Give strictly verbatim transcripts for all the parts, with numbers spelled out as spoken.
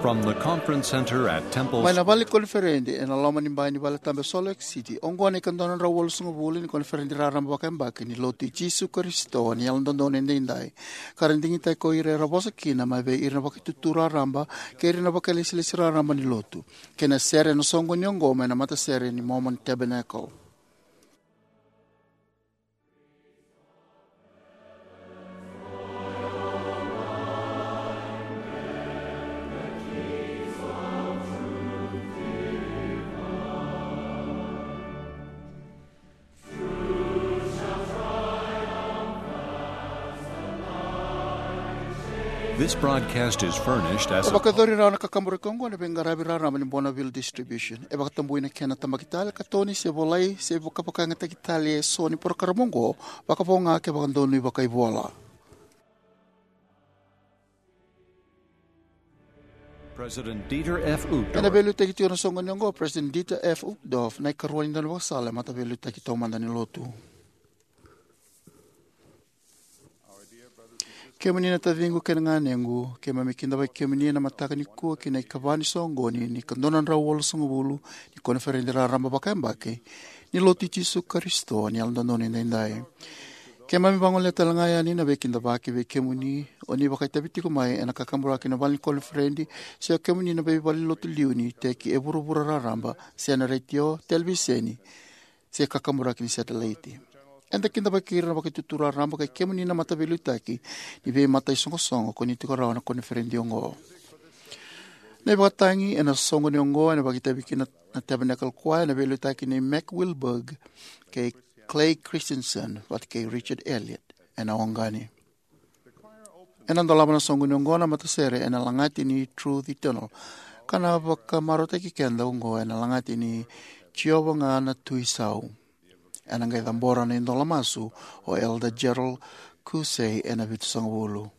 From the conference center at Temple Mai na vale ni koniferedi ena loma ni bai ni vale tabu e Salt Lake City, oqo na ikadua na drau walusagavulu ni koniferedi raraba vakayabaki ni Lotu i Jisu Karisito ni Yalododonu Edaidai, ka ra digitaki ko ira era vosa kina mai vei ira na vakaitutu raraba kei ira na vakailesilesi raraba ni Lotu, kei na sere ena soqoni oqo mai na matasere ni Mormon Tabernacle. This broadcast is furnished as E a vakayacori rawa na kakaburaki oqo na veiqaravi raraba ni Bonneville Distribution. E vakatabui na kena tabaki tale, katoni se volai se vakavakayagataki tale e so ni porokaramu oqo, vakavo ga ke vakadonui vakaivola. President Dieter F. Uchtdorf. Ena veiliutaki tiko ena soqoni oqo o President Dieter F. Uchtdorf, na ikarua ni daunivakasala e mataveiliutaki taumada ni Lotu. Kemuni na taciqu kei na ganequ, keimami kidavaki kemuni ena mataka nikua ki na ikava ni soqoni ni ikadua na drau walusagavulu ni koniferedi raraba vakayabaki ni Lotu i Jisu Karisito ni Yalododonu Edaidai. Keimami vagolea tale ga yani na veikidavaki vei kemuni o ni vakaitavi tiko mai ena kakaburaki na vale ni koniferedi se o kemuni na veivalenilotu liu ni iteki e vuravura raraba, se na retio, televiseni, se kakaburaki ni satelaiti. Eda kidavaki ira na vakaitutu raraba kei kemuni na mataveiliutaki ni veimataisoqosoqo ko ni tiko rawa ena koniferedi oqo. Na ivakatagi ena soqoni oqo ena vakaitavi kina na Tabernacle Choir ena veiliutaki nei Mac Wilberg kei Clay Christensen vata kei Richard Elliott ena oqani. Ena dolava na soqoni oqo na matasere ena lagati ni Truth Eternal, ka na vakamarautaki keda oqo ena lagati ni Jiova ga na Tui Sau. Ena qai cabora na idola masu o Elder Gerald Kusei ena vitusagavulu.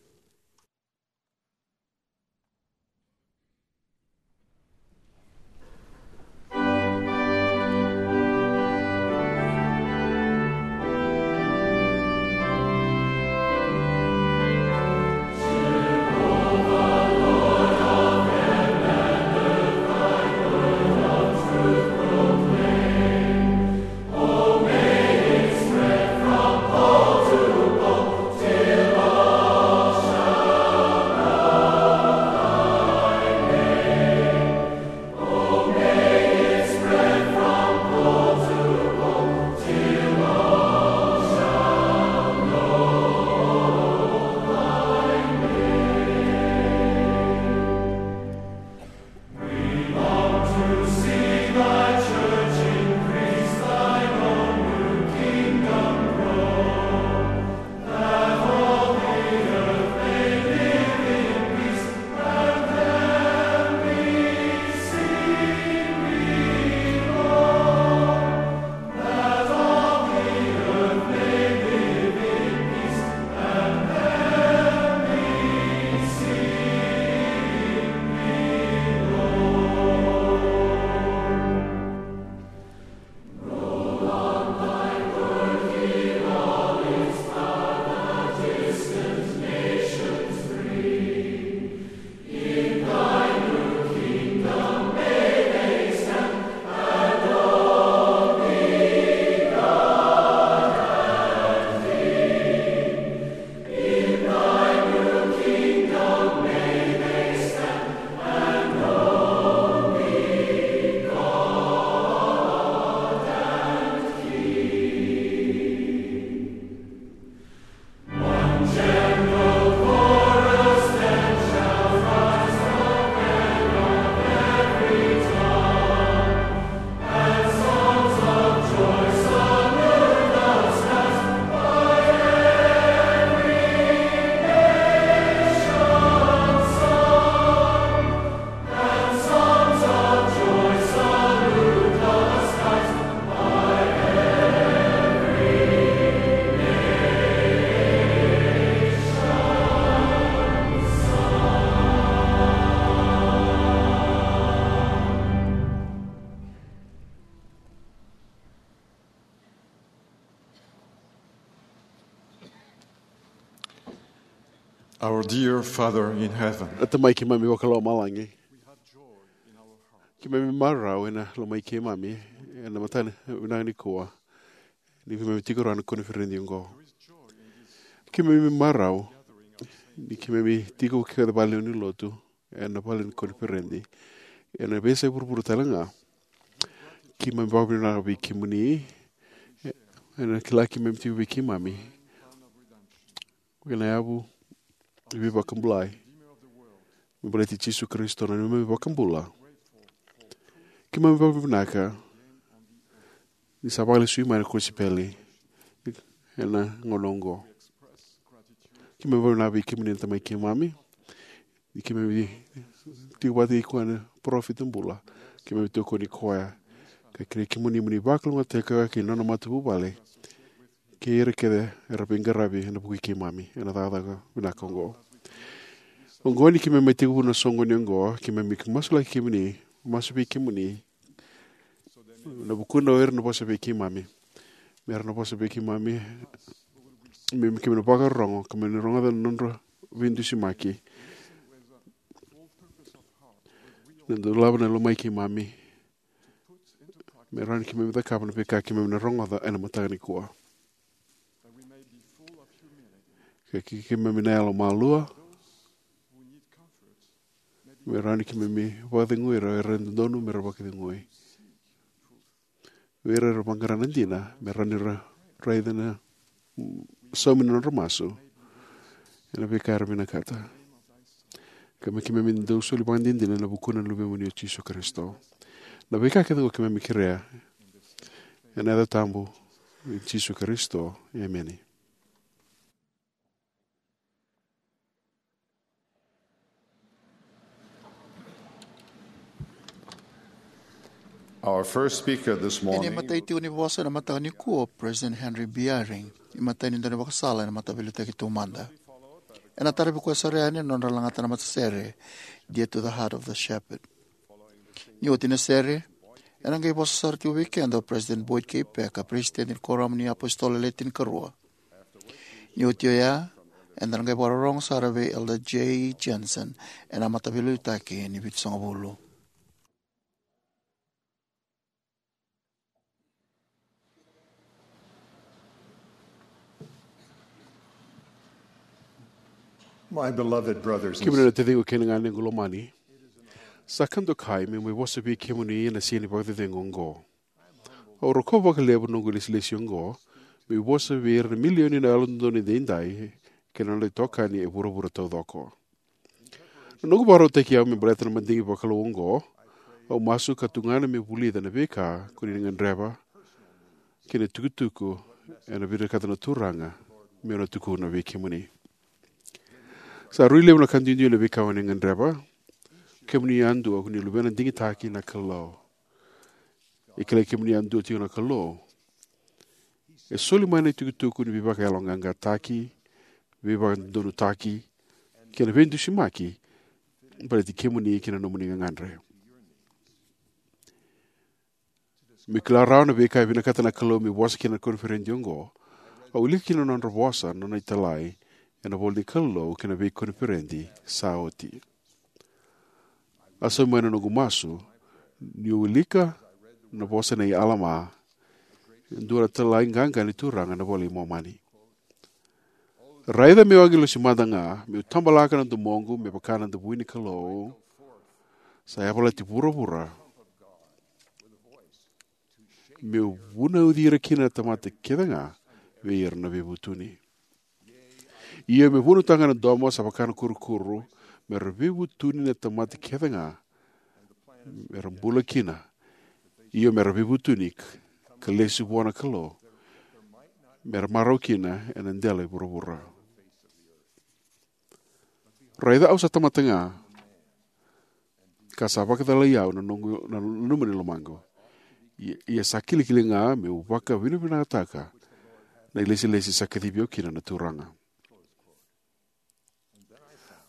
Our dear Father in heaven, Na Tamai keimami vakalomalagi, Keimami marau ena lomai keimami ena mataka vinaka nikua, ni keimami tiko rawa na koniferedi oqo. Keimami marau ni keimami tiko kece vale ni lotu ena vale ni koniferedi ena veiyasai vuravura tale ga. Keimami vakavinavinaka vei kemuni ena kila keimami tiko vei keimami ena yavu ni veivakabulai me baleti Jisu Karisito na neimami iVakabula. Keimami vakavinavinaka ni sa vakalesui mai na kosipeli ena gauna oqo. Keimami vakavinavinaka vei kemuni na tamai keimami, ni keimami tiko vata kei koya na parofita bula. Keimami tokoni koya ka kerei kemuni mo ni vakalougatataka kei na nona matavuvale kei ira kece era veiqaravi ena vuku i keimami ena cakacaka vinaka oqo. Oqo ni keimami mai tekivu na soqoni oqo, keimami masulaki kemuni, masu vei kemuni na vukuna o ira na vosa vei keimami, me ra na vosa vei keimami, me keimami na vakarorogo, keimami na rogoca na nodra veidusimaki, na dolava na lomai keimami, me rawa ni keimami cakava na veika keimami na rogoca ena mataka nikua. Ka ke-, keimami na yalomalua, me rawa ni keimami vakacegui ira era dodonu me ra vakacegui, vei ira era vaqara na dina me rawa ni ra raica na, mm, saumi na nodra masu ena veika era vinakata. Ka me keimami dau soli vakadinadina ena vukuna na Luvemuni o Jisu Karisito. Na veika kece oqo keimami kerea ena yaca tabu i Jisu Karisito, emeni. Our first speaker this morning. Ena imatai tiko ni vosa ena mataka nikua o President Henry B. Eyring, imatai ni daunivakasala ena Mataveiliutaki Taumada. Ena taravi koya sara yani na nodra lagata na matasere, Dear to the Heart of the Shepherd. Ni oti na sere, ena qai vosa sara tiko vei keda o President Boyd K. Packer, President ni Kuoramu ni iApositolo Le Tinikarua. Ni oti oya, eda na qai vakarorogo sara vei Elder Jay Jensen ena Mataveiliutaki ni Vitusagavulu. My beloved brothers and Kemuni na taciqu kei na ganequ lomani, sa ka dokai meu mai vosa vei kemuni ena siga ni vakacecegu oqo. Au rokova vakalevu na noqu ilesilesi oqo meu vosa vei ira na milioni na Yalododonu Edaidai kei na nodra itokani e vuravura taucoko. Na noqu vakarautaki au me baleta na madigi vakalou oqo, au masu ka tugana meu vulica na veika ko ni gadreva kei na itukutuku ena vinakata na Turaga meu na tukuna vei kemuni. Sa rui levu na ka duidui na veika o ni gadreva. Kemuni yadua ko ni luvena digitaki na Kalou. E kilai kemuni yadua tiko na Kalou. E soli mai na itukutuku ni veivakayaloqaqataki, veivakadodonutaki kei na veidusimaki baleti kemuni kei na nomuni gagadre. Meu kila rawa na veika e vinakata na Kalou meu vosa kina ena koniferedi oqo, au wilika kina na nodra vosa na nona italai ena ivolanikalou kei na veikoniferedi sa oti. A saumi mai na noqu masu niu wilika na vosa nei Alama, e dua na italai qaqa ni Turaga ena iVola i Momani. Raica meu agilosi mada ga, meu tabalaka na domoqu me vaka na davui ni Kalou sa yavalati vuravura, meu vunauci ira kina na tamata kece ga vei ira na veivutuni. Io, meu vunautaka na domo sa vaka na kurukuru, me ra veivutuni na tamata kece ga me ra bula kina. Io, me ra veivutuni ka lesu vua na Kalou, me ra marau kina ena dela i vuravura. Raica au sa tamata ga, ka sa vakacalai au na noqu, na nanuma ni lomaqu. Ia, ia sa kilikili ga meu vakavinavinakataka na ilesilesi sa kacivi au kina na Turaga.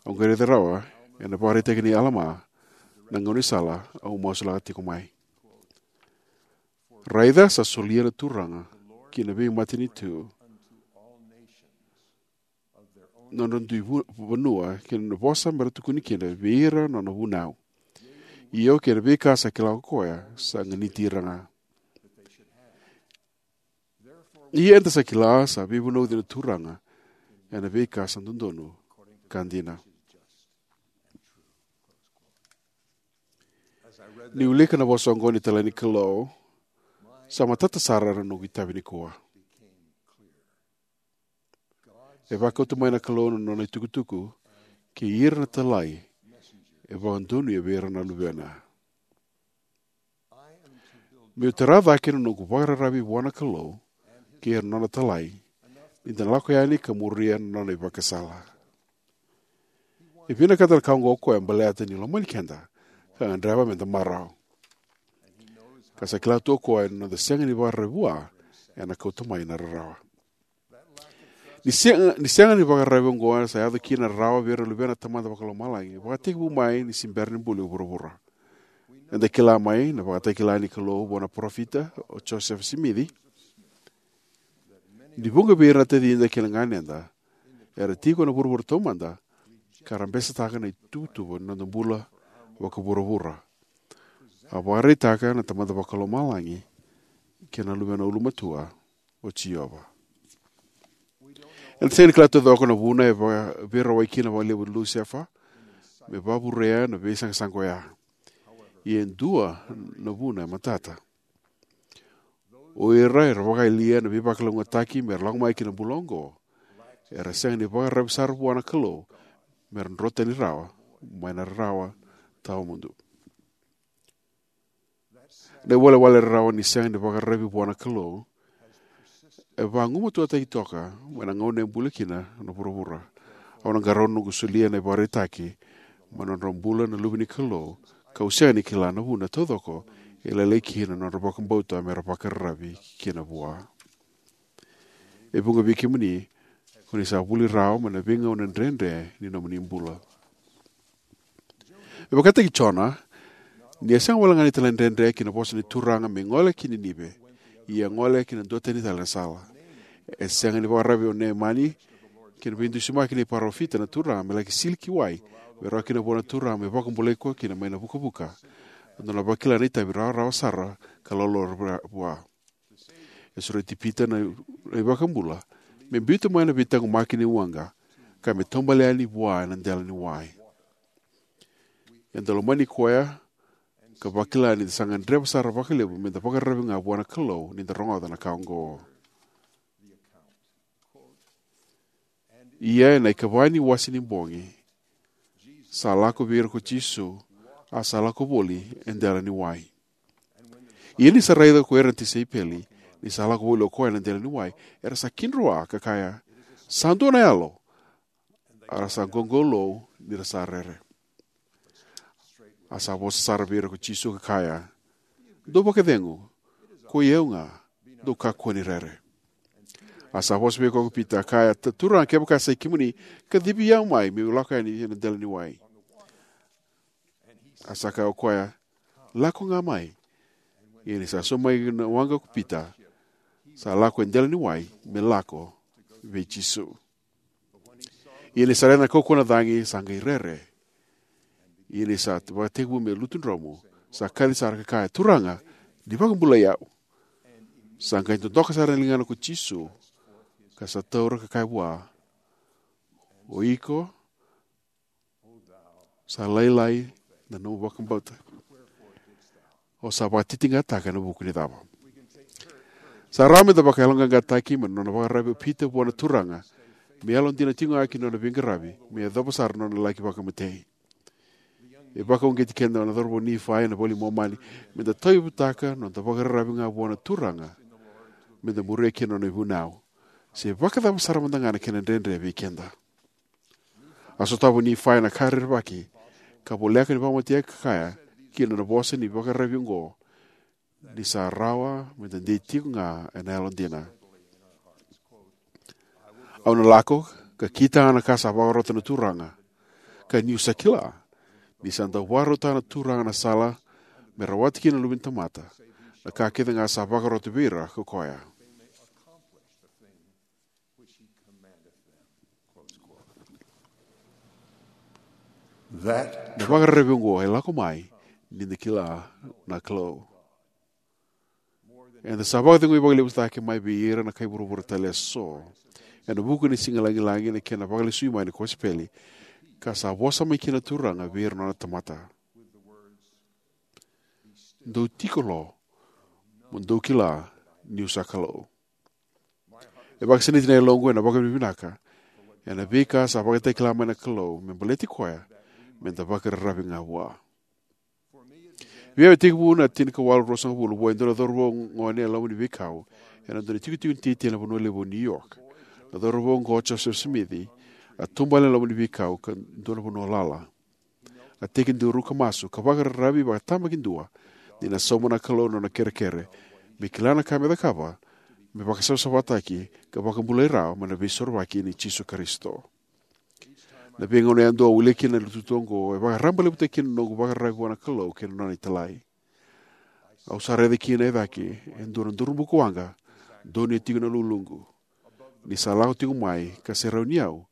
Au qai raica rawa ena ivakaraitaki nei Alama na gaunisala au masulaka tiko mai. Raica sa solia na Turaga ki na veimatanitu na nodra dui vu-, vanua kei na nona vosa me ra tukuni kina vei ira na nona vunau. Io, kei na veika sa kila ko koya sa ganiti ira ga. Ia eda sa kila sa veivunauci na Turaga ena veika sa dodonu ka dina. Ni wilika na vosa oqo ni talai ni Kalou, sa matata sara na noqu itavi nikua. E vakauta mai na Kalou na nona itukutuku kei ira na talai e vakadonuya vei ira na luvena. Meu tara cake na noqu vakararavi vua na Kalou kei ira na nona talai, ni da na lako yani ka muria na nona ivakasala. E vinakata na ka oqo o koya baleta ni lomani keda ka gadreva me da marau. Ka sa kila tu o koya na noda sega ni vakararavi vua ena kauta mai na rarawa. Ni sega, ni sega ni vakararavi oqo sa yaco kina na rarawa vei ira na luvena na Tamada Vakalomalagi, vakatekivu mai ni se bera ni buli o vuravura. Eda kila mai na vakatakila ni Kalou vua na parofita o Josefa Simici ni vuqa vei ira na tacida kei na ganeda era tiko ena vuravura taumada ka ra besetaka na ituvatuva ni noda bula vakavuravura. A vakaraitaka na Tamada Vakalomalagi kei na Luvena Ulumatua, o Jiova. Eda sega ni kila taucoko na vuna e va-, veirawai kina vakalevu o Lusefa me vakavurea na veisaqasaqa oya. Ia e dua na vuna e matata. O ira era vakayalia na veivakalougatataki me ra lako mai ki na bula oqo era sega ni vakararavi sara vua na Kalou me ra drotani rawa mai na rarawa tawamudu. Na iwalewale rarawa ni sega ni vakararavi vua na Kalou e vagumatuataki toka mai na gauna e buli kina na vuravura. Au na qarauna noqu solia na ivakaraitaki mai na nodra bula na luve ni Kalou, kau sega ni kila na vuna taucoko e lailai kina na nodra vakabauta me ra vakararavi kina vua. E vuqa vei kemuni ko ni sa vuli rawa mai na veigauna dredre ni nomuni bula. E vakataki Jona, ni a sega wale ga ni talaidredre ki na vosa ni Turaga me gole ki Ninive, ia a gole ki na dua tani tale na sala. E sega ni vakararavi o Neamani ki na veidusimaki ni parofita na Turaga me laki sili ki wai me rawa kina vua na Turaga me vakabulai koya kina mai na vukavuka. Dou na vakila na itavi rawarawa sara ka lolora vua. E sureti Pita na, na iVakabula me biuta mai na veitaqomaki ni waqa ka me taubale yani vua ena dela ni wai. Eda lomani koya ka vakila ni da sa gadreva sara vakalevu me da vakararavi ga vua na Kalou ni da rogoca na ka oqo. Ia ena ikava ni wase ni bogi, sa lako vei ira ko Jisu, a sa lako voli e dela ni wai. Ia ni sa raica ko ira na tisaipeli ni sa lako voli o koya na dela ni wai, era sa kidroa ka kaya, "Sa dua na yalo." A ra sa qoqolou ni ra sa rere. A sa vosa sara vei ira ko Jisu ka kaya, "Dou vakacegu, koi au ga, dou kakua ni rere." A sa vosa vei koya ko Pita, a kaya, "Ta-, Turaga, kevaka sa i kemuni, kacivi au mai meu lako yani ena dela ni wai." A sa kaya o koya, "Lako ga mai." Ia ni sa sauma mai na waqa ko Pita, sa lako e dela ni wai me lako vei Jisu. Ia ni sa raica na kaukauwa na cagi, sa qai rere. Ia ni sa vakatekivu me lutu dromu, sa kaci sara ka kaya, "Turaga, ni vakabulai au." Sa qai dodoka sara na ligana ko Jisu, ka sa taura ka kaya vua, "O iko, sa lailai na nomu vakabauta. O sa vakatitiqataka ena vuku ni cava?" Sa rawa me da vakayaloqaqataki mai na nona vakararavi o Pita vua na Turaga, me yalodina tiko ga ki na nona veiqaravi me yacova sara na nona laki vakamatei. E vakauqeti keda na cauravou Nifai ena iVola i Momani me da tauyavutaka na noda vakararavi ga vua na Turaga, me da muria kina na nona ivunau, se vakacava sara mada ga na kena dredre vei keda. A sotava o Nifai na ka rerevaki ka voleka ni vakamatea ka kaya kina na vosa ni vakararavi oqo, ni sa rawa me da dei tiko ga ena yalodina. "Au na lako ka kitaka na ka sa vakarota na Turaga, ka niu sa kila ni sa dau vakarautaka na Turaga na sala me rawata kina na Luve ni tamata na ka kece ga sa vakarota vei ira ko koya." Na vakararavi oqo e lako mai ni da kila na Kalou. Eda sa vakacegui vakalevu cake mai vei ira na kai vuravura tale eso ena vuku ni siga lagilagi na kena vakalesui mai na kosipeli, ka sa vosa mai kina na Turaga vei ira na nona tamata: Dou tiko lo, mo dou kila niu sa Kalou. E vakasinaiti na yaloqu ena vakavinavinaka ena veika sa vakatakila mai na Kalou me baleti koya me da vakararavi ga vua. Vei au, e tekivu na tinikawalu ruasagavulu vua e dua na cauravou gone e loma ni veikau ena dua na tikotiko ni titi ena vanua levu o New York. Na cauravou oqo, o Joseph Smith, a taubale ena loma ni veikau ka dua na vanua lala. A tekiduru ka masu ka vakararavi vakatabakidua ni na sauma na Kalou na nona kerekere me kila na ka me cakava me vakasavasavataki ka vakabulai rawa mai na Veisorovaki i Jisu Karisito. Na veigauna yadua au wilika kina na itukutuku oqo, e vakarabailevutaki kina na noqu vakararavi vua na Kalou kei na Nona italai. Au sa raica kina e cake e dua na duru bukawaqa donuya tiko na uluqu, ni sa lako tiko mai ka serauni au,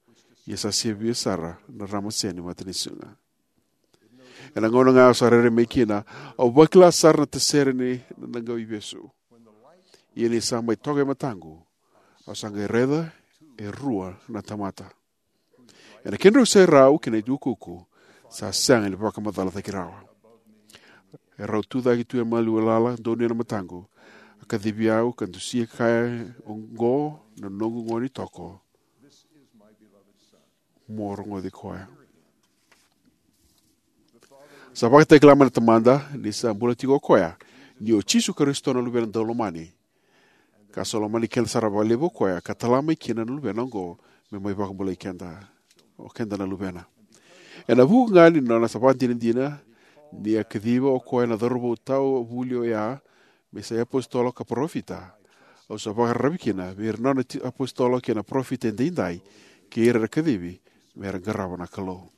ia sa sivia sara na ramase ni matanisiga. Ena gauna ga au sa rairai mai kina, au vakila sara na tasere ni na qau ivesu. Ia ni sa mai toka e mataqu, au sa qai raica e rua na tamata. Ena kedrau serau kei na iukuuku, sa sega ni vakamacalataki rawa. E rau tu cake tu e maliwa lala donuya na mataqu. A kacivi au ka dusia, kaya: "Oqo na noqu gone toko, mo rogoci koya." Sa vakatakila mai na Tamada ni sa bula tiko o koya, ni o Jisu Karisito na Luvena Daulomani, ka sa lomani keda sara vakalevu o koya ka tala mai kina na Luvena oqo me mai vakabulai keda, o keda na luvena. Ena vuku ga ni nona sa vakadinadina ni a kaciva o koya na cauravou tawa vuli oya me sa iapositolo ka parofita, au sa vakararavi kina vei ira na nona ti-, apositolo kei na parofita edaidai, kei ira era kacivi me ra qarava na Kalou.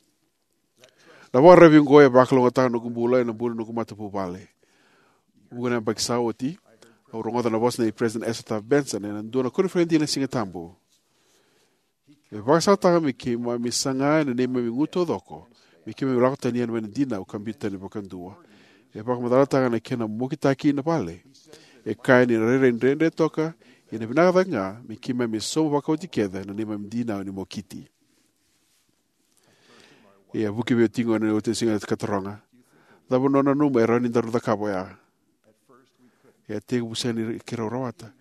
Na vakararavi oqo e vakalougatataka na noqu bula ena bula ni noqu matavuvale. Vuqa na yabaki sa oti, au rogoca na vosa nei President Ezra Taft Benson ena dua na koniferedi ena Sigatabu. E vakasalataka me keimami saga ena neimami igu taucoko me keimami lako tani yani mai na dinau ka biuta tani vakadua. E vakamacalataka na kena mokitaki na vale. E kaya ni na rairai dredre toka, ia na vinaka cake ga me keimami sauma vakaoti kece na neimami dinau ni mokiti. Ia, vuki vei au tiko na iotioti ni siga ka taroga: "Cava o nanuma e rawa ni daru cakava oya?" Ia, tekivu sega ni keirau rawata.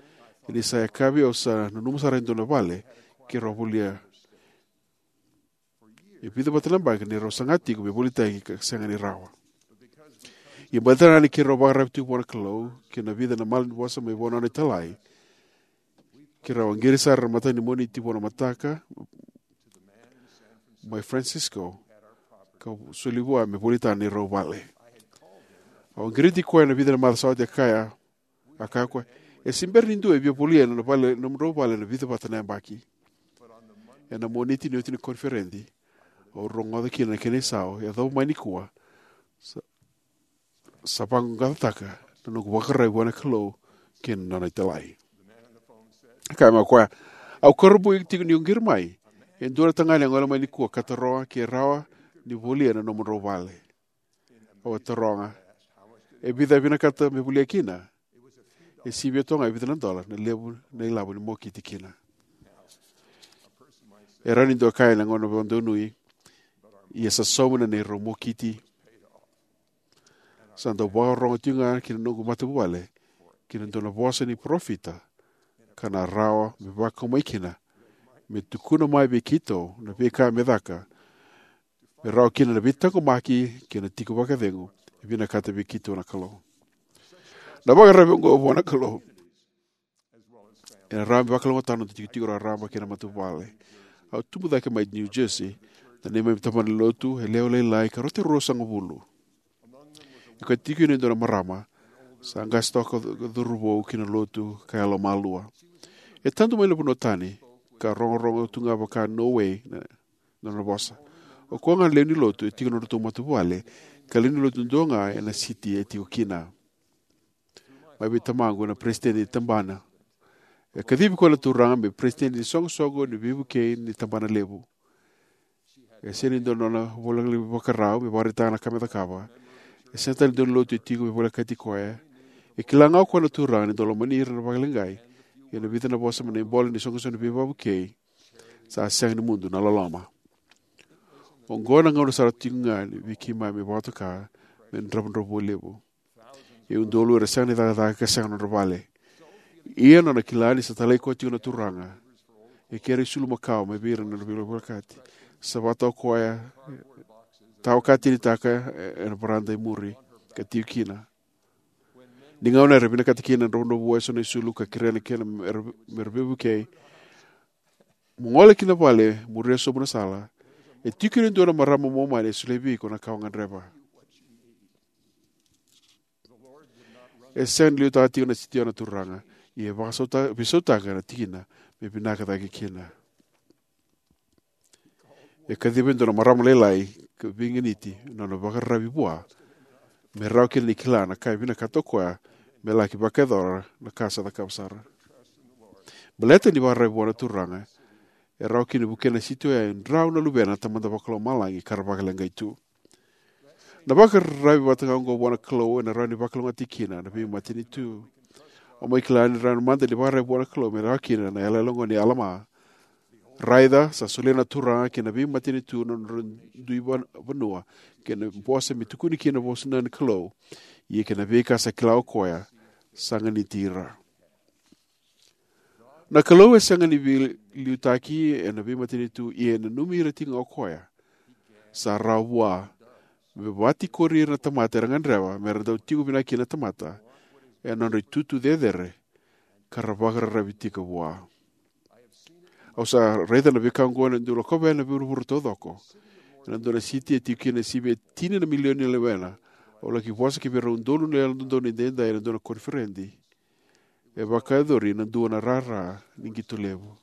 Ia ni sa yakavi, au sa nanuma sara e dua na vale keirau volia. E vica vata na yabaki ni rau saga tiko me volitaki ka sega ni rawa. Ia, baleta ga ni keirau vakararavi tiko vua na Kalou kei na vica na malanivosa mai vua na Nona italai, keirau a qiri sara ena mataka ni Moniti vua na mataka mai Francisco, ka soli vua me volitaka na neirau vale. Au a qiriti koya ena vica na macawa sa oti, a kaya, a kaya o koya: "E se bera ni dua e via volia na vale, nomudrau vale ena vica vata na yabaki." Ena Moniti ni oti na koniferedi, au rogoca kina na kena isau: "Yacova mai nikua, sa, sa vaqaqacotaka na noqu vakararavi vua na Kalou kei na Nona italai." A kaya mai o koya: "Au kurabui tiko niu qiri mai e dua na tagane a gole mai nikua ka taroga ke rawa ni volia na nomudrau vale." Au a taroga: "E vica e vinakata me volia kina?" E sivia toka ga e vica na dola na levu na ilavo ni mokiti kina. E rawa ni dua kaya ena gauna vakadonui, ia sa sauma na neirau mokiti. Sa dau vakarorogo tiko ga kina noqu matavuvale ki na dua na vosa ni parofita, ka na rawa me vakau mai kina, me tukuna mai vei keitou na veika me caka, me rawa kina na veitaqomaki kei na tiko vakacegu e vinakata vei keitou na Kalou. Na vakararavi oqo vua na Kalou ena rawa me vakalougatataka na noda itikotiko raraba kei na matavuvale. Au tubu cake mai New Jersey, na neimami tabana ni lotu e lewe lailai ka rauta e ruasagavulu. E kauti tiko kina e dua na marama sa qase toka, cauravou ki na lotu ka yalomalua. E tadu mai na vanua tani, ka rogorogo tu ga vaka no way na, na nona vosa. O koya ga na lewe ni lotu e tiko na nodratou matavuvale, ka lewe ni lotu duadua ga ena siti e tiko kina. Mai vei tamaqu na peresitedi ni tabana. E kacivi koya na Turaga me peresitedi ni soqosoqo ni veivukei ni tabana levu. E sega ni dua na nona ivolanikalou me vakarautaka na ka me cakava. E sega tale ni daunilotu e tiko me volekati koya. E kila ga o koya na Turaga ni dau lomani ira vakaleqai, ia na vica na vosa mai na ibola ni isoqosoqo ni veivakavukei, sa sega ni mudu na loloma. Oqo na gauna sara tiko ga ni vei keimami vakatoka me dravudravua levu. E udolu era sega ni cakacaka ka sega nodra vale. Ia nona kila ni sa talai koya tiko na Turaga, e kere isulu makawa mai vei ira na nodra veivolekati. Sa vata o koya, tawa katinitaka ena varada e muri, ka tiko kina. Ni gauna era vinakata kina na dravudravua eso na isulu ka kerea na kena mera, mera veivukei, mo gole ki na vale, muria sobu na sala. E tiko kina e dua na marama Momani e solia vei iko na ka o gadreva. E sega ni liutaka tiko na siti oya na Turaga, ia e vakasauta, veisautaka na tikina me vinaka cake kina. E kaciva e dua na marama lailai ka veiganiti na nona vakararavi vua, me rawa kina ni kila na ka e vinakata o koya me laki vakayacora na ka sa cakava sara. Baleta ni vakararavi vua na Turaga, e rawa kina ni vukea na siti oya e drau na luvena na Tamada Vakalomalagi ka ra vakaleqai tu. Na vakararavi vata ga oqo vua na Kalou ena rawa ni vakalougatataki kina na veimatanitu. Au mai kila ni rawa mada ni vakararavi vua na Kalou me rawa kina na yalayala oqo nei Alama. Raica, sa solia na Turaga ki na veimatanitu na nodra dui van-, vanua, kei na vosa me tukuni kina na vosa ni Kalou, ia kei na veika sa kila o koya, sa ganiti ira. Na Kalou e sega ni veiliutaki ena veimatanitu, ia e nanumi ira tiko ga o koya. Sa rawa vua me vatikori ira na tamata era gadreva mera dau tiko vinaka kina na tamata ena nodra itutu cecere, ka ra vakararavi tiko vua. Au sa raica na veika oqo ena dau lakova yani na vuravura taucoko. Ena dua na siti e tiko kina e sivia e tini na milioni na luvena. Au laki vosa ki vei ira na udolu na yalododonu edaidai ena dua na koniferedi. E vakayacori ena dua na rara ni qito levu.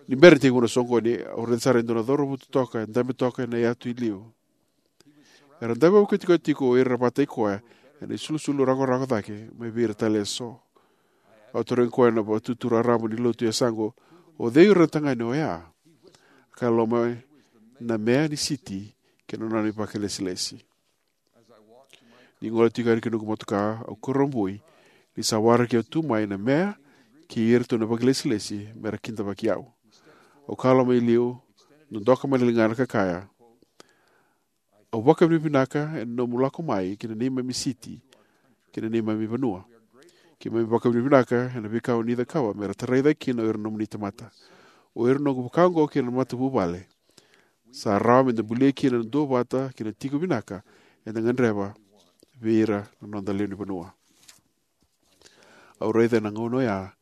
Ni bera ni tekivu na soqoni, au raica sara e dua na cauravou totoka e dabe toka ena yatu e liu. Era dabe vakatikotiko o ira era vakataki koya ena isulusulu rakorako cake mai vei ira tale eso. Au tarogi koya na vatutu raraba ni lotu e yasaqu, "O cei o ira na tagane oya?" A kaya, "Loma na mea ni siti kei na nona ivakalesilesi." Ni gole tiko yani ki noqu motoka, au kurabui ni sa waraki au tu mai na mea kei iratou na vakalesilesi mera kidavaki au. Au kalougata mai liu, dodoka mai na ligana ka kaya, "Au vakavinavinaka ena nomu lako mai ki na neimami siti, ki na neimami vanua. Keimami vakavinavinaka ena veika o ni cakava mera tarai cake kina o ira na nomuni tamata." O ira na noqu vaka oqo kei na matavuvale, sa rawa meda bulia kina na duavata kei na tiko vinaka eda gadreva vei ira na noda lewenivanua. Au raica ena gauna oya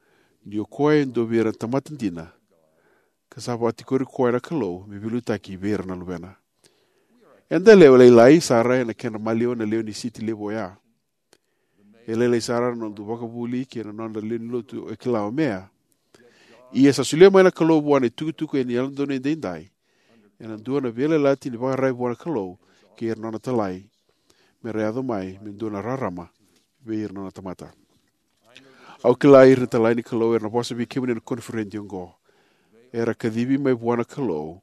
ni o koya e dua vei ira na tamata dina, ka sa vakatikori koya na Kalou me veiliutaki vei ira na luvena. Eda lewe lailai sara ena kena maliwa na lewe ni siti levu oya. E lailai sara na noda vakavuli kei na noda lewe ni lotu e kila o Mea. Ia sa solia mai na Kalou vua na itukutuku ena yalododonu edaidai, ena dua na veiyalayalati ni vakararavi vua na Kalou kei ira na nona talai, mera yaco mai me dua na rarama vei ira na nona tamata. Au kila ira na italai ni Kalou era na vosa vei kemuni ena koniferedi oqo. Era kacivi mai vua na Kalou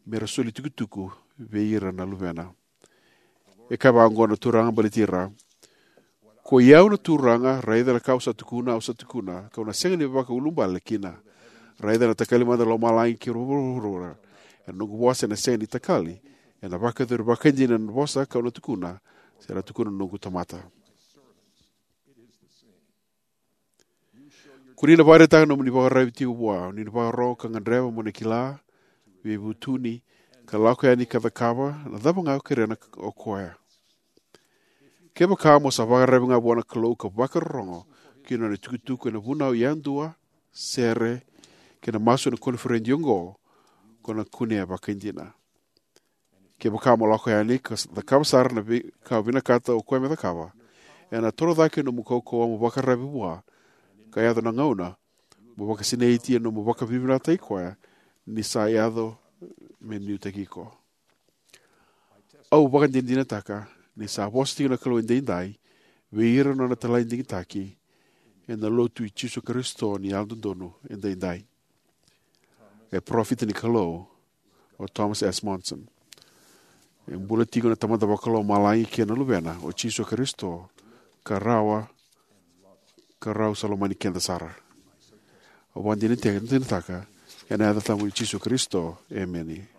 mera soli tukutuku vei ira na luvena. E kaya vaka oqo na Turaga baleti ira: "Koi au na Turaga, raica na ka au sa tukuna, au sa tukuna, kau na sega ni vakaulubale kina. Raica, na takali mada na lomalagi kei vuravura. Ena noqu vosa ena sega ni takali, ena vakayacori vakaidina na vosa kau na tukuna, se ra tukuna na noqu tamata." Ko ni na vakaraitaka na nomuni vakararavi tiko vua, ni na vakarorogo ka gadreva mo na kila, veivutuni, ka lako yani ka cakava na cava ga o kerea na, o koya. Kevaka mo sa vakararavi ga vua na Kalou ka vakarorogo ki na nona itukutuku ena vunau yadua, sere, kei na masu ena koniferedi oqo, ko na kunea vakaidina. Kevaka mo lako yani ka cakava sara na veika o vinakata o koya me cakava, ena toro cake nomu kaukauwa mo vakararavi vua, ka yaco na gauna mo vakasinaiti ena nomu vakavinavinakataki koya, ni sa yaco me liutaki iko. Au vakadinadinataka ni sa vosa tiko na Kalou edaidai vei ira na nona italai digitaki ena Lotu i Jisu Karisito ni Yalododonu Edaidai. E parofita ni Kalou o Thomas S. Monson. E bula tiko na Tamada Vakalomalagi kei na Luvena, o Jisu Karisito, ka rawa, ka rau sa lomani keda sara. Au vakadinadinataka ena yaca tabu i Jisu Karisito. Emeni.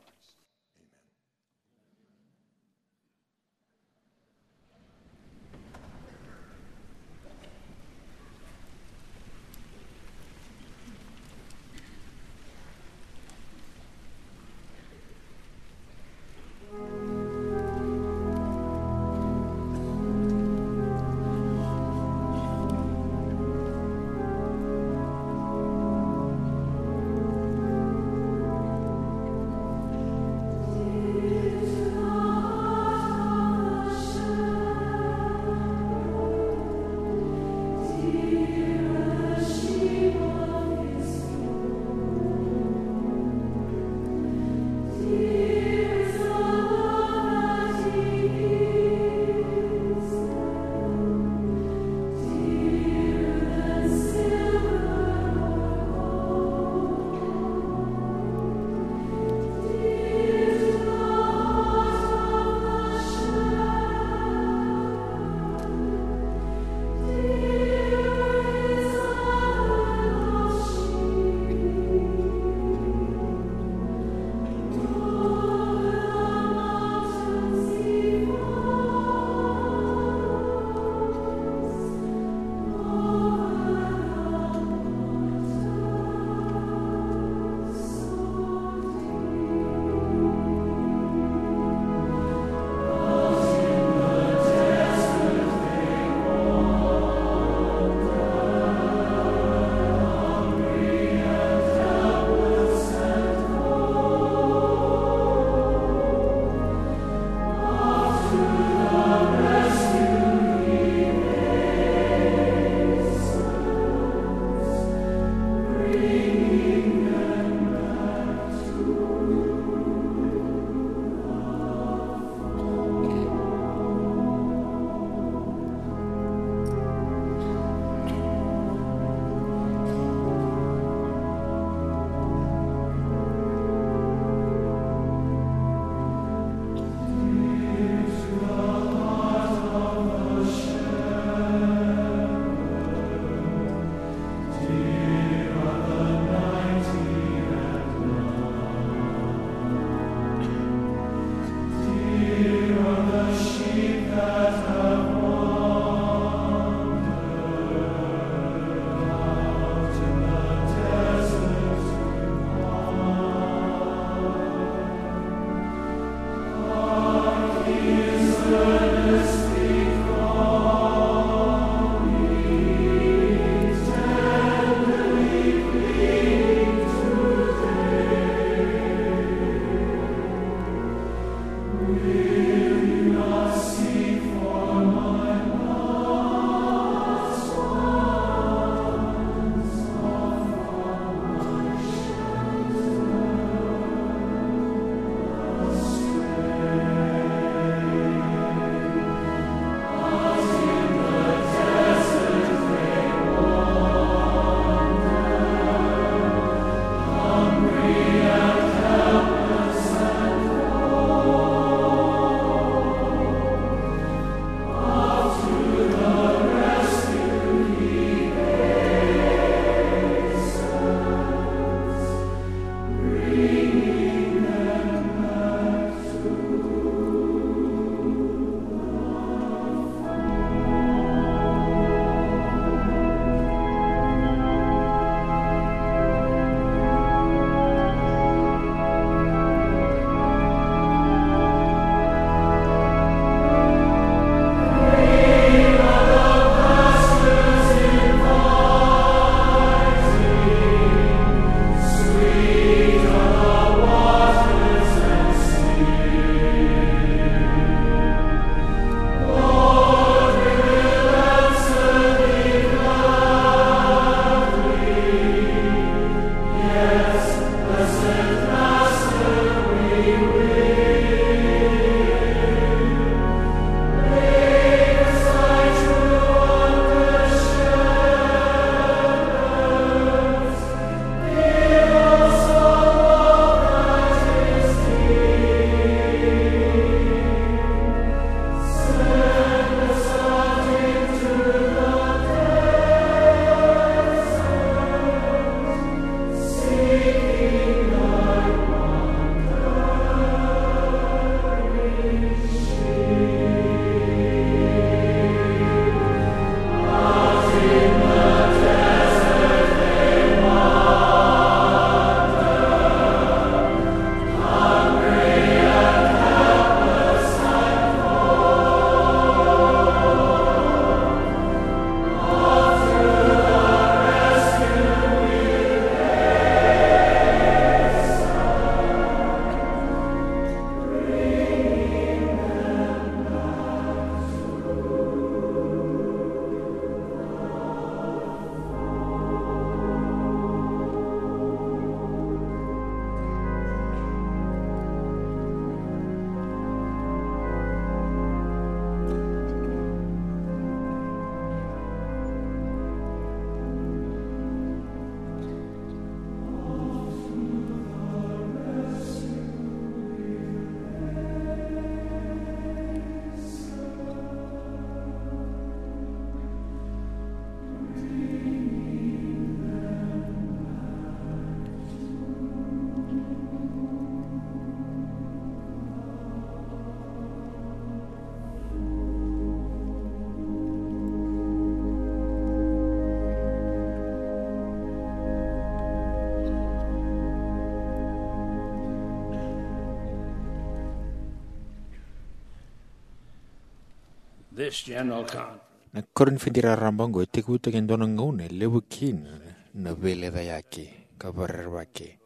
This general conference. Na Korinifedi raraba oqo e tekivutaki e dua na gauna e levu kina na veilecayaki ka vakarerevaki,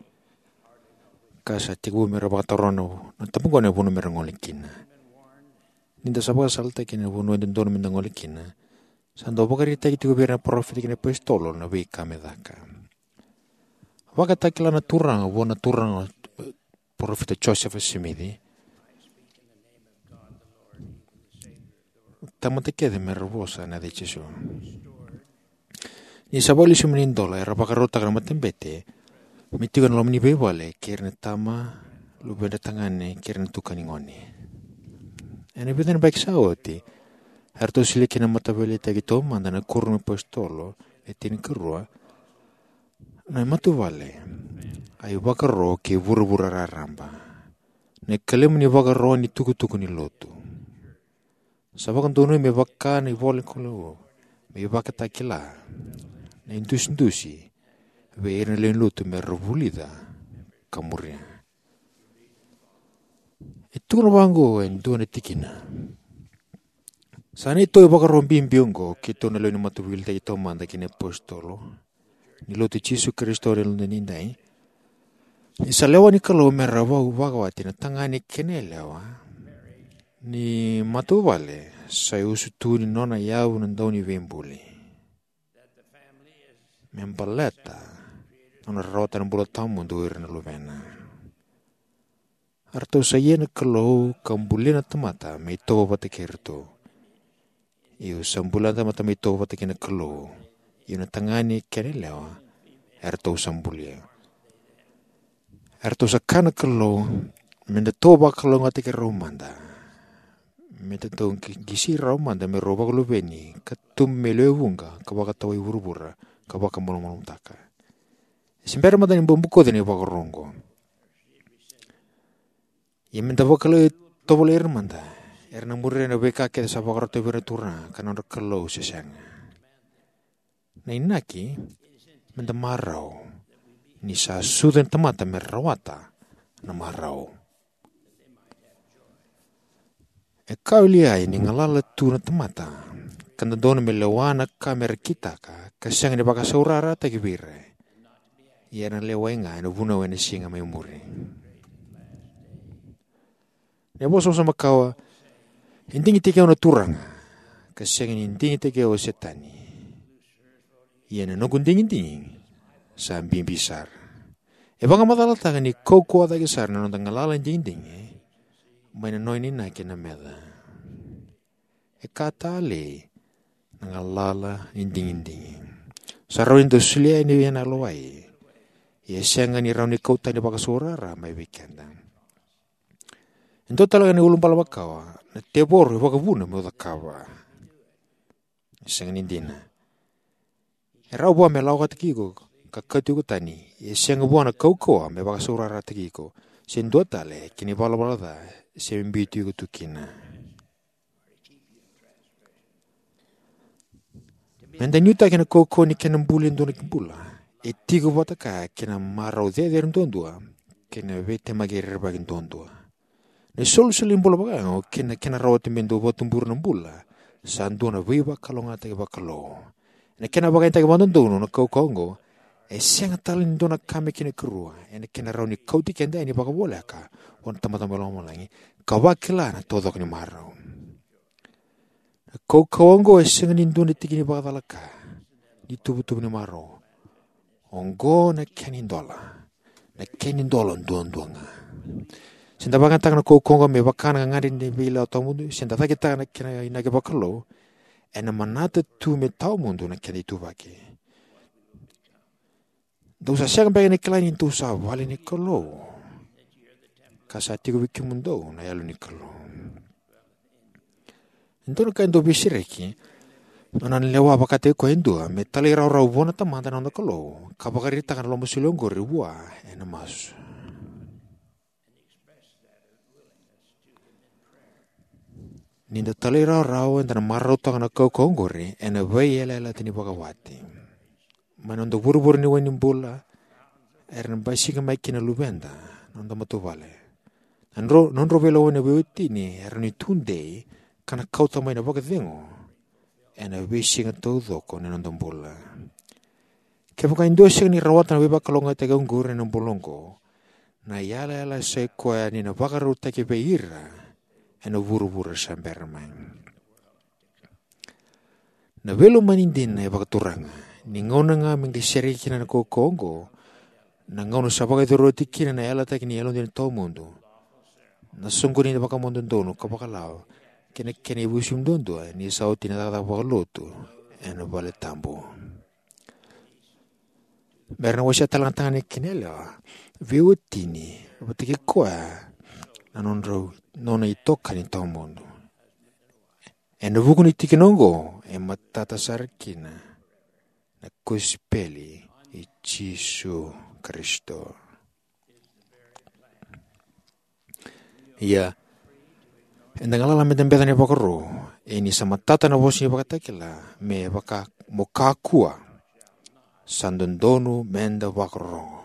ka sa tekivu me ra vakataroga na tabaqu na vanua me ra gole kina. Ni da sa vakasalataki na vanua e dodonu me da gole kina, sa dau vakaraitaki tiko vei ira na parofita kei na apositolo na veika me caka. Vakatakila na Turaga vua na Turaga, Parofita Josefa Simici, tamata kece me ra vosa ena yaca i Jisu. Ni sa vakalesui mai na idola, era vakarautaka na matabete me tiko ena loma ni veivale kei ira na tama, luvedra tagane kei ira na tukani gone. Ena vica na yabaki sa oti, eratou solia kina na mataveiliutaki taumada na Kuoramu ni apositolo e tinikarua, na matavuvale, a ivakaro kei vuravura raraba, na ikalima ni vakaro ni tukutuku ni lotu. Sa vakadonui me vaka na ivolanikalou me ivakatakila, na idusidusi vei ira na lewe ni lotu me ra vulica ka muria. E tukuna vaqo e dua na tikina: Sa neitou ivakaro bibi oqo keitou na lewe ni mataveiliutaki taumada kei na apositolo ni Lotu i Jisu Karisito ni Yalododonu Edaidai, ni sa lewa ni Kalou me ra vau vakawati na tagane kei na yalewa ni matavuvale sa iusutu ni nona yavu na Dauniveibuli, me baleta na nona rawata na bula tawamudu o ira na luvena. Eratou sa ia na Kalou ka bulia na tamata me itovo vata kei iratou. Io, sa bulia na tamata me itovo vata kei na Kalou. Io, na tagane kei na yalewa eratou sa bulia. Eratou sa kaya na Kalou me datou vakalougatataki rau mada, me datou qi-, qisi rau mada me rau vakaluveni ka tubu me lewe vuqa ka vakatawai vuravura ka vakamalumalumutaka. E se bera mada ni bau bokoci na ivakaro oqo. Ia me da vakatovolei ira mada, era na muria na veika kece sa vakarautaka vei ira na Turaga ka nodra Kalou se sega. Na inaki me da marau, ni sa sucu na tamata me rawata na marau. E ka o Liai ni galala tu na tamata ka dodonu me lewa na ka me ra kitaka ka sega ni vakasaurarataki vei ira. Ia era na lewai ga ena vunau ena siga mai muri. Na vosa makawa, e digitaki au na Turaga, ka sega ni digitaki au o Setani. Ia na noqu digidigi sa bibi sara. E vakamacalataka ni kaukauwa cake sara na noda galala ni digidigi mai na nona inaki na meca. E ka talei na galala ni digidigi. Sa rawa ni da solia yani ena yalowai, ia e sega ni rawa ni kau tani vakasaurara mai vei keda. E dua tale ga na iulubale makawa, na tevoro e vakavuna meu cakava. E sega ni dina. E rawa vua me lawakataki iko ka kauti iko tani, ia e sega vua na kaukauwa me vakasaurarataki iko se dua tale ki na ivalavala ca se me biuti iko tu kina. Me da nuitaki na kaukauwa ni kena buli e dua na bula, e tiko vata kaya kei na marau cecere duadua kei na veitemaki rerevaki duadua. Na isolisoli ni bula vakayago kei na kena rawati me dau vakatubura na bula sa dua na veivakalougatataki vakalou. Ena kena vakayagataki vakadodonu na kaukauwa oqo, e sega tale ni dua na ka me kena ikarua ena kena rawa ni kauti keda yani vakavoleka vua na Tamada mai Lomalagi ka vakila na taucoko ni marau. Na kaukauwa oqo e sega ni dua na tiki ni vakacalaka ni tuvatuva ni marau. Oqo na kena idola. Na kena idola duadua ga. Se da vakayagataka na kaukauwa oqo me vaka na gagadre ni veilawa tawamudu, se da cakitaka na kena inaki vakalou, ena manata tu me tawamudu na kena ituvaki. Dou sa sega beka ni kila ni dou sa vale ni Kalou, ka sa tiko vei kemudou na Yalo ni Kalou? E dua na ka e dau veisereki, nona na lewa vakataki koya e dua me talairawarawa vua na Tamada na noda Kalou ka vakaraitaka na lomasoli oqori vua ena masu. Ni da talairawarawa, eda na marautaka na kaukauwa oqori ena veiyalayalati ni vakawati. Mai na noda vurevure ni wai ni bula, era na basika mai kina na luveda, na noda matavuvale. Na nodra, na nodra veilawa na veiwatini era na tudei ka na kauta mai na vakacegu ena veisiga taucoko ni noda bula. Kevaka e dua e sega ni rawata na veivakalougatataki oqori ena bula oqo, na yalayala sa i koya ni na vakarautaki vei ira ena vuravura sa bera mai. Na veilomani dina e vakaturaga ni gauna ga me qai sereki kina na kaukaua oqo, na gauna sa vakayacori oti kina na yalataki ni yalodina tawamudu, na soqoni ni vakamau dodonu ka vakalawa kei na kena ivusimu duadua ni sa oti na cakacaka vakalotu ena vale tabu. Mera na wasea tale ga tagane kei na yalewa veiwatini vata kei koya na nodrau, nona itokani tawamudu. Ena vuku ni tikina oqo e matata sara kina na kosipeli i Jisu Karisito. Ia, eda galala meda beca na ivakaro, e ni sa matata na vosa ni Vakatakila me vaka mo kakua, sa dodonu meda vakarorogo.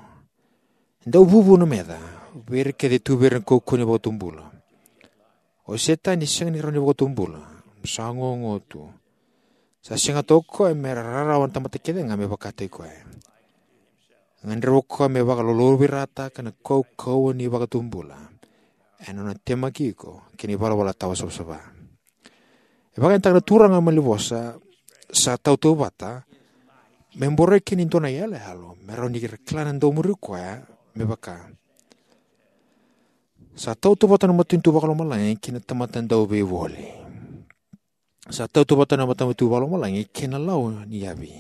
E dau vuvu na meca vei ira kece e tu vei ira na kaukauwa ni vakatubula. O Setani sega ni rawa ni vakatubula, sa gogo tu. Sa sega toka o koya me ra rarawa na tamata kece ga me vakataki koya. Gadreva o koya me vakalolovirataka na kaukauwa ni vakatubula ena nona temaki iko kei na ivalavala tawa savasava. E vakayagataka na Turaga mai na vosa sa tautauvata me boroi kina e dua na iyaloyalo me rawa ni ra kila na dau muri koya, me vaka: Sa tautauvata na matanitu vakalomalagi kei na tamata dauveivoli. Sa tautauvata na matanitu vakalomalagi kei na lawa ni yavi.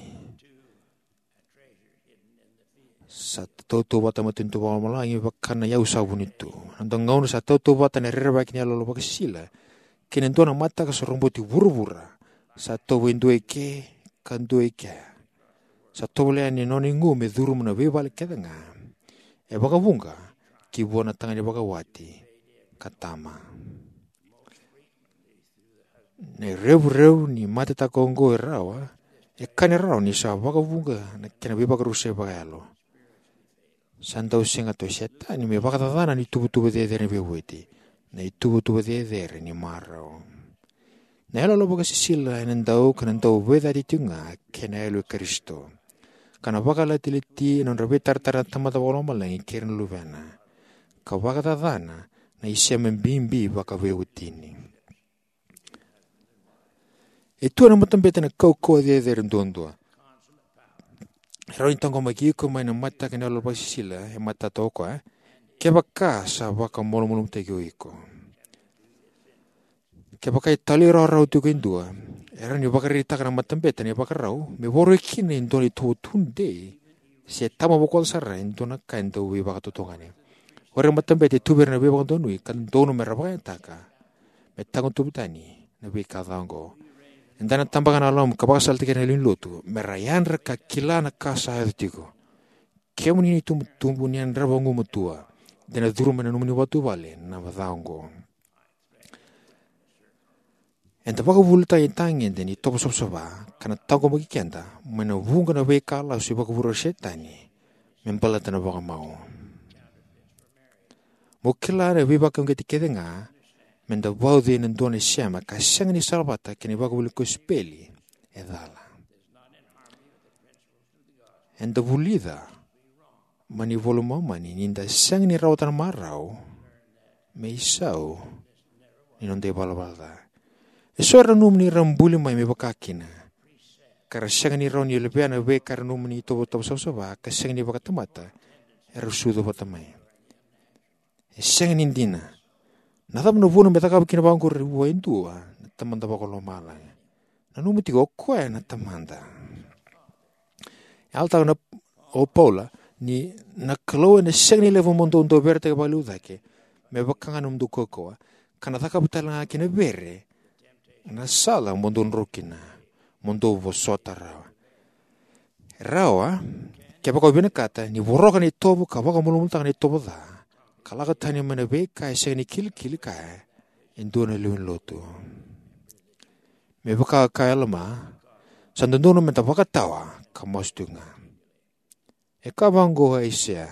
Sa tautauvata na matanitu vakalomalagi vaka na iyau sa vuni tu. Na dua gauna sa tautauvata na rerevaki ni yaloyalo vakasisila kei na dua na mataka sa roboti vuravura, sa tauva e dua eke ka dua eke. Sa tovolea ni nona igu me curuma na veivale kece ga, e vakavuqa ki vua na tagane vakawati ka tama. Na irevurevu ni matetaka oqo e rawa, e kani rawa ni sa vakavuqa na kena veivakarusai vakayalo. Sa dau sega tu o Setani me vakacacana na ituvatuva cecere ni veivueti, na ituvatuva cecere ni marau. Na yaloyalo vakasisila ena dau ka na dau veicati tiko ga kei na yalo i Karisito, ka na vakalatilati ena nodra veitaratara na tamata vakalomalagi kei ira na luvena, ka vakacacana na isema bibi vakaveiwatini. E tu ena matabete na kaukauwa cecere duadua e rawa ni taqomaki iko mai na mataka ni yaloyalo vakasisila e matata o koya, kevaka sa vakamalumalumutaki o iko. Kevaka e talairawarawa tiko e dua, e rawa ni vakaraitaka na matabete na ivakarau me voroi kina e dua na itovo tudei se tama vakaoca sara e dua na ka e dau veivakatotogani. O ira na matabete e tu vei ira na veivakadonui ka dodonu me ra vakayagataka me tagutuva tani na veika ca oqo. Eda na tabaka na yalomu ka vakasalataki ira na lewe ni lotu me ra yadra ka kila na ka sa yaco tiko. Kemuni na itubutubu, ni yadrava gumatua, de na curuma ena nomuni vatu vale na ca oqo. Eda vakavuvulitaka na itagede ni tovo savasava ka na taqomaki keda mai na vuqa na veika lasu e vakavure o Setani me baleta na vakamau. Mo kila na veivakauqeti kece ga me da vauci ena dua na isema ka sega ni salavata kei na ivakavuvuli ni kosipeli e cala. Eda vulica mai na iVola i Momani ni da sega ni rawata na marau me isau ni noda ivalavala ca. Eso era nanuma ni ra buli mai me vaka kina, ka ra sega ni rawa ni levea na veika era nanuma ni tovo savasava ka sega ni vakatamata era sucu vata mai. E sega ni dina. Na cava na vuna me cakava kina vaqori vua e dua na Tamada Vakalomalagi? Nanuma tiko o koya na Tamada. E yalataka na, o Paula, ni na Kalou ena sega ni levu mo dou dau veretaki vakalevu cake me vaka ga na nomudou kaukauwa, ka na cakava tale ga kina vere na sala mo dou dro kina, mo dou vosota rawa. Rawa, kevaka o vinakata ni voroka na itovo ka vakamalumalumutaka na itovo ca, ka lako tani mai na veika e sega ni kilikili kaya e dua na lewe ni lotu. Me vaka e kaya o Alama, sa dodonu me da vakatawa ka masu tiko ga. E kaya vaqo o Aisea: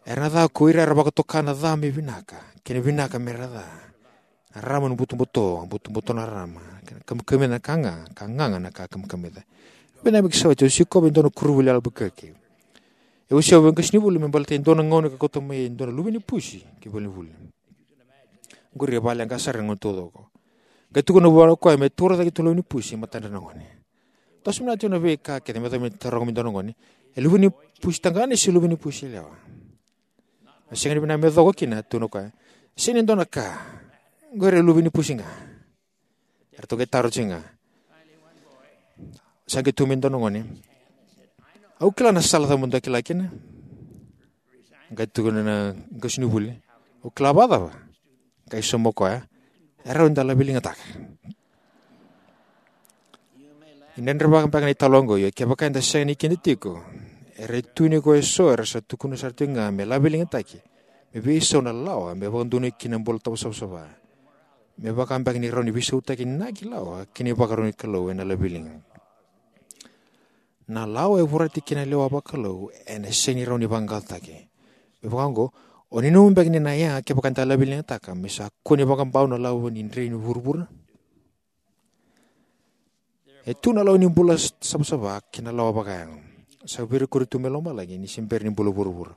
Era na ca ko ira era vakatoka na ca me vinaka, kei na vinaka me ra ca. Na rarama na butobuto, butobuto na rarama. Kamikamica na ka ga, ka gaga na ka kamikamica. Vinaka me keitou sa oti, au sikova e dua na koronivuli e Albuquerque. E wasea au e qasenivuli me baleta e dua na gauna ka kauta mai e dua na luve ni pusi ki valenivuli. Qori e vale ga sara na gauna taucoko. Qai tukuna vua o koya me taura cake e dua na luve ni pusi e matadra na gone. Toso vinaka tiko na veika kece me yacova me taroga mai e dua na gone. E luve ni pusi tagane se luve ni pusi yalewa? A sega ni vinaka me yacova kina, tukuna o koya. Sega ni dua na ka. Qori e luve ni pusi ga. Eratou qai taro tiko ga. Sa qai tukuna mai e dua na gone. Au kila na sala cava mo dau kila kina. Qai tukuna na qasenivuli. Au kila vakacava? Qai sauma o koya. E rawa ni da laveligataka. Ni dredrevaka beka na italanoa oqo, ia kevaka eda sega ni kida tiko, era e tu ni ko eso era sa tukuna sara tiko ga me laveligataki me veisau na lawa me vakadonui kina na bula tawa savasava, me vaka beka ni rawa ni veisautaki na inaki lawa kei na ivakarau ni Kalou ena laveliga. Na lawa e vorati kina na lewa vakalou ena sega ni rawa ni vaqaqacotaki. Me vaka oqo, o nanuma beka ni na yaga kevaka eda laveligataka me sa kua ni vakabau na lawa ni drei ni vuravura? E tu na lawa ni bula s-, savasava kei na lawa vakayago. Sa veirekoti tu mai lomalagi ni se bera ni bula vuravura.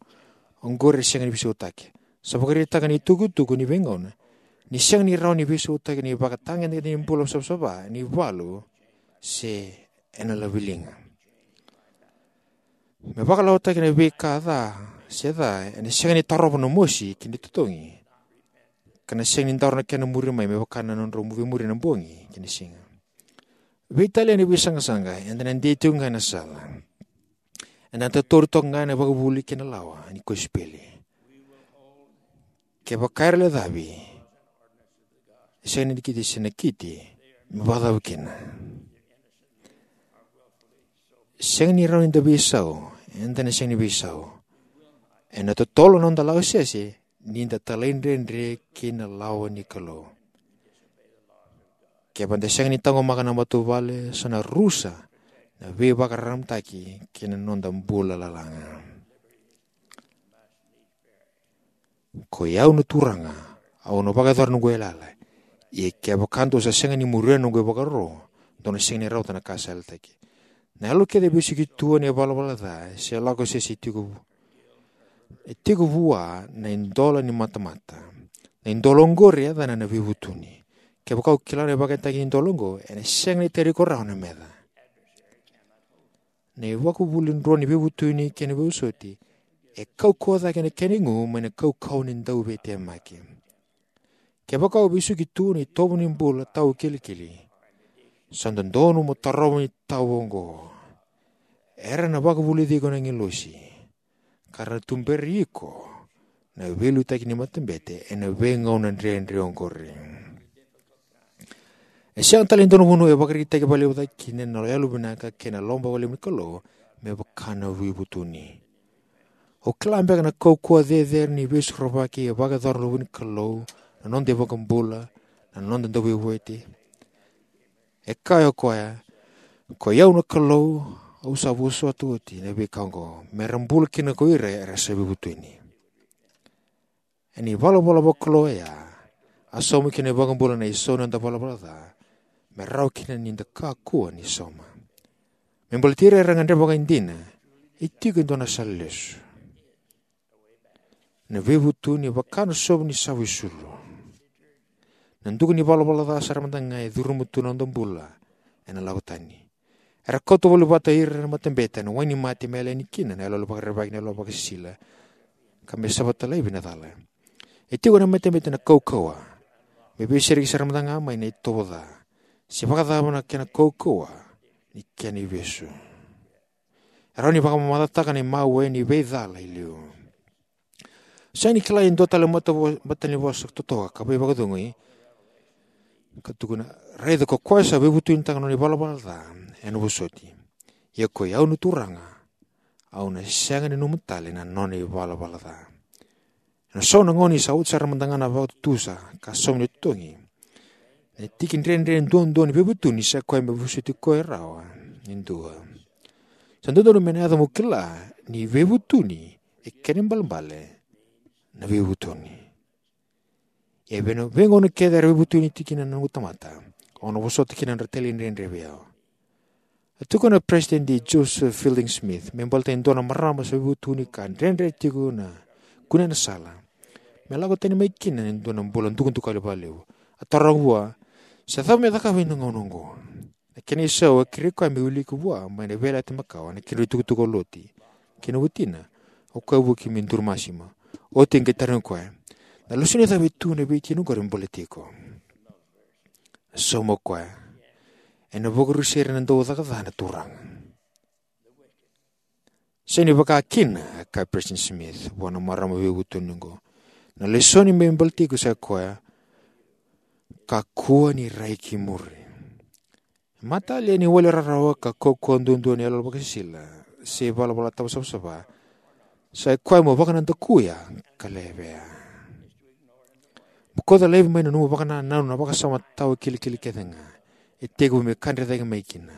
Oqori e sega ni veisautaki. Sa vakaraitaka na itukutuku ni veigauna ni sega ni rawa ni veisautaki na ivakatagedegede ni bula savasava ena ivalu se ena laveliga. Me vakalawataki na veika ca se ca, ena sega ni tarova na mosi kei na itotogi, ka na sega ni daro na kena muri mai me vaka na nodrau veimuri na bogi kei na siga. Veitalia na veisaqasaqa, eda na dei tiko ga ena sala. Eda na tauri toka ga na ivakavuvuli kei na lawa ni kosipeli. Kevaka era lecavi, e sega ni nakiti se nakiti me vakacava kina. Sega ni rawa ni da veisau, eda na sega ni veisau. Ena totolo na noda lawa sese ni da talaidredre kei na lawa ni Kalou. Kevaka da sega ni taqomaka na matavuvale, sa na rusa na veivakararamataki kei na noda bula lalaga. Koi au na Turaga, au na vakayacora noqu yalayala. Ia kevaka dou sa sega ni muria noqu ivakaro, dou na sega ni rawata na ka sa yalataki. Na yalo kece e vesuki tu ena ivalavala ca, se lako sese tiko vu-, e tiko vua na idola ni matamata. Na idola oqori e yacana na veivutuni. Kevaka o kila na ivakatagi ni idola oqo, ena sega ni tara iko rawa na meca. Na ivakavuvuli drua ni veivutuni kei na veivosoti e kaukauwa cake na kena igu mai na kaukauwa ni dauveitemaki. Kevaka o vesuki tu na itovo ni bula taukilikili, sa dodonu mo tarova na itovo oqo. Era na vakavulici iko na agilosi, ka ra na tuberi iko na veiliutaki ni matabete ena veigauna dredre oqori. E sega tale ni dua na vanua e vakaraitaki vakalevu cake kina na yalovinaka kei na lomavakavulici ni Kalou me vaka na veivutuni. O kila beka na kaukauwa cecere ni veisorovaki e vakayacora na luve ni Kalou, na noda iVakabula, na noda Dauveivueti? E kaya o koya, koi au na Kalou, au sa vosota oti na veika oqo, me ra bula kina ko ira era sa veivutuni. Ena ivalavala vakalou oya, a sauma kina na iVakabula na isau ni noda valavala ca, me rawa kina ni da kakua ni sauma. Me baleti ira era gadreva vakaidina, e tiko e dua na sala lesu. Na veivutuni vaka na sovu ni sava isulu. Na duka ni valavala ca sara mada ga e curuma tu na noda bula ena lako tani. Era kauta voli vata ira na matabete ena wainimate me yali yani kina na yaloyalo vakarerevaki, na yaloyalo vakasisila, ka me sava tale laivi na cala. E tiko ena matabete na kaukauwa me veisereki sara mada ga mai na itovo ca, se vakacava na kena kaukauwa ni kena ivesu. E rawa ni vakamamacataka na imawe ni veicala e liu. Sega ni kila e dua tale mata vo-, matanavosa totoka ka veivakacegui, ka tukuna, raica ko koya sa veivutunitaka na nona ivalavala ca ena vosoti. Ia koi au na Turaga, au na sega ni nanuma tale na nona ivalavala ca. Ena so na gauna ni sa oti sara mada ga na vakatutusa ka sauma na itotogi, na tiki dredre duadua ni veivutuni sa koya me vosoti koya rawa e dua. Sa dodonu me na yaco mo kila ni veivutuni e kena ibalebale na veivutuni. Ia vei na veigauna kece era veivutuni tiko kina na noqu tamata, au na vosota kina na nodra talaidredre vei au. A tukuna o President Joseph Fielding Smith me baleta e dua na marama sa veivutuni ka dredre tiko na kune na sala me lako tani mai kina e dua na bula dukadukali vakalevu. A taroga vua, sa cava me cakava ena gauna oqo? Na kena isau, a kerei koya me wiliki vua mai na Veiyalayalati Makawa na kedra itukutuku o Loti kei na watina, o koya vuki me duru masima. Oti e qai tarogi koya, na lesoni cava e tu ena veitikina oqori me baleti iko? A sauma o koya, ena vakarusai ira na dau caka ca na Turaga. Sega ni vaka kina, a kaya President Smith vua na marama veivutuni oqo. Na lesoni me baleti iko sa koya, kakua ni rai ki muri. Matalia ni wali rarawa ka kaukaua duadua ni yaloyalo vakasisila se ivalavala tawasavasava, sa koya mo vakanadakuya ka levea. Mo kauta laivi mai na nomu vakanananu na vakasama tawa kilikili kece ga e tekivu me kadre cake mai kina.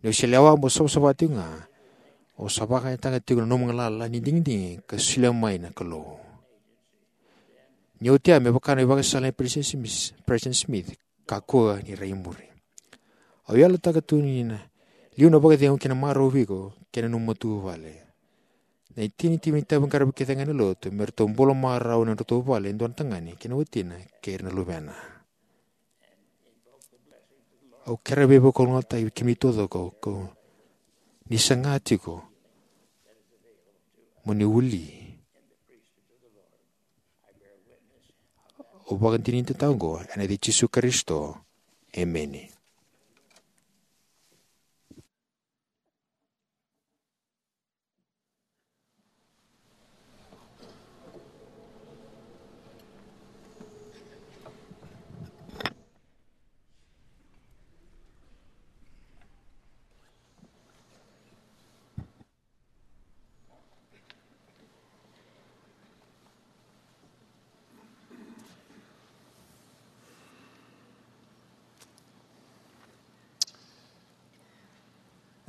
Ni o se lewa mo savasava tiko ga, o sa vakayagataka tiko na nomu galala ni digidigi ka solia mai na Kalou. Ni oti ya, me vaka na ivakasala nei President Smith, President Smith, kakua ni rai muri. Au yalataka tu ni na liu na vakacegu kei na marau vei iko kei na nomu matavuvale. Na itinitini ni itaviqaravi kece ga ena lotu me ratou bula marau ena nodratou vale e dua na tagane kei na watina kei ira na luvena. Au kerea veivakalougatataki vei kemuni taucoko, ko ni saga tiko mo ni wili. Au vakadinadinataka oqo ena yaca i Jisu Karisito. Emeni.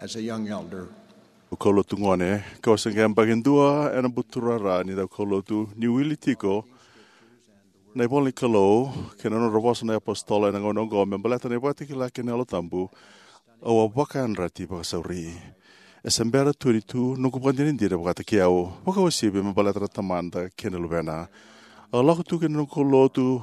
As a young elder, au kaulotu gone, kau se qai yabaki dua ena buturara ni daukaulotu, ni wili tiko na ivola ni Kalou kei na nodra vosa na iapositolo ena gauna oqo me baleta na ivakatakila kei na Yalo Tabu, au a vakayadrati vakasauri. E se bera tu ni tu noqu vakadinadina vakataki au, vakauasivi me baleta na Tamada kei na Luvena. Au lako tu ki na noqu kaulotu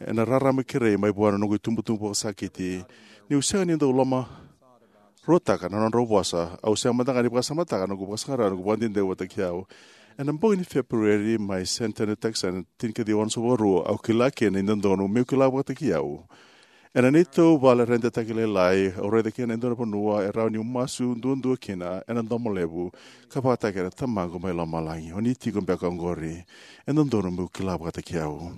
ena rarama kerei mai vua na noqu itubutubu vakasakiti. Niu sega ni dau lomaruataka na nodrau vosa, au sega mada ga ni vakasamataka na noqu vakasaqara, na noqu vakadinadina vakataki au. Ena bogi ni Feperueri mai San Antonio, Texas, ena tinikaciwa onosagavulu ka rua, au kila kina ni dodonu meu kila vakataki au. Ena neitou vale redetaki lailai, au raica kina e dua na vanua e rawa niu masu duadua kina ena domo levu, ka vakataki ena Tamaqu mai lomalagi, o ni tiko beka oqori. E dodonu meu kila vakataki au.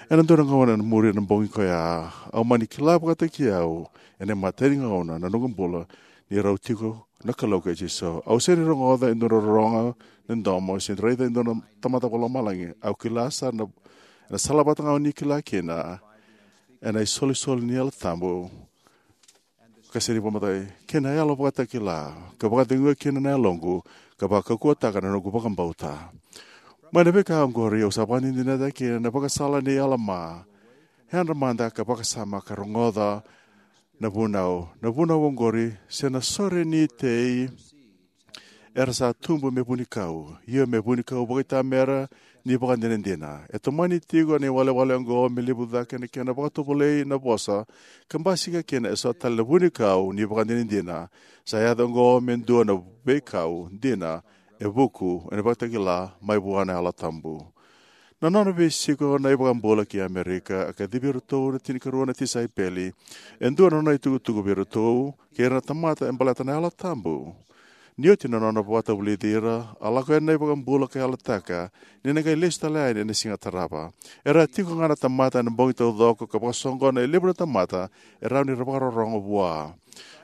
Ena dua na gauna ena muri na bogi koya, au mani kila vakataki au ena imatai ni gauna na noqu bula ni rau tiko na Kalou kei Jisu. Au sega ni rogoca e dua na rorogo ni domo, se raica e dua na tamata vakalomalagi. Au kila sara ena sala vata ga o ni kila kina, ena isolisoli ni Yalo Tabu, ka sega ni vakamatai, kei na yalo vakatakila, ka vakaceguya kina na yaloqu, ka vakaukauwataka na noqu vakabauta. Mai na veika oqori au sa vakadinadinataka kina na ivakasala nei Alama. Yadra mada ka vakasama ka rogoca na vunau. Na vunau oqori, se na sore ni tei era sa tubu me vunikau, io me vunikau vakaitamera ni vakadinadina. E tomani tiko na iwalewale oqo me levu cake na kena vakatovolei na vosa, ka basika kina eso tale na vunikau ni vakadinadina. Sa yaco oqo me dua na veikau dina e vuku ena ivakatakila mai vua na Yalo Tabu. Na nona veisiko na iVakabula ki Amerika, a kacivi iratou na tinikarua na tisaipeli. E dua na nona itukutuku vei iratou kei ira na tamata e baleta na Yalo Tabu. Ni oti na nona vakatavulici ira, a lako yani na iVakabula ka yalataka ni na qai lesu tale yani ena siga tarava. Era a tiko ga na tamata ena bogi taucoko ka vakasoqona e levu na tamata e rawa ni ra vakarorogo vua.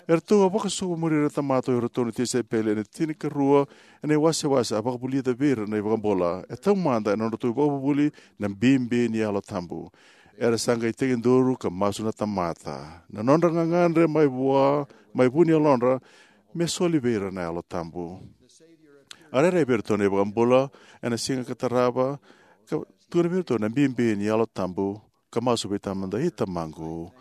Eratou a vakasokumuni ira na tamata o iratou na tisaipeli ena tinikarua ena iwasewase a vakavulica vei ira na iVakabula. E taumada ena nodratou ivakavuvuli na bibi ni Yalo Tabu. Era sa qai tekiduru ka masu na tamata. Na nodra gagadre mai vua, mai vu ni yalodra, me soli vei ira na Yalo Tabu. A rairai vei iratou na iVakabula ena siga ka tarava, ka tukuna vei iratou na bibi ni Yalo Tabu, ka masu vei Tamada: I Tamaqu,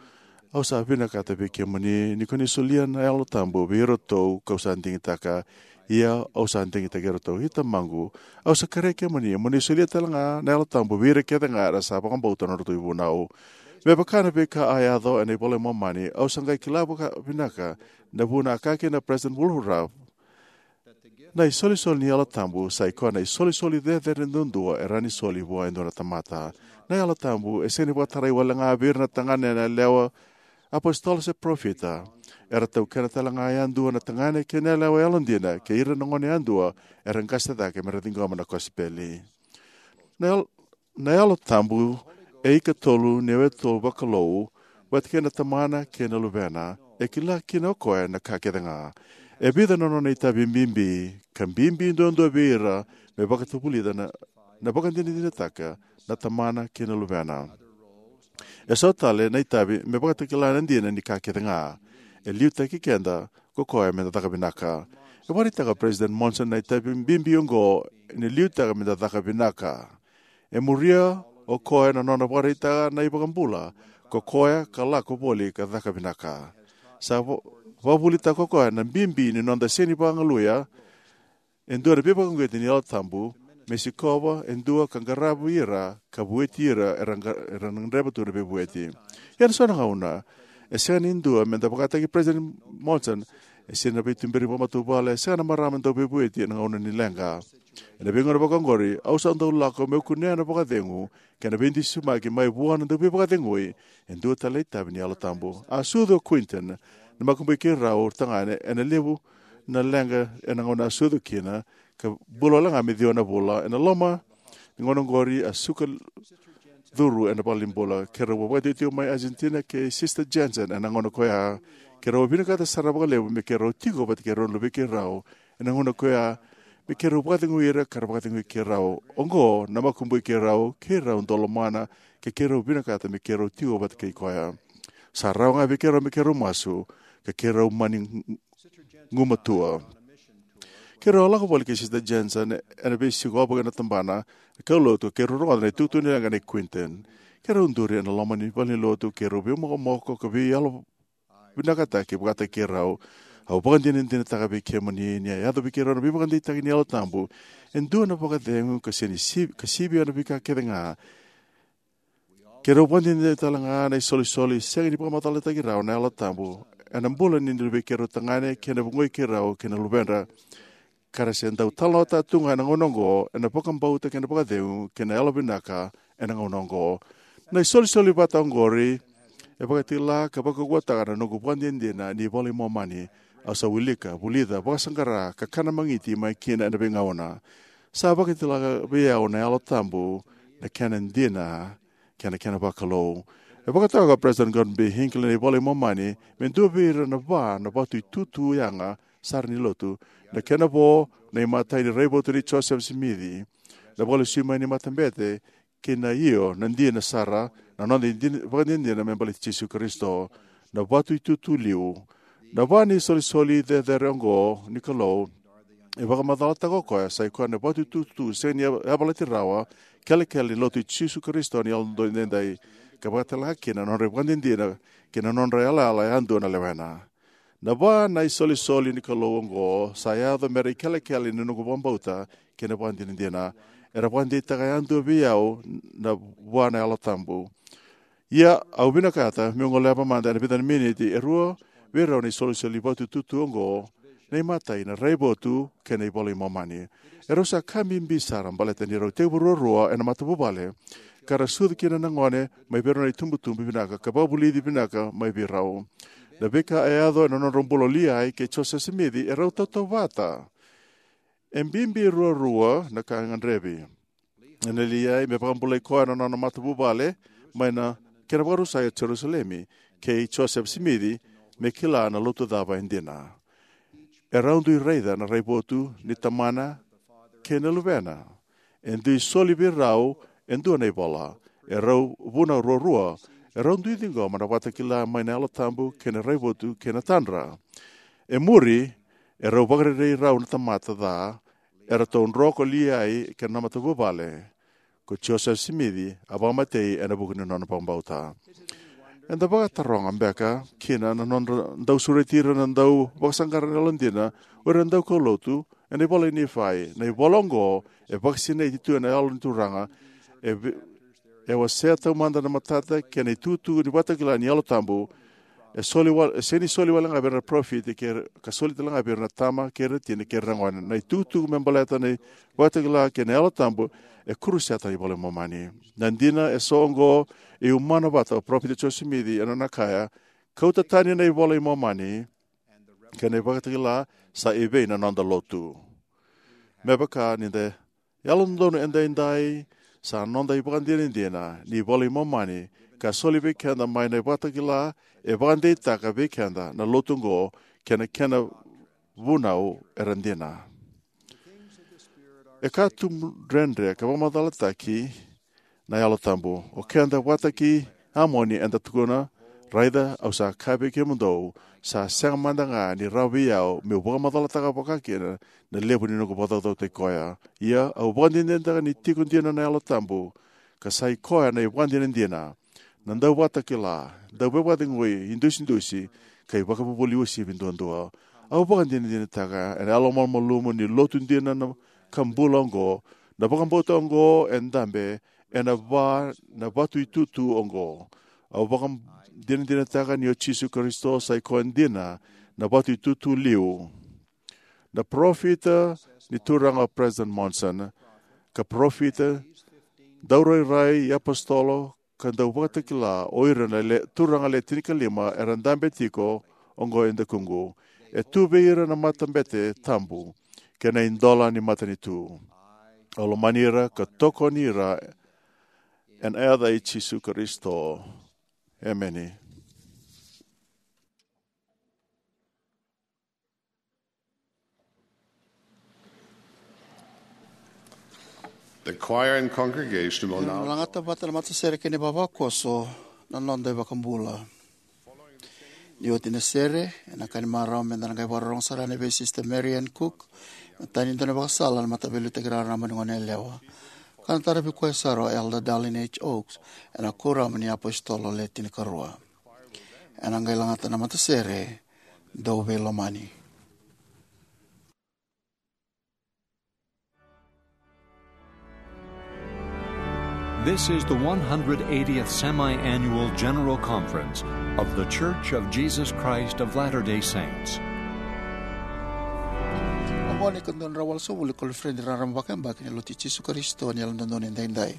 au sa vinakata vei kemuni ni ko ni solia na Yalo Tabu vei iratou kau sa digitaka, ia au sa digitaki iratou. I Tamaqu, au sa kerei kemuni mo ni solia tale ga na Yalo Tabu vei ira kece ga era sa vakabauta na nodratou ivunau. Me vaka na veika a yaco ena iVola i Momani, au sa qai kila vakavinaka na vuna a kaya kina o President Woodruff: Na isolisoli ni Yalo Tabu sa ikoya na isolisoli cecere duadua e rawa ni soli vua e dua na tamata. Na Yalo Tabu e sega ni vakatarai wale ga vei ira na tagane, na yalewa, apositolo se parofita. Era taukena tale ga yadua na tagane kei na yalewa yalodina, kei ira na gone yadua era qase cake me ra ciqoma na kosipeli. Na Yalo, na Yalo Tabu e ikatolu ni yawetolu vakalou, vata kei na Tamana kei na Luvena. E kila kina o koya na ka kece ga. E vica na nona itavi bibi, ka bibi duadua vei ira me vakatavulica na, na vakadinadinataka na Tamana kei na Luvena. E so tale na itavi me vakatakila na dina ni ka kece ga. E liutaki keda ko koya me da caka vinaka. E vakaraitaka o President Monson na itavi bibi oqo ni liutaka me da caka vinaka. E muria o koya na nona vakaraitaka na iVakabula, ko koya ka lako voli ka caka vinaka. Sa va-, vakavuvulitaka ko koya na bibi ni noda sega ni vagalalataka e dua na veivakauqeti ni Yalo Tabu me sikova e dua ka qaravi ira ka vueti ira era qa-, era na gadreva tu na veivueti. Ia ena so na gauna, e sega ni dua me da vakataki President Monson. E sega na veituberi vakamatavuvale, e sega na marama dau veivueti ena gauna ni leqa. Ena veigauna vakaoqori, au sa dau lako meu kunea na vakacegu kei na veidusimaki mai vua na Dauveivakacegui, e dua tale na itavi ni Yalo Tabu. A sucu o Quentin, na makubui keirau tagane, ena levu na leqa ena gauna a sucu kina, ka bula wale ga me ciwa na vula. Ena loma ni gauna oqori a suka curu ena valenibula. Keirau a vakatikotiko mai Argentina kei Sister Jensen ena gauna ko ya. Keirau a vinakata sara vakalevu me keirau tiko vata kei rau na luvei keirau ena gauna ko ya, me keirau vakacegui ira ka ra vakacegui keirau. Oqo na makubui keirau, keirau dau lomana, ka keirau vinakata me keirau tiko vata kei koya. Sa rawa ga vei keirau me keirau masu, ka keirau mani gumatua. Keirau a lako voli kei Sister Jensen ena veisikova kei na tabana kaulotu, keirau rogoca na itukutuku ni leqa nei Quentin. Keirau duri ena loma ni valenilotu, keirau veimokomoko ka veiyalo vinakataki vakataki keirau. Au vakadinadinataka vei kemuni ni a yaco vei keirau na veivakadeitaki ni Yalo Tabu e dua na vakacegu ka sega ni sivi, ka sivia na veika kece ga. Keirau vakadinadina tale ga na isolisoli sega ni vakamacalataki rawa na Yalo Tabu ena bula ni luvei keirau tagane kei na vugoi keirau kei na luvedra, ka ra se dau talanoataka tu ga ena gauna oqo ena vakabauta kei na vakacegu kei na yalovinaka ena gauna oqo. Na isolisoli vata oqori e vakatakila ka vakaukauwataka na noqu vakadinadina ni iVola i Momani. Au sa wilika, vulica, vakasaqara, ka kana magiti mai kina ena veigauna. Sa vakatakila vei au na Yalo Tabu na kena dina kei na kena vakalou. E vakatoka o President Gordon B. Hinckley na iVola i Momani me dua vei ira na va na vatuitutu yaga sara ni lotu. Na kena vo na imatai ni raivotu nei Joseph Smith, na vakalesui mai ni matabete, kei na io na dina sara, na noda dina, vakadinadina me baleti Jisu Karisito, na vatuitutu liu. Na va ni isolisoli cecere oqo ni Kalou e vakamacalataka o koya sa ikoya na vatuitutu sega ni yavalati rawa, kelekele ni lotu i Jisu Karisito ni Yalododonu Edaidai, ka vakatalega kina na nodra ivakadinadina kei na nodra yalayala yadua na lewena. Na va na isolisoli ni Kalou oqo sa yaco mera ikelekele ni noqu vakabauta kei na vakadinadina. Era vakadeitaka yadua vei au na vua na Yalo Tabu. Ia, au vinakata meu goleva mada ena vica na miniti e rua vei rau na isolisoli vatuitutu oqo, na imatai na raivotu kei na iVola i Momani. Erau sa ka bibi sara baleta ni rau tekivu ruarua ena matavuvale, ka ra sucu kina na gone mai vei rau na itubutubu vinaka ka vakavulici vinaka mai vei rau. Na veika e yaco ena nodrau bula o Lehi kei Joseph Smith e rau tautauvata. E bibi ruarua na ka e gadrevi. Ena Lehi me vakabulai koya na nona matavuvale mai na kena vakarusai o Jerusalemi, kei Joseph Smith me kila na lotu cava e dina. E rau dui raica na raivotu ni Tamana kei na Luvena. E dui soli vei rau e dua na ivola. E rau vunau ruarua. E rau dui ciqoma na vakatakila mai na Yalo Tabu kei na raivotu kei na tadra. E muri, e rau vakarerei rau na tamata ca, eratou dro ko Lehi kei na matavuvale. ko Joseph Smith a vakamatei ena vuku ni nona vakabauta. Eda vakataroga beka kina na nodra dau sureti ira na dau vakasaqara na yalodina, o ira na daukaulotu, ena ivola i Nifai. Na ivola oqo e vakasinaiti tu ena Yalo ni Turaga, e vi-, e wasea taumada na matata kei na itukutuku ni vakatakila ni Yalo Tabu, e soli wal-, e sega ni soli wale ga vei ira na parofita, kei ira, ka soli tale ga vei ira na tama, kei ira na tina, kei ira na gone. Na itukutuku me baleta na vakatakila kei na Yalo Tabu, e kuruseta na iVola i Momani. Na dina eso oqo e umana vata o Parofita Joseph Smith ena nona kaya, "Kauta tani na iVola i Momani, kei na ivakatakila sa i vei na noda lotu." Me vaka ni da yalododonu edaidai, sa noda ivakadinadina ni iVola i Momani, ka soli vei keda mai na ivakatakila, e vakadeitaka vei keda na lotu oqo, kei na kena vunau era dina. E ka tubu dredre ka vakamacalataki na Yalo Tabu. O keda vakataki Amoni eda tukuna, "Raica, au sa kaya vei kemudou, sa sega mada ga ni rawa vei au meu vakamacalataka vakakina na levu ni noqu vakacaucautaki koya. Ia, au vakadinadinataka ni tiko dina na Yalo Tabu, ka sa i koya na ivakadinadina, na dauvakatakila, dauvakacegui, idusidusi, ka ivakavuvuli uasivi duadua. Au vakadinadinataka ena yalomalumalumu ni lotu dina na ka bula oqo, na vakabauta oqo e dabe ena va na vatu itutu oqo. Au vakadinadinataka ni o Jisu Karisito sa i koya dina na vatu itutu liu." Na parofita ni Turaga o President Monson, ka parofita, daurairai, iapositolo, ka dauvakatakila o ira na le, turaga le tinikalima era dabe tiko oqo e dakuqu. E tu vei ira na matabete tabu kei na idola ni matanitu. Au lomani ira ka tokoni ira ena yaca i Jisu Karisito. Emeni. The choir and congregation will now lagata vata na matasere kei na ivavakoso na noda iVakabula. Ni oti na sere, ena ka ni marau meda na qai vakarorogo sara yani vei Sister Mary Ann Cook, na tani dua na ivakasala na Mataveiliutaki Raraba ni Goneyalewa. Ka na taravi koya sara o Elder Dallin H. Oaks, ena Kuoramu ni iApositolo Le Tinikarua. Ena qai lagata na matasere, Dou Veilomani. This is the one hundred eightieth Semi-Annual General Conference of The Church of Jesus Christ of Latter-day Saints. Oqo na ikadua na drau walusagavulu ni koniferedi raraba vakayabaki ni Lotu i Jisu Karisito ni Yalododonu Edaidai.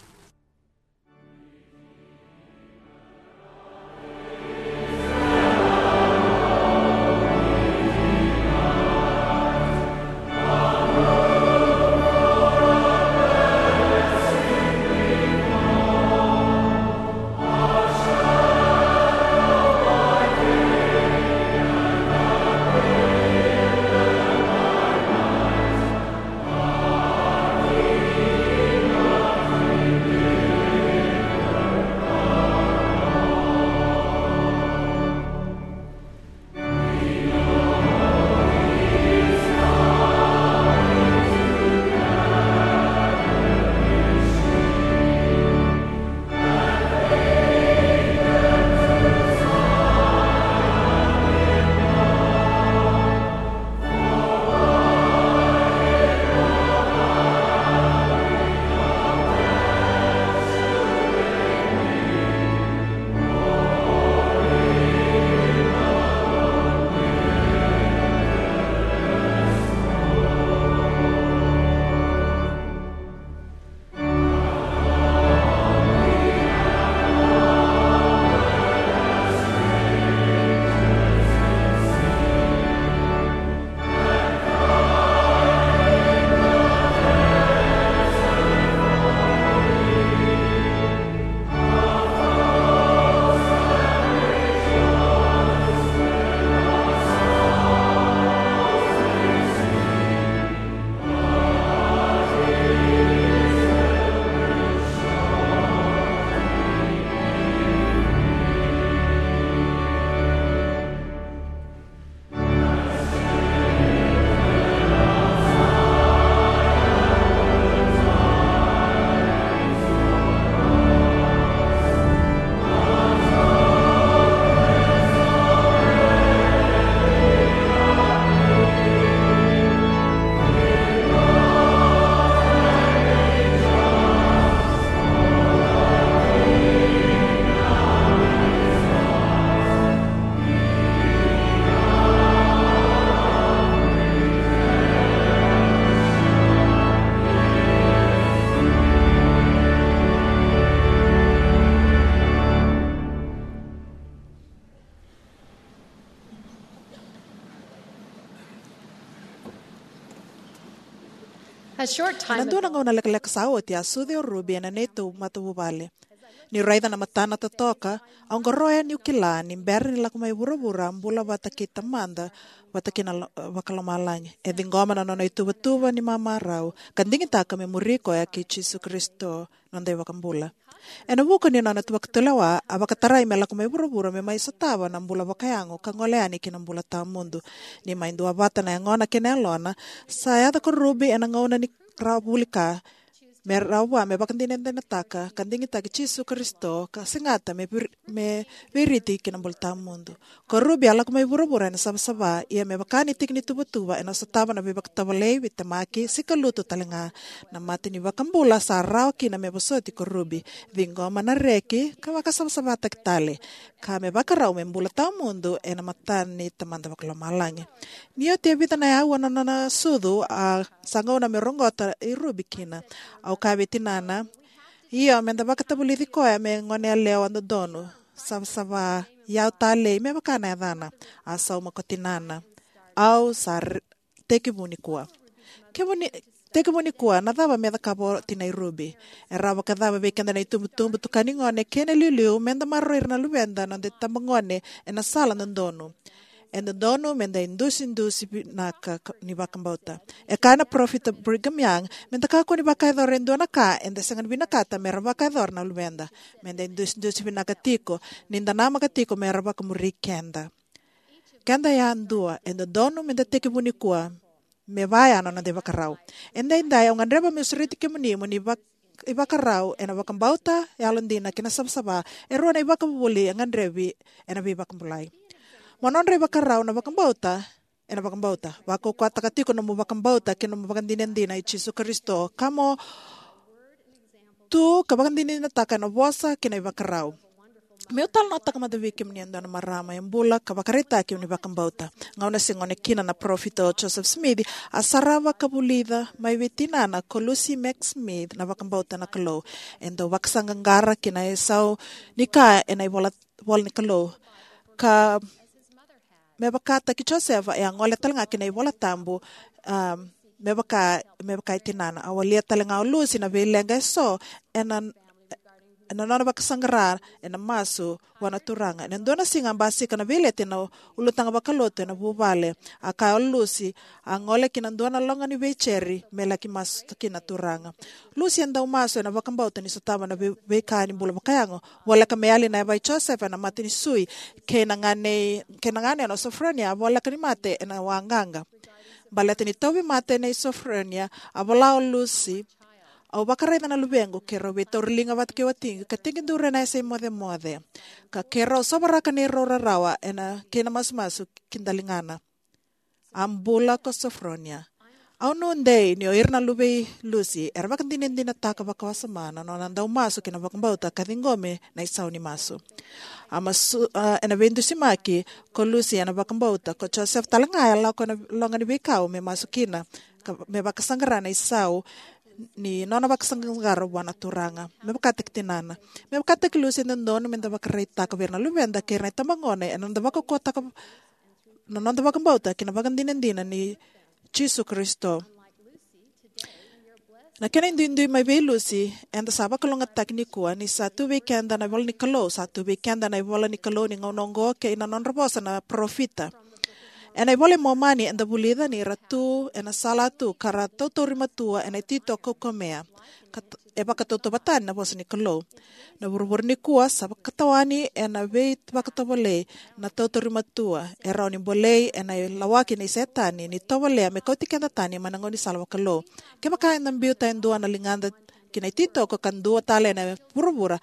A short time Ena dua na ago, gauna lekaleka sa oti, a sucu o Ruby ena neitou matavuvale. Niu raica na matana totoka, au qoroya niu kila ni bera ni lako mai vuravura a bula vata kei Tamada vata kei na lo- vakalomalagi. E ciqoma na nona ituvatuva ni mamarau ka digitaka me muri koya kei Jisu Karisito, noda iVakabula. Ena vuku ni nona vakatulewa, a vakatarai me lako mai vuravura me mai sotava na bula vakayago ka gole yani ki na bula tawamudu. Ni mai duavata na yagona kei na yalona, sa yaco ko Ruby ena gauna ni rawa vuli ka me rawa me vakadinadinataka ka digitaki Jisu Karisito ka segata me vir- me viriti ki na bula tawamudu. Ko Ruby a lako mai vuravura ena savasava, ia me vaka ni tiki ni tuvatuva ena sotava na veivakatovolei, veitemaki, sikalutu talega. Na mata ni iVakabula sa rawa kina me vosoti ko Ruby, ciqoma na reki ka vakasavasavataki tale, ka me vakarau me bula tawamudu ena mata ni Tamada vakalomalagi. Ni oti e vica na aua na nona sucu, a sa gauna me roqota i Ruby kina. Au kaya vei tinana, io, meda vakatavulici koya me goneyalewa dodonu, savasava, iyau talei, me vaka na yacana. A sauma ko tinana, au sa r- tekivu nikua. Kemuni, tekivu nikua, na cava me cakava o tinai Ruby? E rawa vakacava vei keda na itubutubu, tukani gone kei na iliuliu, meda maroroi ira na luveda, noda itabagone ena sala dodonu? E dodonu meda idusidusi vinaka ka- ni vakabauta. E kaya na parofita Brigham Young, meda kakua ni vakayacora e dua na ka eda sega ni vinakata mera vakayacora na luveda. Meda idusidusi vinaka tiko, ni da namaka tiko mera vakamuri keda. Keda yadua, e dodonu meda tekivu nikua me vaya na noda ivakarau. Edaidai au gadreva meu sureti kemuni mo ni vak- ivakarau ena vakabauta, yalodina kei na savasava, e rua na ivakavuvuli e gadrevi ena veivakabulai. Mo nodra ivakarau na vakabauta, ena vakabauta. Vakaukauwataka tiko nomu vakabauta kei nomu vakadinadina i Jisu Karisito, ka mo tu ka vakadinadinataka ena vosa kei na ivakarau. Meu talanoataka mada vei kemuni e dua na marama e bula ka vakaraitaki ni vakabauta. Gauna se gone kina na parofita o Joseph Smith, a sarava ka vulica mai vei tinana ko Lucy Mack Smith na vakabauta na Kalou. E dau vakasaqaqara ki na isau ni ka ena ivola, vola ni Kalou. Ka me vakataki Josefa, e a gole talega ki na iVola Tabu, um, me vaka, me vaka i tinana. A walia talega o Lucy na veileqa eso ena, ena nona vakasaqara ena masu vua na Turaga. Ena dua na siga a basika na veileti ena ulutaga vakalotu ena vuvale. A kaya o Lucy, a gole ki na dua na loga ni veijeri me laki masu kina na Turaga. Lucy e dau masu ena vakabauta ni sotava na vei- veika ni bula vakayago. Voleka me yali na yava i Josefa ena mata ni sui, kei na gane, kei na gane o Sophronia, a voleka ni mate ena waqaqa. Baleta ni tauvimate nei Sophronia, a vola o Lucy, au vakaraica na luvequ keirau veitauriliga vata kei watiqu ka tekiduru ena yasa imocemoce, ka keirau sovaraka neirau rarawa ena kei na masumasu ki daligana. A bula ko Sophronia. Au nuidei ni o ira na luve i Lucy era vakadinadinataka vakawasoma na nona dau masu kei na vakabauta ka ciqomi na isau ni masu. A masu, a, ena veidusimaki ko Lucy ena vakabauta, ko Joseph talega e lako ena loga ni veikau me masu kina, ka, me vakasaqara na isau ni nona vakasaqaqara vua na Turaga. Me vakataki tinana. Me vakataki Lucy e dodonu meda vakaraitaka vei ira na luveda kei ira na itabagone ena noda vakaukauwataka na noda vakabauta kei na vakadinadina ni Jisu Karisito. Na kena iduidui mai vei Lucy, eda sa vakalougatataki nikua ni sa tu vei keda na ivola ni Kalou, sa tu vei keda na ivola ni Kalou ni gauna oqo kei na nodra vosa na parofita. Ena iVola i Momani eda vulica ni ra tu ena sala tu ka ra tautauri matua ena ititoko kaukamea. Ka t- e vakatautauvatani na vosa ni Kalou. Na vuravura nikua sa vakatawani ena veivakatovolei, na tautauri matua, e rawa ni bolei ena ilawaki nei Setani ni tovolea me kauti keda tani mai na gaunisala vakalou. Kevaka eda biuta e dua na ligada ki na ititoko ka dua tale ena vuravura,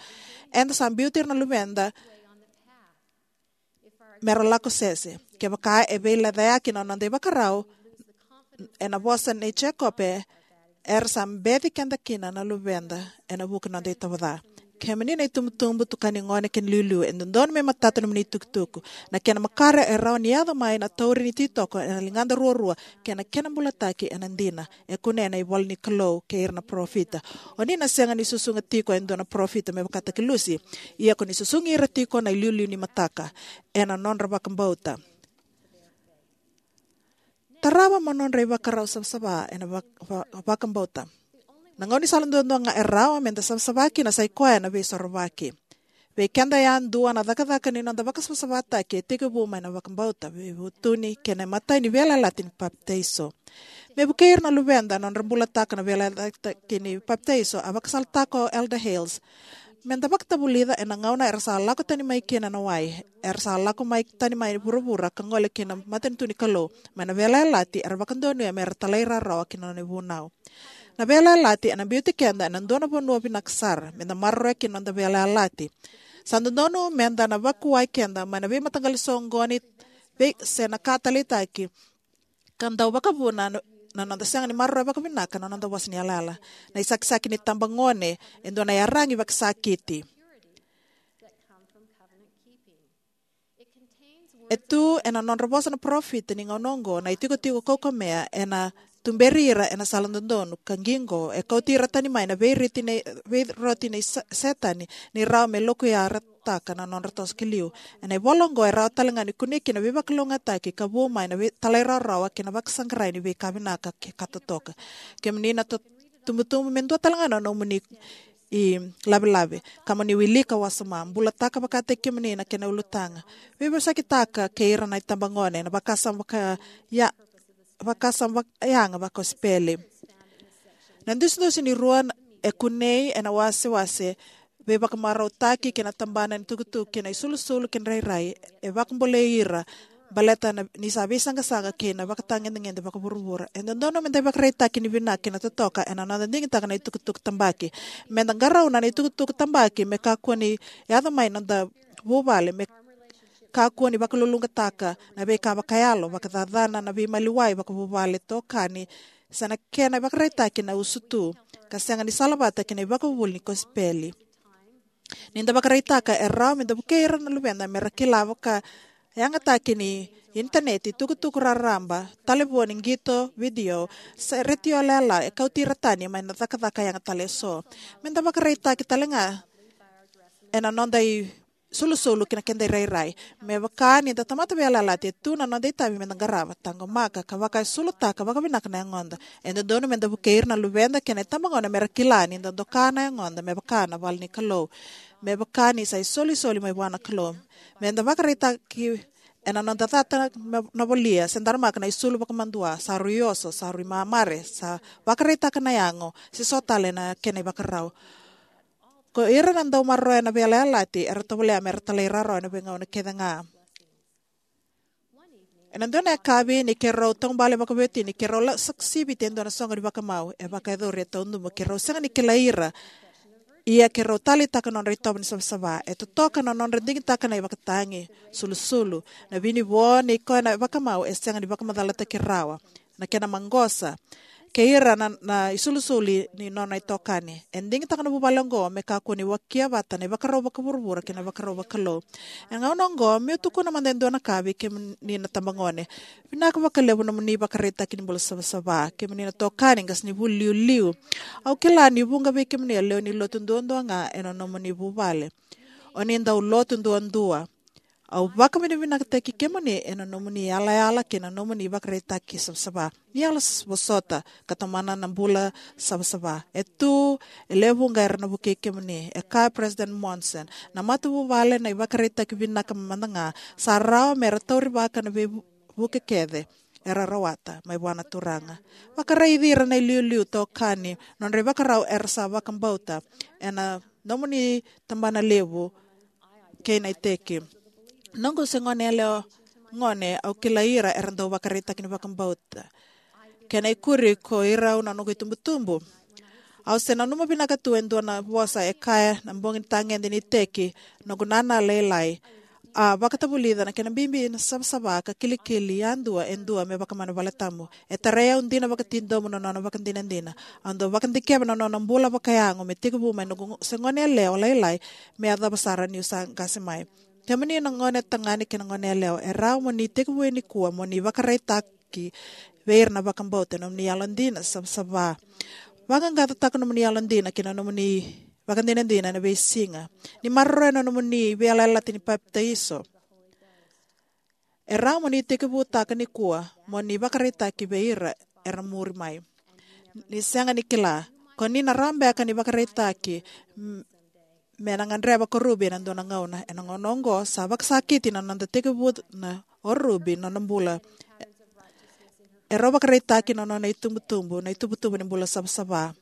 eda sa biuti ira na luveda mera lako sese. Kevaka e veilecayaki na noda ivakarau, ena vosa nei Jekope, era sa beci keda kina na luveda ena vuku ni noda itovo ca. Kemuni na itubutubu, tukani gone kei na iliuliu, e dodonu me matata nomuni itukutuku. Na kena makare e rawa ni yaco mai na tauri ni ititoko ena ligada ruarua kei na kena bulataki ena dina. E kunea ena ivola ni Kalou kei ira na parofita. O ni na sega ni susuga tiko e dua na parofita me vakataki Lucy, ia ko ni susugi ira tiko na iliuliu ni mataka ena nodra vakabauta. Tarava mo nodra ivakarau savasava ena vak- va- vakabauta. Na gauna ni sala duadua ga e rawa meda savasava kina sai koya na Veisorovaki. Vei keda yadua, na cakacaka ni noda vakasavasavataki e tekivu mai na vakabauta, veivutuni kei na imatai ni veiyalayalati ni papitaiso. Me vukei ira na luveda na nodra bulataka na veiyalayalati ni papitaiso, a vakasalataka o Elder Hales: Meda vakatavulica ena gauna era sa lako tani mai kina na wai, era sa lako mai tani mai vuravura ka gole ki na matanitu ni Kalou, mai na veiyalayalati era vakadonuya mera talairawarawa ki na nona ivunau. Na veiyalayalati ena biuti keda ena dua na vanua vinaka sara meda maroroya kina noda veiyalayalati. Sa dodonu meda na vakuwai keda mai na veimataqali soqoni vei se na ka taleitaki ka dau vakavuna na noda sega ni maroroya vakavinaka na noda vosa ni yalayala. Na isakisaki ni tabagone e dua na iyaragi vakasakiti. E tu ena nodra vosa na parofita ni gauna oqo na itikotiko kaukamea ena tuberi ira ena sala dodonu ka qiqo, e kauti ira tani mai na veiriti nei veiroti nei sa- Setani ni rawa me lokuyarataka na nodra toso ki liu. Ena ivola oqo e rawa talega ni kunei kina veivakalougatataki ka vu mai na vei- talairawarawa kei na vakasaqarai ni veika vinaka ke ka totoka. Kemuni na to- tubutubu, me dua talega na nomuni ilavelave ka mo ni wilika wasoma. Bulataka vakataki kemuni na kena ulutaga. Veivosakitaka kei ira na itabagone na vakasama vaka ya- vakasama vakayaga vakosipeli. Na dusidusi ni rua e kunei ena wasewase veivakamarautaki kei na tabana ni tukutuku kei na isulusulu kei na rairai e vakabolei ira baleta na ni sa veisaqasaqa kei na vakatagedegede vakavuravura. E dodonu meda ivakaraitaki ni vinaka kei na totoka ena noda digitaka na itukutuku tabaki. Meda qarauna na itukutuku tabaki me kakua ni yaco mai noda vuvale, me kakua ni vakaluluqataka na veika vakayalo, vakacacana na veimaliwai vakavuvale, tokani, se na kena ivakaraitaki na usutu ka sega ni salavata kei na ivakavuvuli ni kosipeli. Ni da vakaraitaka e rawa me da vukei ira na luveda me ra kila vakayagataki ni initaneti, tukutuku raraba, talevoni, qito, vidio, se retio lala e kauti ira tani mai na cakacaka yaga tale eso. Me da vakaraitaki tale ga ena noda isulusulu kei na keda irairai. Me vaka ni da tamata veiyalayalati, e tu na noda itavi me da qarava, taqomaka, ka vakaisulutaka vakavinaka na yagoda. E dodonu me da vukei ira na luveda kei na itabagone me ra kila ni da doka na yagoda me vaka na vale ni Kalou, me vaka ni sa isolisoli mai vua na Kalou. Me da vakaraitaki ena noda cata na, na volia, se daramaka na isulu vakamadua, sa rui oso, sa rui mamare, sa vakaraitaka na yago, se so tale na kena ivakarau. Ko ira na dau maroroya na veiyalayalati era tovolea me ra talairawarawa ena veigauna kece ga. Ena dua na yakavi ni keirau taubale vakaveiwatini, keirau la- sa- siviti e dua na soqo ni vakamau. E vakayacori e taudubu keirau sega ni kilai ira, ia keirau taleitaka na nodra itovo ni savasava. E totoka na nodra digitaka na ivakatagi, sulusulu. Na vinivo ni koya na vakamau e sega ni vakamacalataki rawa na kena maqosa kei ira na, na isulusulu ni nona itokani. E digitaka na vuvale oqo me kakua ni wakia vata na ivakarau vakavuravura kei na ivakarau vakalou. Ena gauna oqo, meu tukuna mada e dua na ka vei kemuni na tabagone. Vinaka vakalevu nomuni ivakaraitaki ni bula savasava. Kemuni na tokani, qasenivuli iliuliu, au kila ni vuqa vei kemuni e lewe ni lotu duadua ga ena nomuni vuvale. O ni dau lotu duadua. Au vakavinavinakataki kemuni ena nomuni yalayala kei na nomuni ivakaraitaki savasava. Ni yalo s- vosota ka tomana na bula savasava. E tu e lewe vuqa era na vukei kemuni. E kaya o President Monson, na matavuvale na ivakaraitaki vinaka mada ga, sa rawa me ra taurivaka na veivu- vuke kece era rawata mai vua na Turaga. Vakaraici ira na iliuliu, tokani, nodra ivakarau era sa vakabauta ena nomuni tabana levu kei na iteki. Noqu se gone yalewa gone, au kilai ira era dau vakaraitaki ni vakabauta. Kena ikuri, ko irau na noqu itubutubu. Au se nanuma vinaka tu e dua na vosa e kaya na bogi ni tagede ni iteki, noqu nana lailai a vakatavulica na kena bibi na savasava ka kilikili yadua e dua me vakamana valetabu. E tarai au dina vakatidomo na nona vakadinadina. Au dau vakadikeva na nona bula vakayago me tekivu mai noqu se gone yalewa lailai me yacova sara niu sa qase mai. Kemuni na gone tagane kei na gone yalewa, e rawa mo ni tekivu nikua mo ni vakaraitaki vei ira na vakabauta ena nomuni yalodina savasava. Vaqaqacotaka nomuni yalodina kei na nomuni vakadinadina ena veisiga. Ni maroroya na nomuni veiyalayalati ni papitaiso. E rawa mo ni tekivutaka nikua mo ni vakaraitaki vei ira era muri mai. Ni sega ni kila, ko ni na rawa beka ni vakaraitaki m- me na gadreva ko Ruby ena dua na gauna. Ena gauna oqo sa vakasakiti na noda tekivu na o Ruby na nona bula. E rau vakaraitaki na nona itubutubu na itubutubu ni bula savasava.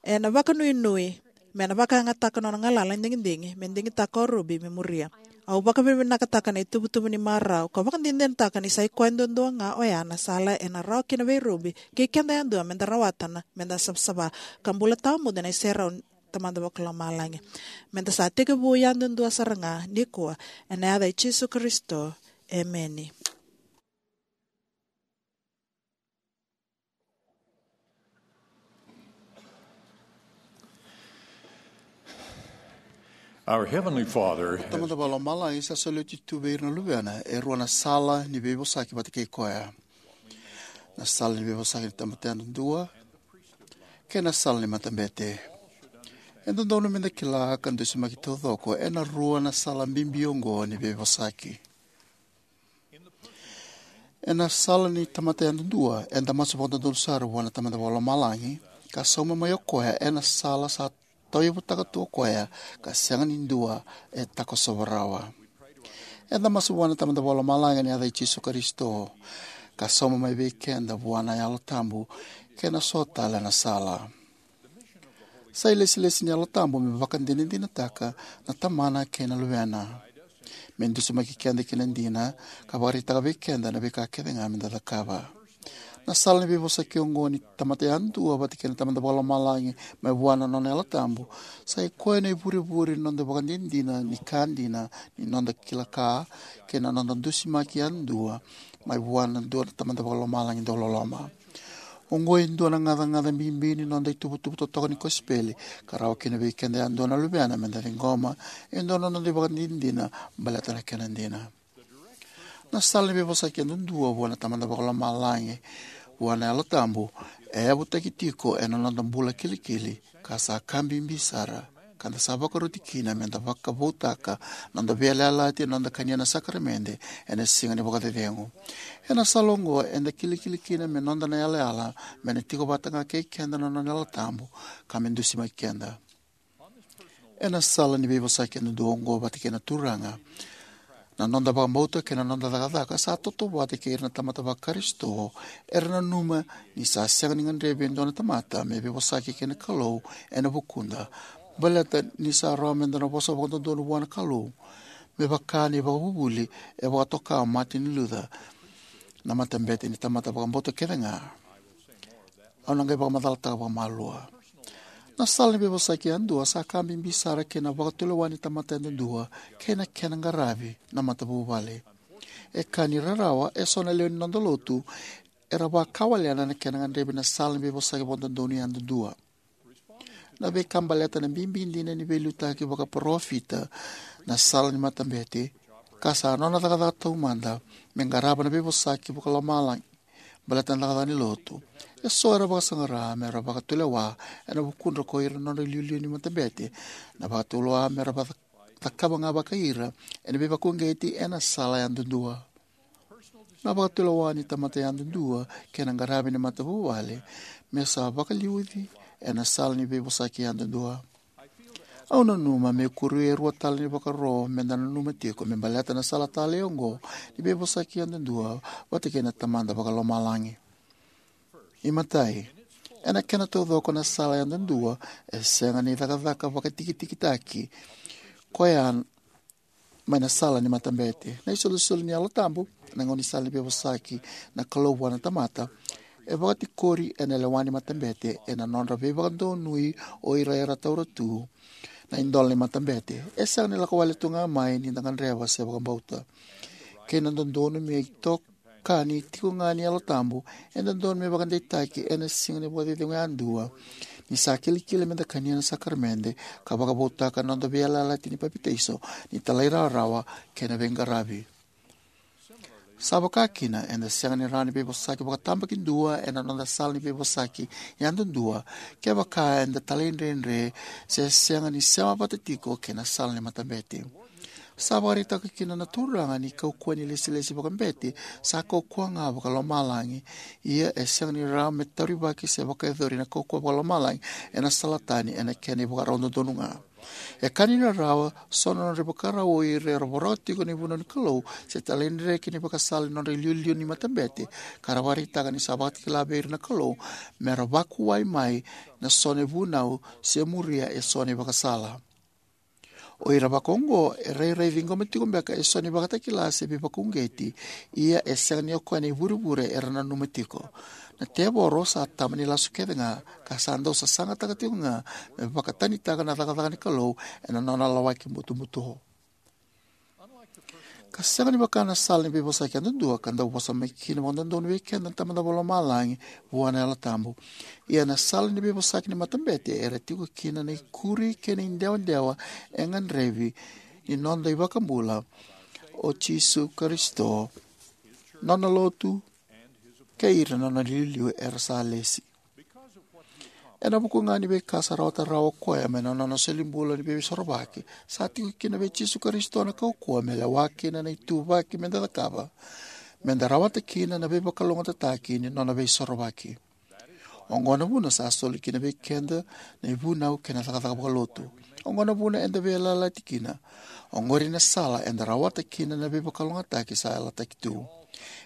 Ena vakanuinui me na vakayagataka nona galala ni digidigi me digitaka o Ruby me muria. Au vakavinavinakataka na itubutubu ni marau ka vakadinadinataka ni sa i koya duadua ga oya na sala ena rawa kina vei Ruby kei keda yadua me da rawata na me da savasava ka bula tawamudu ena iserau ni Tamada Vakalomalagi. Me da sa tekivu yadudua sara ga nikua, ena yaca i Jisu Karisito. Emeni. Our Heavenly Father has Tamada Vakalomalagi sa soli oti tu vei ira na luvena e rua na sala ni veivosaki vata kei koya. Na sala ni veivosaki ni tamata yadudua kei na sala ni matabete. E dodonu me da kila ka dusimaki taucoko ena rua na sala bibi oqo ni veivosaki. Ena sala ni tamata yadudua, eda masu vakadodonu sara vua na Tamada Vakalomalagi ka sauma mai o koya ena sala sa tauyavutaka tu o koya ka sega ni dua e takosova rawa. Eda masu vua na Tamada Vakalomalagi ena yaca i Jisu Karisito ka sauma mai vei keda vua na Yalo Tabu kei na so tale na sala. Sa ilesilesi ni Yalo Tabu me vakadinadinataka na Tamana kei na Luvena, me dusimaki keda ki na dina ka vakaraitaka vei keda na veika kece ga me da cakava. Na sala ni veivosaki oqo ni tamata yadua vata kei na Tamada Vakalomalagi mai vua na nona Yalo Tabu sa i koya na ivurevure ni noda vakadinadina ni ka dina, ni noda kila ka kei na noda dusimaki yadua mai vua na dua na Tamada Vakalomalagi dauloloma. Oqo e dua na gacagaca bibi ni noda ituvatuva totoka ni kosipeli ka rawa kina vei keda yadua na luvena me da ciqoma e dua na noda ivakadinadina baleta na kena dina. Na sala ni veivosaki yadudua vua na Tamada Vakalomalagi vua na Yalo Tabu e yavutaki tiko ena noda bula kilikili ka sa ka bibi sara ka da sa vakaroti kina me da vakavoutaka noda veiyalayalati ena noda kania na sakaramede ena siga ni vakacecegu. Ena sala oqo eda kilikili kina me noda na yalayala me na tiko vata ga kei keda na nona Yalo Tabu ka me dusimaki keda. Ena sala ni veivosaki yadudua oqo vata kei na Turaga, na noda vakabauta kei na noda cakacaka sa tautauvata kei ira na tamata vaKarisito era nanuma ni sa sega ni gadrevi e dua na tamata me veivosaki kei na Kalou ena vukuda, baleta ni sa rawa me da na vosa vakadodonu vua na Kalou, me vaka na ivakavuvuli e vakatoka o Martin Luther: Na matabete ni tamata vakabauta kece ga. Au na qai vakamacalataka vakamalua. Na sala ni veivosaki yadua sa ka bibi sara kei na vakatulewa ni tamata yadudua kei na kena qaravi na matavuvale. E ka ni rarawa, eso na lewe ni noda lotu era vakawalena na kena gadrevi na sala ni veivosaki vakadodonu yadudua. Na veika baleta na bibi dina ni veiliutaki vakaparofita na sala ni matabete ka sa nona cakacaka taumada me qarava na veivosaki vakalomalagi baleta na cakacaka ni lotu. Eso era vakasaqara me ra vakatulewa ena vukudra ko ira na nodra iliuliu ni matabete, na vakatulewa me ra vaka- cakava ga vakai ira ena veivakauqeti ena sala yadudua. Na vakatulewa ni tamata yadudua kei na qaravi ni matavuvale me sa vakaliuci ena sala ni veivosaki yadudua. Au nanuma me kuri e rua tale ni vakaro me da nanuma tiko me baleta na sala talei oqo ni veivosaki yadudua vata kei na Tamada Vakalomalagi. Imatai, ena kena taucoko na sala yadudua e sega ni cakacaka vakatikitikitaki koya mai na sala ni matabete. Na isolisoli ni Yalo Tabu, na gaunisala ni veivosaki na Kalou vua na tamata, e vakatikori ena lewa ni matabete ena nodra veivakadonui o ira era taura tu na idola ni matabete. E sega ni lako wale tu ga mai ni da gadreva se vakabauta. Kei na dodonu me itoka ni tiko ga ni Yalo Tabu, e dodonu me vakadeitaki ena siga ni vakacecegu yadua ni sa kilikili me da kania na sakaramede ka vakavoutaka na noda veiyalayalati ni papitaiso, ni talairawarawa kei na veiqaravi. Sa vaka kina, eda sega ni rawa ni veivosaki vakatabakidua ena noda sala ni veivosaki yadudua kevaka eda talaidredre se sega ni sema vata tiko kei na sala ni matabete. Sa vakaraitaka kina na Turaga ni kaukauwa ni ilesilesi vakabete sa kaukauwa ga vakalomalagi, ia e sega ni rawa me taurivaki se vakayacori na kaukauwa vakalomalagi ena sala tani ena kena ivakarau dodonu ga. E ka ni rarawa, so na nodra ivakarau o ira era voroka tiko na ivunau ni Kalou se talaidredre ki na ivakasala ni nodra iliuliu ni matabete, ka ra vakaraitaka ni sa vakatakila vei ira na Kalou me ra vakuwai mai na so na ivunau se muria e so na ivakasala. O ira vakaoqo e rairai ciqoma tiko beka e so na ivakatakila se veivakauqeti, ia e sega ni o koya na ivurevure era nanuma tiko. Na tevoro sa tama ni lasu kece ga, ka sa dau sasagataka tiko ga me vakatanitaka na cakacaka ni Kalou ena nona lawaki butobuto. Ka sega ni vaka na sala ni veivosaki yadudua ka dau vosa mai kina vakadodonu vei keda na Tamada Vakalomalagi vua na Yalo Tabu, ia na sala ni veivosaki ni matabete era tiko kina na ikuri kei na idewadewa e gadrevi ni noda iVakabula, o Jisu Karisito, nona lotu, kei ira na nona iliuliu era sa lesi. Ena vuku ga ni veika sa rawata rawa o koya mai na nona solibula ni veisorovaki, sa tiko kina vei Jisu Karisito na kaukauwa me lewa kina na ituvaki meda cakava, meda rawata kina na veivakalougatataki ni nona veisorovaki. Oqo na vuna sa soli kina vei keda na ivunau kei na cakacaka vakalotu. Oqo na vuna eda veiyalayalati kina. Oqori na sala eda rawata kina na veivakalougatataki sa yalataki tu.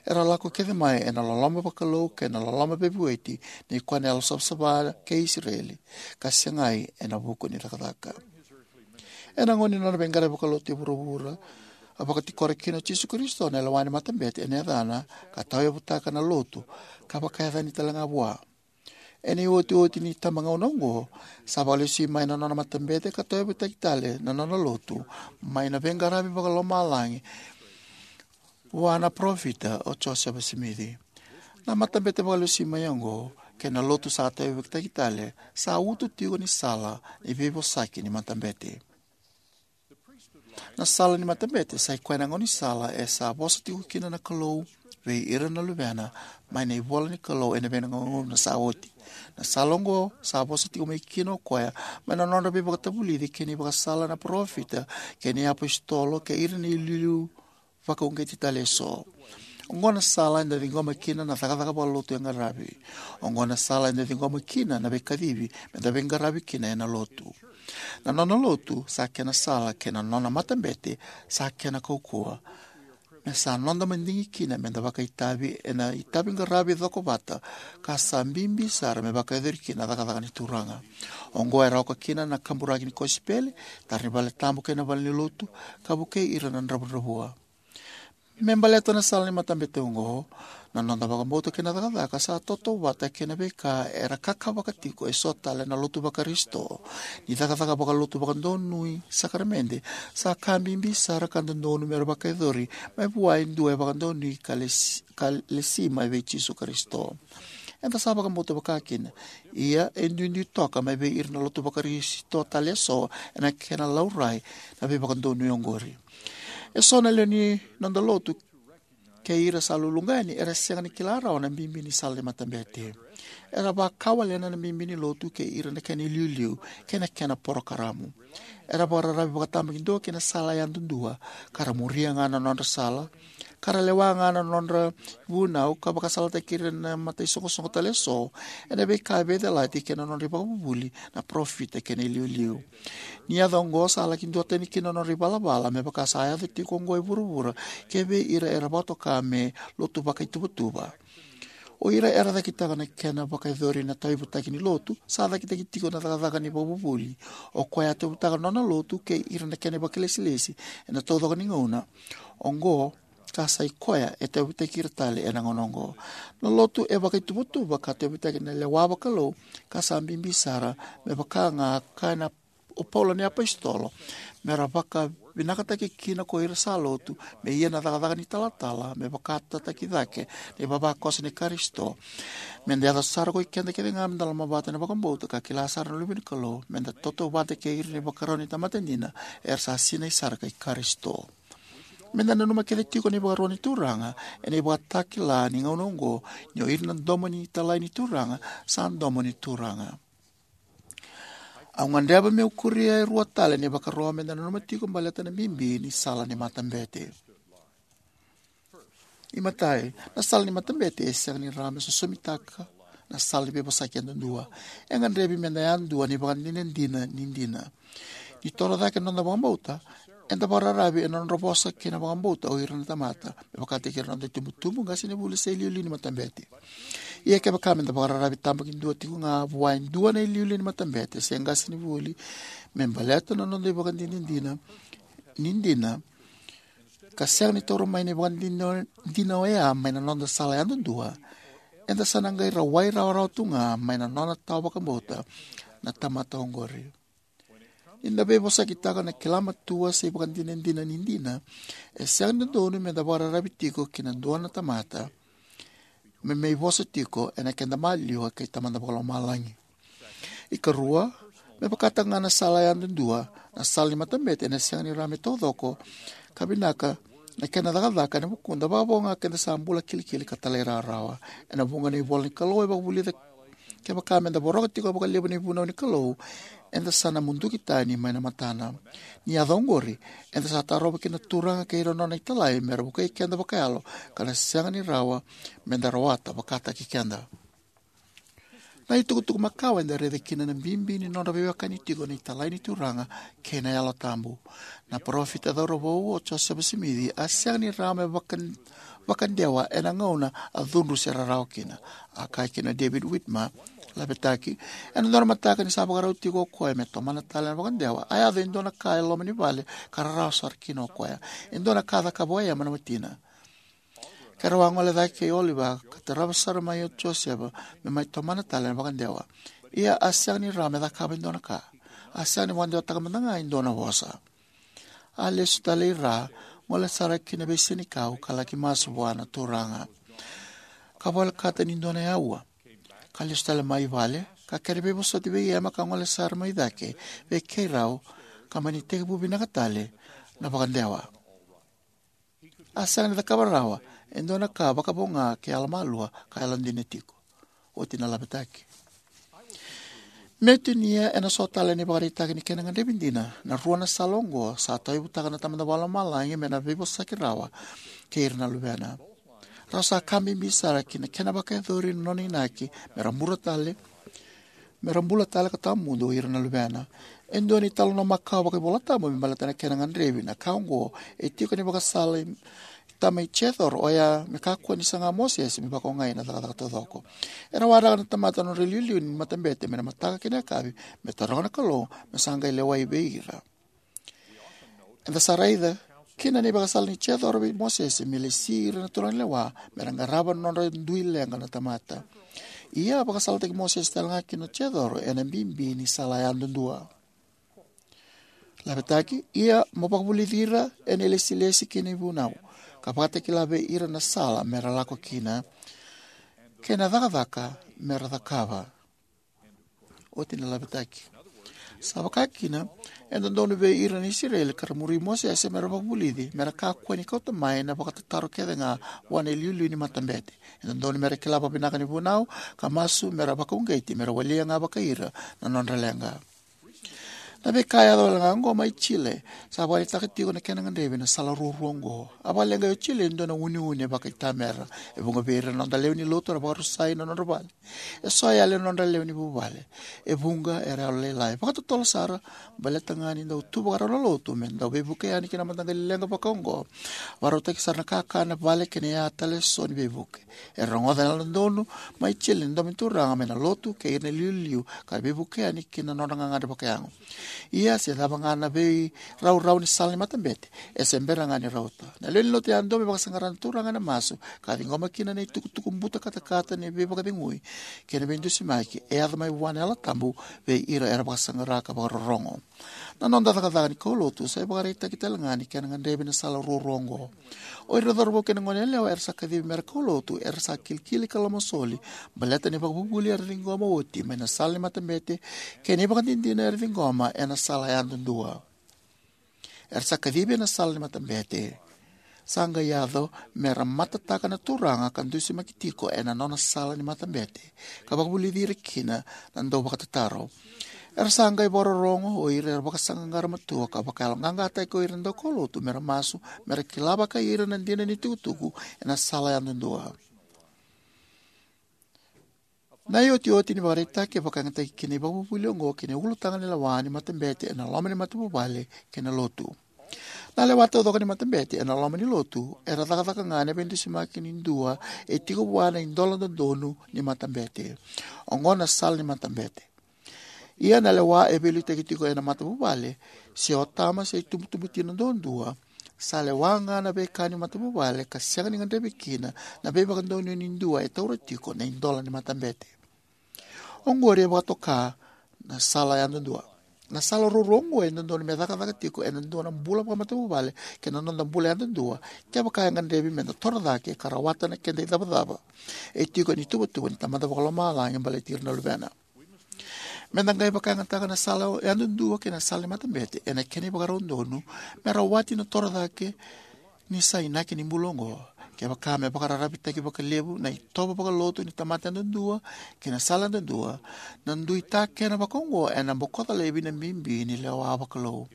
Era lako kece mai ena loloma vakalou kei na loloma veivueti nei koya na Yalosavasava kei Isireli, ka segai ena vuku ni cakacaka. Ena gauna ni nona veiqaravi vakalotu e vuravura, a vakatikora kina o Jisu Karisito na lewa ni matabete ena yacana, ka tauyavutaka na lotu, ka vakayacani talega vua. Ena iotioti ni tabagauna oqo, sa vakalesui mai na nona matabete ka tauyavutaki tale na nona lotu, mai na veiqaravi vakalomalagi vua na parofita o Josefa Simici. Na matabete vakalesui mai oqo kei na lotu sa tauyavutaki tale sa uto tiko ni sala ni veivosaki ni matabete. Na sala ni matabete sa i koya na gaunisala e sa vosa tiko kina na Kalou vei ira na luvena mai na ivola ni Kalou ena veigauna sa oti. Na sala oqo sa vosa tiko mai kina o koya mai na nodra veivakatavulici kei na ivakasala na parofita kei na iapositolo kei ira na iliuliu vakauqeti tale eso. Oqo na sala eda ciqoma kina na cakacaka vakalotu e qaravi. Oqo na sala eda ciqoma kina na veikacivi meda veiqaravi kina ena lotu. Na nona lotu sa kena sala kei na nona matabete sa kena kaukauwa. Me sa noda madigi kina meda vakaitavi ena itaviqaravi cokovata ka sa bibi sara me vakayacori kina na cakacaka ni Turaga. Oqo era oka kina na kaburaki ni kosipeli, tara ni vale tabu kei na vale ni lotu, ka vukei ira na dravudravua. Me baleta na sala ni matabete oqo, na noda vakabauta kei na cakacaka sa tautauvata kei na veika era kakavaka tiko eso tale na lotu vaKarisito. Ni cakacaka vakalotu vakadonui sakaramede sa ka bibi sara ka dodonu mera vakayacori mai vua e dua e vakadonui ka lesi, ka lesi mai vei Jisu Karisito. Eda sa vakabauta vakakina, ia e duidui toka mai vei ira na lotu vaKarisito tale eso ena kena laurai na veivakadonui oqori. Eso na lewe ni noda lotu kei ira sa luluqa yani era sega ni kila rawa na bibi ni sala ni matabete. Era vakawalena na bibi ni lotu kei ira na kena iliuliu kei na kena porokaramu. Era vakararavi vakatabakidua ki na sala yadudua, ka ra muria ga na nodra sala, ka ra lewa ga na nodra vunau ka vakasalataki ira na mataisoqosoqo tale eso ena veika e veicalati kei na nodra ivakavuvuli na parofita kei na iliuliu. Ni yaco oqo sa laki duatani kina na nodra ivalavala me vaka sa yaco tiko oqo e vuravura kei vei ira era vakatoka me lotu vakaituvatuva. O ira era cakitaka na kena vakayacori na tauyavutaki ni lotu sa cakitaki tiko na cakacaka ni vakavuvuli. O koya a tauyavutaka na nona lotu kei ira na kena vakailesilesi ena taucoko ni gauna oqo, ka sa i koya e tauyavutaki ira tale ena gauna oqo. Na lotu e vakaituvatuva ka tauyavutaki na lewa vakalou ka sa bibi sara, me vaka ga kaya o Paula na iapositolo, mera vakavinakataki kina ko ira sa lotu me ia na cakacaka ni talatala me vakatataki cake na ivavakoso ni Karisito. Meda yaco sara ko i keda kece ga meda lomavata ena vakabauta ka kila sara na luve ni Kalou, meda tautauvata kei ira na ivakarau ni tamata dina era sa sinai sara kei Karisito. Meda nanuma kece tiko na ivakarau ni Turaga ena ivakatakila ni gauna oqo, ni o ira na domo ni italai ni Turaga sa domo ni Turaga. Au gadreva meu kuria e rua tale na ivakaro meda nanuma tiko baleta na bibi ni sala ni matabete. iMatai, na sala ni matabete e sega ni rawa me sosomitaka na sala ni veivosaki yadudua. E gadrevi meda yadua na ivakadinadina ni dina. Ni toro cake na noda vakabauta, eda vakararavi ena nodra vosa kei na vakabauta o ira na tamata, me vakataki ira na noda itubutubu, qasenivuli, se iliuliu ni matabete. Ia kevaka meda vakararavi tabakidua tiko ga vua e dua na iliuliu ni matabete se qasenivuli me baleta na noda ivakadinadina ni dina, ka sega ni taura mai na ivakadinadina oya mai na noda sala yadudua, eda sa na qai rawai rawarawa tu ga mai na nona tawa vakabauta na tamata oqori. Ni da veivosakitaka na kila matua se ivakadinadina ni dina, e sega ni dodonu meda vakararavi tiko ki na dua na tamata me mai vosa tiko ena keda maliwa kei Tamada Vakalomalagi. iKarua, me vakataka ga na sala yadudua, na sala ni matabete ena sega ni rawa me taucoko ka vinaka na kena cakacaka ena vukuda, vakavo ga keda sa bula kilikili ka talairawarawa. Ena vuqa na ivola ni Kalou e vakavulica, kevaka meda voroka tiko vakalevu na ivunau ni Kalou, eda sa na muduki tani mai na matana. Ni yaco oqori, eda sa tarova kina na Turaga kei ira na nona italai mera vukei keda vakayalo, ka na sega ni rawa meda rawata vakataki keda. Na itukutuku makawa eda raica kina na bibi ni nodra veiwekani tiko na italai ni Turaga kei na Yalo Tabu. Na parofita cauravou o Josefa Simici a sega ni rawa me vaka-, vakadewa ena gauna a cudru se rarawa kina. A kaya kina o David Whitmer, lavetaki, ena dua na mataka ni sa vakarau tiko o koya me tomana tale na vakadewa, a yaco e dua na ka e loma ni vale ka rarawa sara kina o koya. E dua na ka a cakava o Ema na watina. Keirau a gole cake kei Oliver ka tarava sara mai o Josefa me mai tomana tale na vakadewa. Ia a sega ni rawa me cakava e dua na ka. A sega ni vakadewataka mada ga e dua na vosa. A lesu tale i ra, gole sara ki na veisenikau ka laki masu vua na Turaga, ka volekata ni dua na aua. Ka lesu tale mai vale, ka kere veivosoti vei Ema ka gole sara mai cake vei keirau, ka mani tekivu vinaka tale na vakadewa. A sega ni cakava rawa e dua na ka vakavo ga ke yalomalua ka yalodina tiko. Oti na lavetaki. Meu tinia ena so tale na ivakaraitaki ni kena gadrevi dina na rua na sala oqo sa tauyavutaka na Tamada Vakalomalagi me na veivosaki rawa kei ira na luvena. Rau sa ka bibi sara ki na kena vakayacori na nona inaki me ra bula tale, me ra bula tale ka tawamudu o ira na luvena. E dua na italanoa makawa vakaivolatabu me baleta na kena gadrevi na ka oqo e tiko ni vakasala i tama i Jecoro, oya me kakua ni saga Mosese me vakaogai na cakacaka taucoko. Era waraka na tamata na nodra iliuliu ni matabete mai na mataka ki na yakavi me taroga na Kalou me sa qai lewai vei ira. Eda sa raica kina na ivakasala nei Jecoro vei Mosese me lesi ira na turaganilewa me ra qarava na nodra dui leqa na tamata. Ia a vakasalataki Mosese tale ga kina o Jecoro ena bibi ni sala yadudua. Lavetaki, ia mo vakavulici ira ena ilesilesi kei na ivunau, ka vakatakila vei ira na sala me ra lako kina, kei na cakacaka me ra cakava. Oti na lavetaki. Sa vaka kina, e dodonu vei ira na Isireli ka ra muri Mosese me ra vakavulici me ra kakua ni kauta mai na vakatataro kece ga vua na iliuliu ni matabete. E dodonu me ra kila vakavinaka na ivunau ka masu me ra vakauqeti me ra walia ga vakai ira na nodra leqa. Na veika e yaco wale ga oqo mai Chile sa vakaraitaka tiko na kena gadrevi na sala ruarua oqo. A vakaleqai o Chile e dua na uneune vakaitamera. E vuqa vei ira na noda lewe ni lotu era vakarusai na nodra vale. E so e yali na nodra lewe ni vuvale. E vuqa era yalo lailai. Vakatotolo sara, baleta ga ni dau tu vakarau na lotu me dau veivuke yani ki na mataqali leqa vaka oqo. Vakarautaki sara na kakana, vale kei na ya tale e so ni veivuke. Era rogoca na yalododonu mai Chile na domo ni Turaga mai na lotu kei ira na iliuliu ka ra veivuke yani ki na nodra gagadre vakayago. Ia se cava ga na veiraurau ni sala ni matabete, e se bera ga ni rauta. Na lewe ni lotu yadua me vakasaqara na Turaga ena masu ka ciqoma kina na itukutuku buta katakata ni veivakacegui kei na veidusimaki e yaco mai vua na Yalo Tabu vei ira era vakasaqara ka vakarorogo. Na noda cakacaka ni kaulotu sa ivakaraitaki tale ga ni kena gadrevi na sala ruarua oqo. O ira na cauravou kei na goneyalewa era sa kacivi me ra kaulotu era sa kilikili ka lomasoli baleta na ivakavuvuli era ciqoma oti mai na sala ni matabete kei na ivakadinadina era ciqoma ena sala yadudua. Era sa kacivi ena sala ni matabete. Sa qai yaco me ra matataka na Turaga ka dusimaki tiko ena nona sala ni matabete ka vakavulici ira kina na dauvakatataro. Era sa qai vakarorogo o ira era vakasaqaqara matua ka vakayaloqaqataki ko ira na daukaulotu mera masu, mera kila vakai ira na dina ni tukutuku ena sala yadudua. Na iotioti ni vakaraitaki e vakayagataki kina ivakavuvuli oqo ki na ulutaga ni lewa ni matabete ena loma ni matavuvale kei na lotu. Na lewa taucoko ni matabete ena loma ni lotu era cakacaka ga ena veidusimaki ni dua e tiko vua na idola dodonu ni matabete. Oqo na sala ni matabete. Ia na lewa e veiliutaki tiko ena matavuvale, se o tama se itubutubu tina duadua, sa lewa ga na veika ni matavuvale ka sega ni gadrevi kina na veivakadonui ni dua e taura tiko na idola ni matabete. Oqori e vakatoka na sala yadudua. Na sala ruarua oqo e dodonu me cakacaka tiko ena dua na bula vakamatavuvale kei na noda bula yadudua, kevaka e gadrevi meda toro cake ka rawata na keda icavacava e tiko ena ituvatuva ni Tamada Vakalomalagi baleti ira na luvena. Meda qai vakayagataka na sala yadudua kei na sala ni matabete ena kena ivakarau donu me rawati na toro cake ni sa inaki ni bula oqo. Kevaka me vakararavitaki vakalevu na itovo vakalotu ni tamata yadudua kei na sala yadudua, na dui takena vakaoqo ena bokoca laivi na bibi ni lewa vakalou.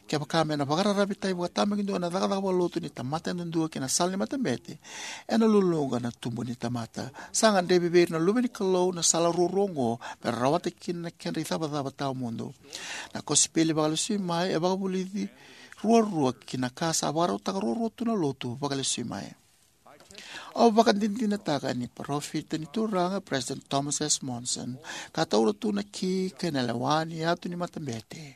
Kevaka me na vakararavitaki vakatabakidua na cakacaka vakalotu ni tamata yadudua kei na sala ni matabete, ena luluqa na tubu ni tamata. Sa gadrevi vei ira na luve ni Kalou na sala ruarua oqo me ra rawata kina na kedra icavacava tawamudu. Na kosipeli vakalesui mai e vakavulici ruarua ki na ka sa vakarautaka ruarua tu na lotu vakalesui mai. Au vakadinadinataka ni parofita ni Turaga President Thomas S. Monson ka taura tu na ki kei na lewa ni yatu ni matabete.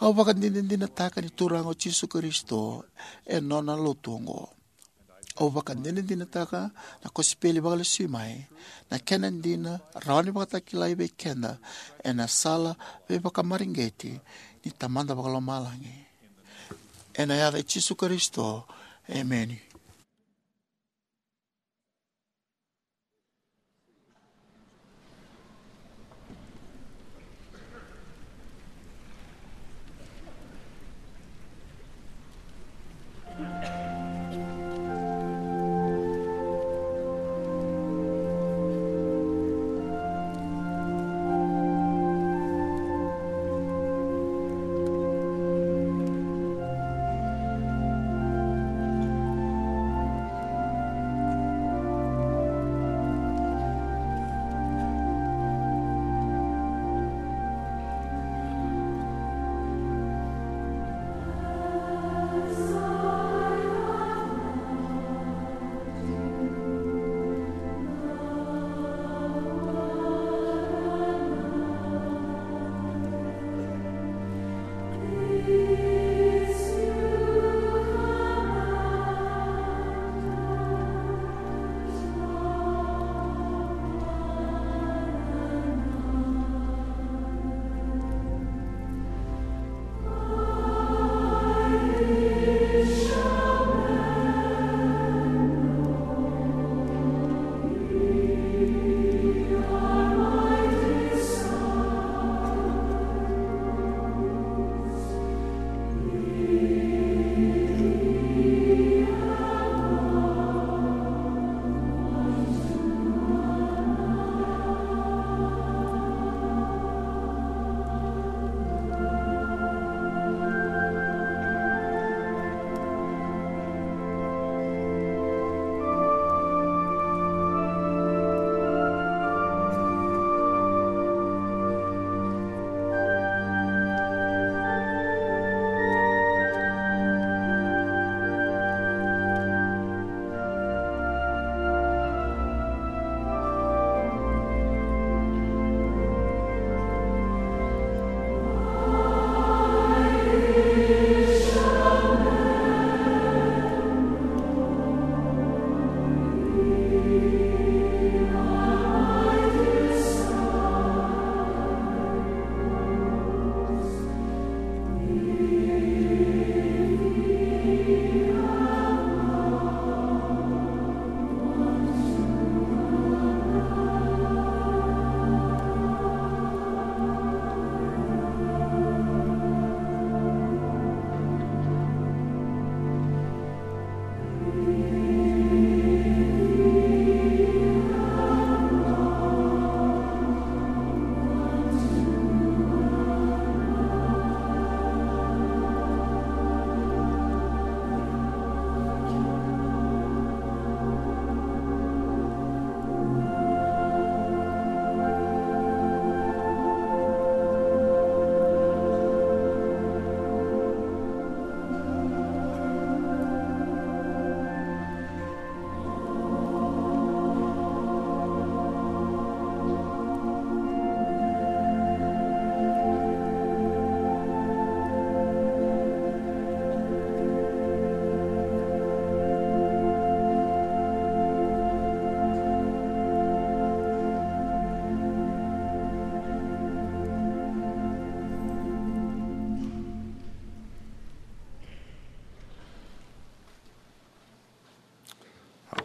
Au vakadinadinataka ni Turaga o Jisu Karisito e nona lotu oqo. Au vakadinadinataka na kosipeli vakalesui mai, na kena dina rawa ni vakatakilai vei keda ena sala veivakamareqeti ni Tamada Vakalomalagi. Ena yaca i Jisu Karisito, emeni.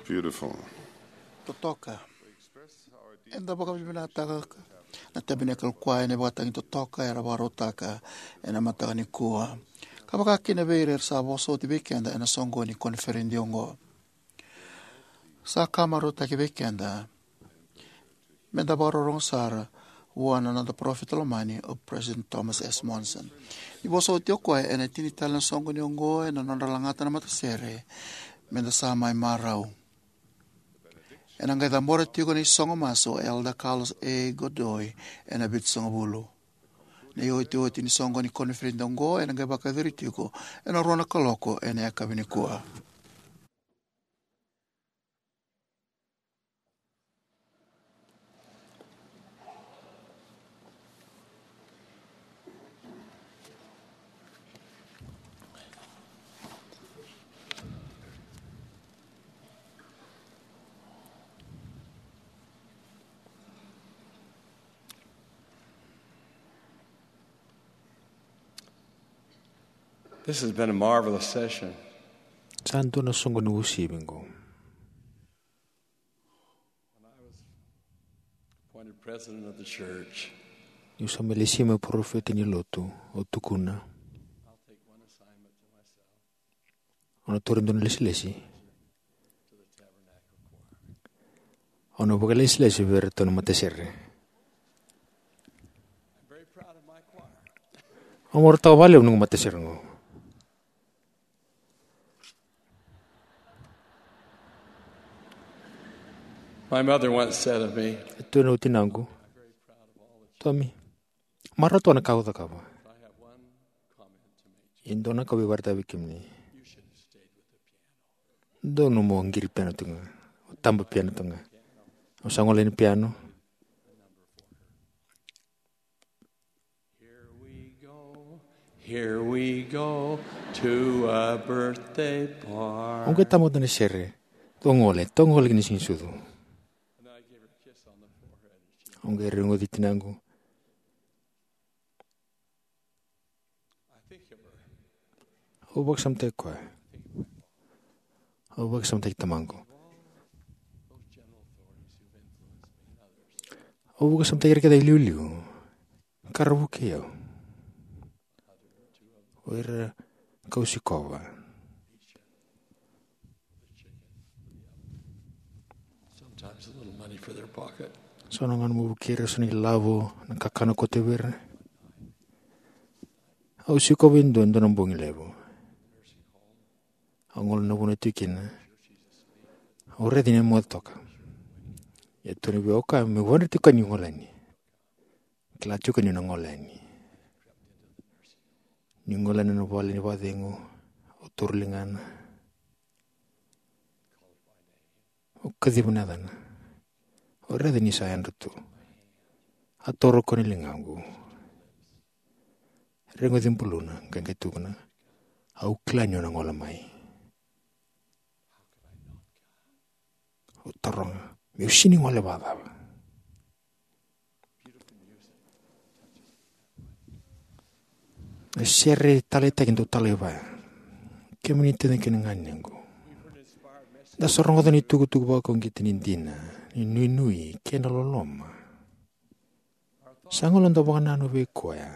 Beautiful. Totoka. Eda vakavinavinakataka na Tabernacle Choir ena ivakatagi totoka era vakarautaka ena mataka nikua, ka vakakina vei ira era sa vosa oti vei keda ena soqoni koniferedi oqo. Sa ka marautaki vei keda meda vakarorogo sara vua na noda parofita lomani o President Thomas S. Monson. Ni vosa oti o koya ena tini tale na soqoni oqo ena nodra lagata na matasere, meda sa mai marau. Ena qai cabora tiko na isogo masu o Elder Carlos A. Godoy ena vitusagavulu. Na iotioti ni soqoni koniferedi oqo ena qai vakayacori tiko ena rua na kaloko ena yakavi nikua. This has been a marvelous session. Sa dua na soqoni uasivi qo. When I was appointed president of the church, niu sa mai lesi mai parofita ni lotu, au tukuna, I'll take one assignment to myself. Au na taura e dua na lesilesi. Au na vakalesilesi vei iratou na matasere. Au marautaka vakalevu noqu matasere qo. My mother once said of me, e tukuna o tinaqu, Tommy, marautaka na ka au cakava. Ia dua na ka au via vakaraitaka vei kemuni. Donu mo qiri piano tu ga, o taba piano tu ga. Au sa gole ni piano. Here we go, here we go to a birthday party. Au qai taba tu na sere. Toqole, toqole ki na siga ni sucu. Au qai rogoci tinaqu. Au vakasamataki koya. Au vakasamataki tamaqu. Au vakasamataki ira kece iliuliu ka ra vukei au. O ira kau sikova. Sometimes a little money for their pocket. So na gauna meu vukei ira so na ilavo, na kakana koto vei ira. Au sikova e dua, e dua na bogi levu. Au gole na vanua e tu kina. Au raica ni moce toka. Ia tukuna vei au o koya meu vakadreti koya niu gole yani. Kila tiko niu na gole yani. Niu gole yani na vale ni vakacegu, au toro ligana. Au kaciva na yacana. Au raica ni sa yadra tu. A toro koya na ligaqu. Reguci buluna, qai qai tukuna. Au kila niu na gole mai. Au taroga, meu sega ni gole vakacava? Na sere taleitaki dau talai vaya. Kemuni tacina kei na ganequ. Da sa rogoca na itukutuku vakauqeti ni dina, ni nuinui, kei na loloma. Sa gole na noda vakanananu vei koya.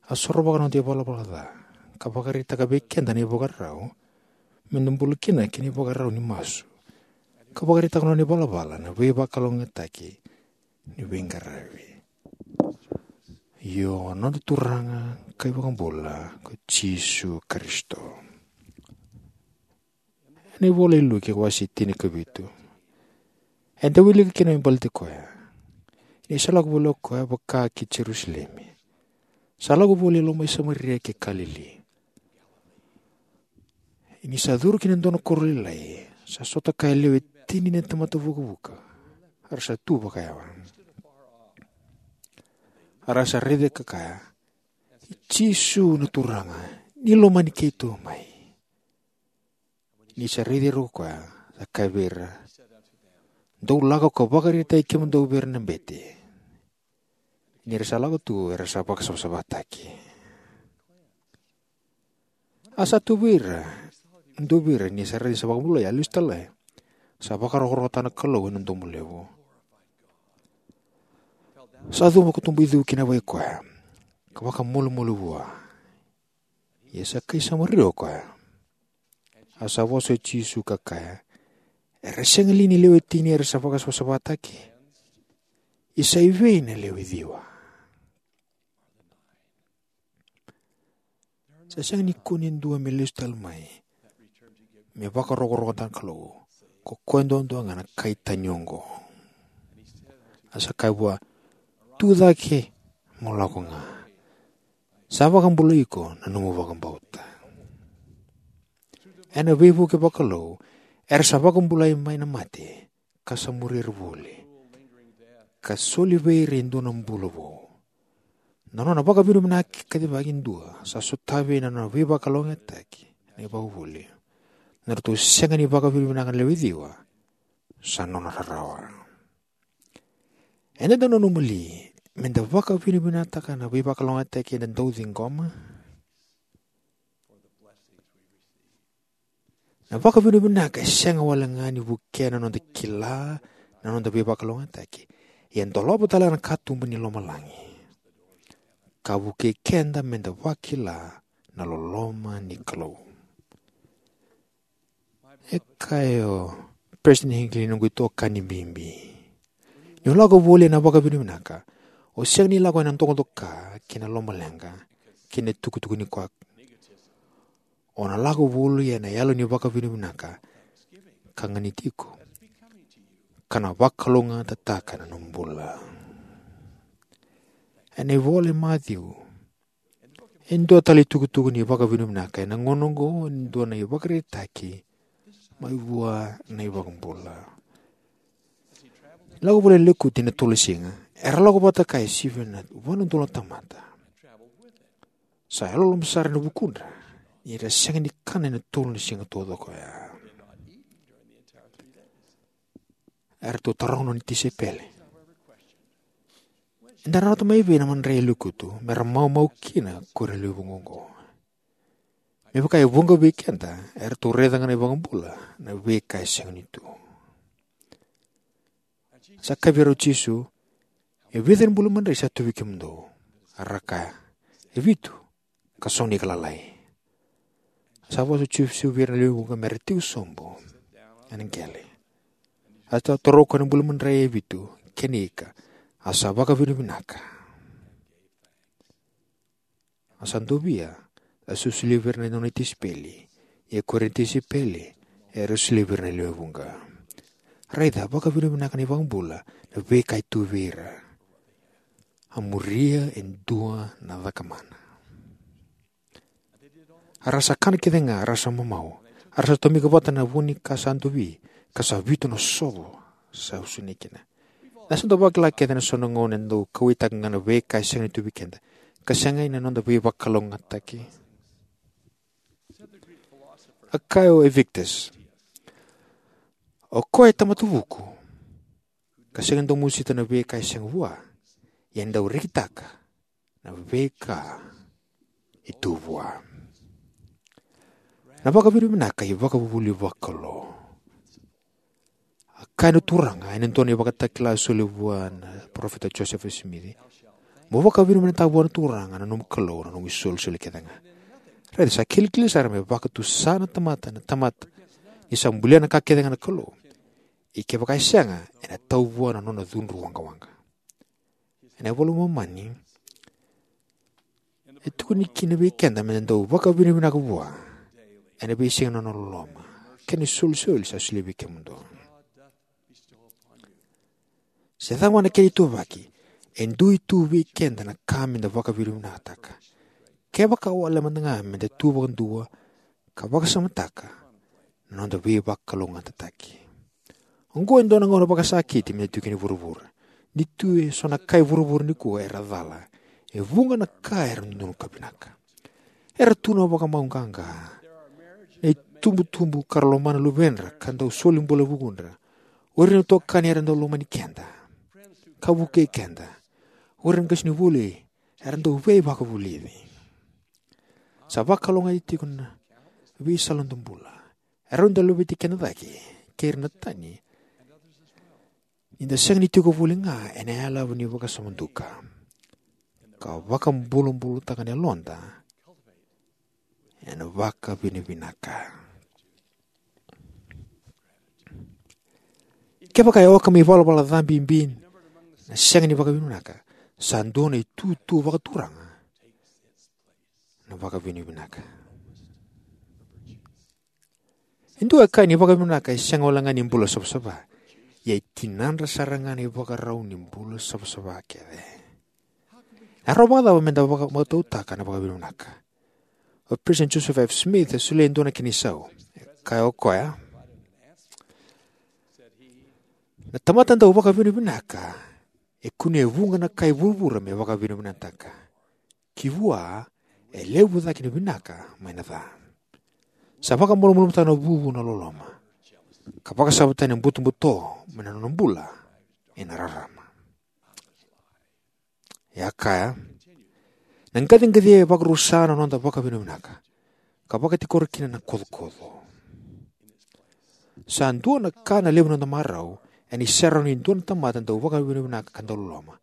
A sorovaka na noda ivalavala ca. Ka vakaraitaka vei keda na ivakarau. Meda bula kina kei na ivakarau ni masu. Ka vakaraitaka na nona ivalavala na veivakalougatataki ni veiqaravi. Io, na noda Turaga ka iVakabula ko Jisu Karisito. Ena ivola i Luke wase tinikavitu. Eda wilika kina me baleti koya. Ni sa lako voli o koya vaka ki Jerusalemi. Sa lako voli e loma i Samaria kei Kalili. Ni sa curu ki na dua na koro lailai. Sa sota kaya e lewe tini na tamata vukavuka. A ra sa tu vakayawa. A ra sa raica ka kaya. Jisu na Turaga, ni lomani keitou mai. Ni sa raici ira ko koya, sa kaya vei ira, dou lako ka vakaraitaki kemudou vei ira na bete. Ni ra sa lako tu, era sa vakasavasavataki. A sa tu vei ira, dou vei ira, ni sa raici sa vakabulai, a lesu tale. Sa vakarokorokotaka na Kalou ena domo levu. Sa cuva ka tubu i cu ki na yavai koya, ka vakamolimoli vua. Ia sa kai Samaria o koya. A sa vosa o Jisu ka kaya, era sega li ni lewe tini era sa vakasavasavataki? Ia sa i vei na lewe ciwa? Sa sega ni kune e dua me lesu tale mai me vakarokorokotaka na Kalou, ko koya duadua ga na kai tani oqo. A sa kaya vua, tu cake mo lako ga. Sa vakabulai iko na nomu vakabauta. Ena veivuke vakalou, era sa vakabulai mai na mate, ka sa muri ira voli, ka soli vei ira e dua na bula vou. Na nona vakavinavinaka kacivaki e dua sa sotavi na nona veivakalougatataki na ivakavuvuli. Na ratou sega ni vakavinavinaka na lewe ciwa, sa nona rarawa. Eda dau nanuma li meda vakavinavinakataka na veivakalougatataki eda dau ciqoma? Na vakavinavinaka e sega wale ga ni vukea na noda kila na noda veivakalougatataki, ia e dolava tale ga na katuba ni lomalagi, ka vukei keda meda vakila na loloma ni Kalou. E kaya o President Hinckley, noqu itokani bibi, ni o lako voli ena vakavinavinaka, o sega ni lako ena dokadoka kei na lomaleqa kei na tukutuku ni koya. O na lako voli ena yalo ni vakavinavinaka ka ganiti iko, ka na vakalougatataka na nomu bula. Ena ivola i Maciu, e dua tale itukutuku ni vakavinavinaka ena gauna oqo, e dua na ivakaraitaki mai vua na iVakabula. Lako voli ena lekutu ena tolu na siga, era lako vata kaya e sivia na va na udolu na tamata. Sa yalololoma sara ena vukudra ni ra sega ni kana ena tolu na siga taucoko oya. Eratou taroga na nona tisaipeli, eda na rawata mai vei na madrai e lekutu me ra maumau kina ko ira na lewe vuqa oqo? Me vaka e vuqa vei keda, eratou raica ga na iVakabula na veika e sega ni tu. Sa kaya vei ira o Jisu, e vica na bula madrai sa tu vei kemudou? A ra kaya, e vitu, ka so na ika lalai. Sa vosa o Jisu vei ira na lewe vuqa me ra tiko sobu ena qele. A sa taura o koya na bula madrai e vitu kei na ika, a sa vakavinavinaka. A sa dovia, a sa solia vei ira na nona tisaipeli, ia ko ira na tisaipeli era solia vei ira na lewe vuqa. Raica, vakavinavinaka na iVakabula na veika e tu vei ira. A muria e dua na cakamana. A ra sa kana kece ga, a ra sa mamau, a ra sa tomika vata na vu ni ka sa dovi, ka sa vitu na sovo sa usunei kina. Eda sa dau vakila kece ena so na gauna e dau kauwaitaka ga na veika e sega ni tu vei keda, ka sega ena noda veivakalougatataki. A kaya o Epictetus, o koya e tamata vuku, ka sega ni dau mosita na veika e sega vua, ia e dau rekitaka na veika e tu vua. Na vakavinavinaka e ivakavuvuli vakalou. A kaya na Turaga ena dua na ivakatakila a soli vua na parofita Josefa Simici, mo vakavinavinakataka vua na Turaga na nomu Kalou na nomu isolisoli kece ga. Raica, sa kilikili sara me vakatusa na tamata na tamata ni sa bulia na ka kece ga na Kalou. Ia kevaka e sega, ena tau vua na nona cudru waqawaqa. Ena iVola i Momani e tukuni kina vei keda meda dau vakavinavinaka vua ena veisiga na nona loloma kei na isolisoli sa solia vei kemudou. Se cava ga na kena ituvaki, e dui tu vei keda na ka meda vakavinavinakataka, kevaka wale mada ga meda tu vakadua ka vakasamataka na noda veivakalougatataki. Oqo e dua na gauna vakasakiti me tu kina i vuravura. Ni tu e so na ka i vuravura nikua era cala, e vuqa na ka era dodonu ka vinaka. Era tu na vakamau qaqa, na itubutubu ka ra lomana luvedra ka dau soli bula e vukudra. O ira na itokani era dau lomani keda ka vukei keda. O ira na qasenivuli era dau veivakavulici. Sa vakalougatataki tiko na veisala ni noda bula. E rawa ni da laveti keda cake kei ira na tani, ni da sega ni tiko voli ga ena yalava ni vakasama duka, ka vakabulabulataka na yaloda ena vakavinavinaka. Kevaka e oka me ivalavala ca bibi na sega ni vakavinavinaka, sa dua na itutu vakaturaga na vakavinavinaka. E dua e kaya ni vakavinavinaka e sega wale ga ni bula savasava, ia e tinadra sara ga na ivakarau ni bula savasava kece. E rawa vakacava me da vaka- vakatautaka na vakavinavinaka? O President Joseph F. Smith e solia e dua na kena isau. E kaya o koya, na tamata dau vakavinavinaka e kunea e vuqa na ka e vuravura me vakavinavinakataka. Ki vua e levu cake na vinaka mai na ca. Sa vakamalumalumutaka na vuvu na loloma, ka vakasavataka na butobuto mai na nona bula ena rarama. E a kaya, na qaciqacia e vakarusa na noda vakavinavinaka, ka vakatikora kina na kocokoco. Sa dua na ka na levu na noda marau ena isau ni dua na tamata dau vakavinavinaka ka dau loloma,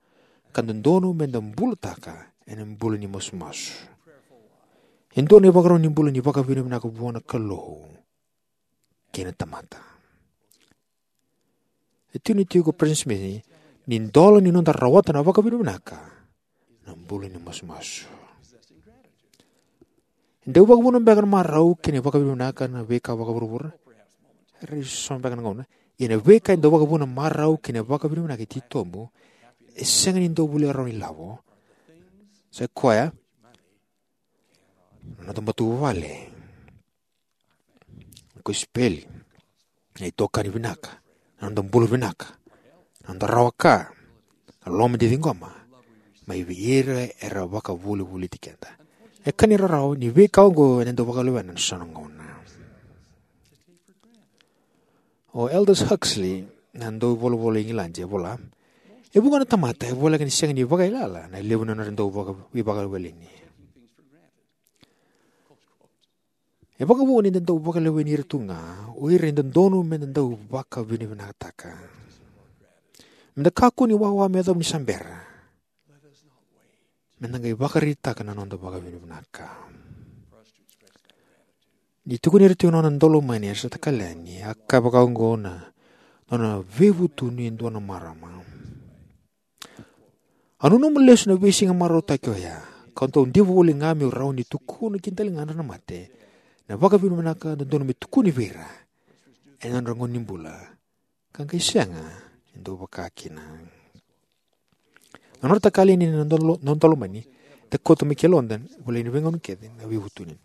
ka dodonu me da bulataka ena bula ni masumasu. E dua na ivakarau ni bula ni vakavinavinaka vua na Kalou kei na tamata. E tukuni tiko o President Smith ni dola ni noda rawata na vakavinavinaka na bula ni masumasu. E dau vakavuna beka na marau kei na vakavinavinaka na veika vakavuravura? Era isoso beka na gauna. Ia na veika e dau vakavuna marau kei na vakavinavinaka e titobu, e sega ni dau volia rawa ni lavo. Sa i koya na noda matavuvale, na kosipeli, na itokani vinaka, na noda bula vinaka, na noda rawa ka, na loma ni ciqoma mai vei ira era vakavolivoliti keda. E ka ni rarawa ni veika oqo ena dau vakalewena na so na gauna. O Aldous Huxley, na dauvolavola Igiladi, e vola, e vuqa na tamata e voleka ni sega ni vakaiyalayala na levu ni nodra dau vaka- veivakaleweni. E vakavuqa ni da dau vakaleweni ira tu ga o ira e dodonu me da dau vakavinavinakataka. Me da kakua ni wawa me yacova ni sa bera. Me da qai vakaraitaka na noda vakavinavinaka. Ni tukuni ira tiko na nona daulomani, era sa takali yani, a kaya vaka oqo na nona veivutuni e dua na marama. Au nanuma lesu na veisiga marautaki oya, kau dau diva voli ga meu rawa ni tukuna ki daligadra na mate na vakavinavinaka dodonu me tukuni vei ira ena nodra gauna ni bula, ka qai sega ni dau vaka kina. Na nodra takali yani na dalo- na daulomani, da kauta mai ki yaloda, volai ena veigauna kece na veivutuni.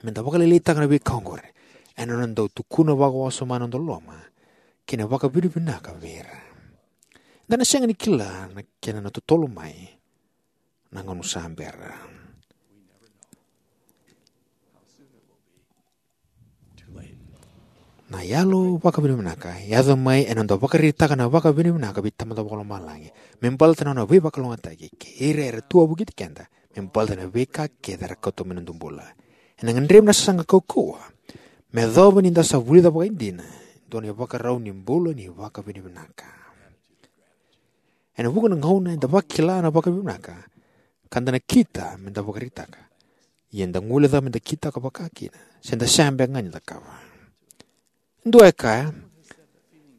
Me da vakalailaitaka na veika oqori ena noda dau tukuna vakawasoma na noda loloma kei na vakavinavinaka vei ira. Da na sega ni kila na kena na totolo mai na gauna sa bera. Na yalo vakavinavinaka e yaco mai ena noda vakaraitaka na vakavinavinaka vei Tamada Vakalomalagi me baleta na nona veivakalougatataki kei ira era tu wavokiti keda me baleta na veika kece era kauta mai na noda bula. Ena gadrevi na sasaga kaukauwa me yacova ni da sa vulica vakaidina e dua na ivakarau ni bula ni vakavinavinaka. Ena vuqa na gauna eda vakila na vakavinavinaka ka da nakita me da vakaraitaka, ia eda guilecava me da kitaka vaka kina se da sega beka ga ni cakava. Dua e kaya,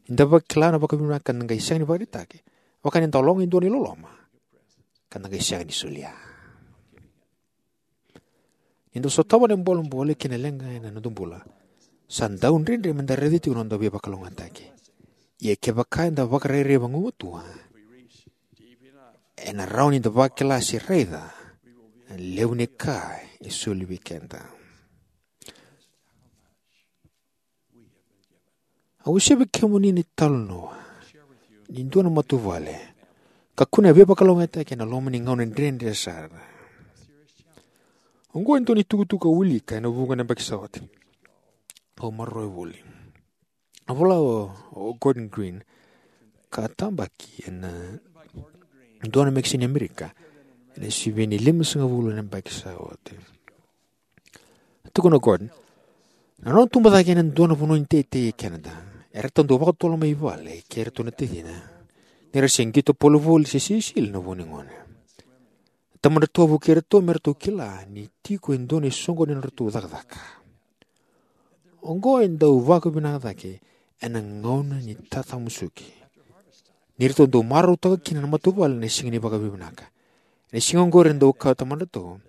ni da vakila na vakavinavinaka ka da qai sega ni vakaraitaka, vaka ni da loga e dua na iloloma ka da qai sega ni solia. Ni da sotava na bolebole kei na leqa ena noda bula, sa dau dredre me da raica tiko na noda veivakalougatataki. Ia kevaka eda vakarairai vagumatua, ena rawa ni da vakila se raica na levu ni ka e soli vei keda. Au wasea vei kemuni na italanoa ni dua na matavuvale ka kunea veivakalougatataki ena loma ni gauna dredre sara. Oqo e dua na itukutuku au wilika ena vuqa na yabaki sa oti. Au maroroya voli. A vola o, o Gordon Green, ka tabaki ena dua na mekesini Amerika ena sivi ni limasagavulu na yabaki sa oti. Tukuna o Gordon, na nona tubu cake ena dua na vanua ni teitei e Canada, Eratou dau vakatotolo mai vale kei iratou na tacina ni ra se qito polo voli se sisili na vo ni gone. Tamadratou a vukei iratou me ratou kila ni tiko e dua na isoqoni na nodratou cakacaka. Oqo e dau vakavinaka cake ena gauna ni tatamusuki, ni ratou dau marautaka kina na matavuvale ena siga ni vakavinavinaka. Ena siga oqori e dau kaya o tamadratou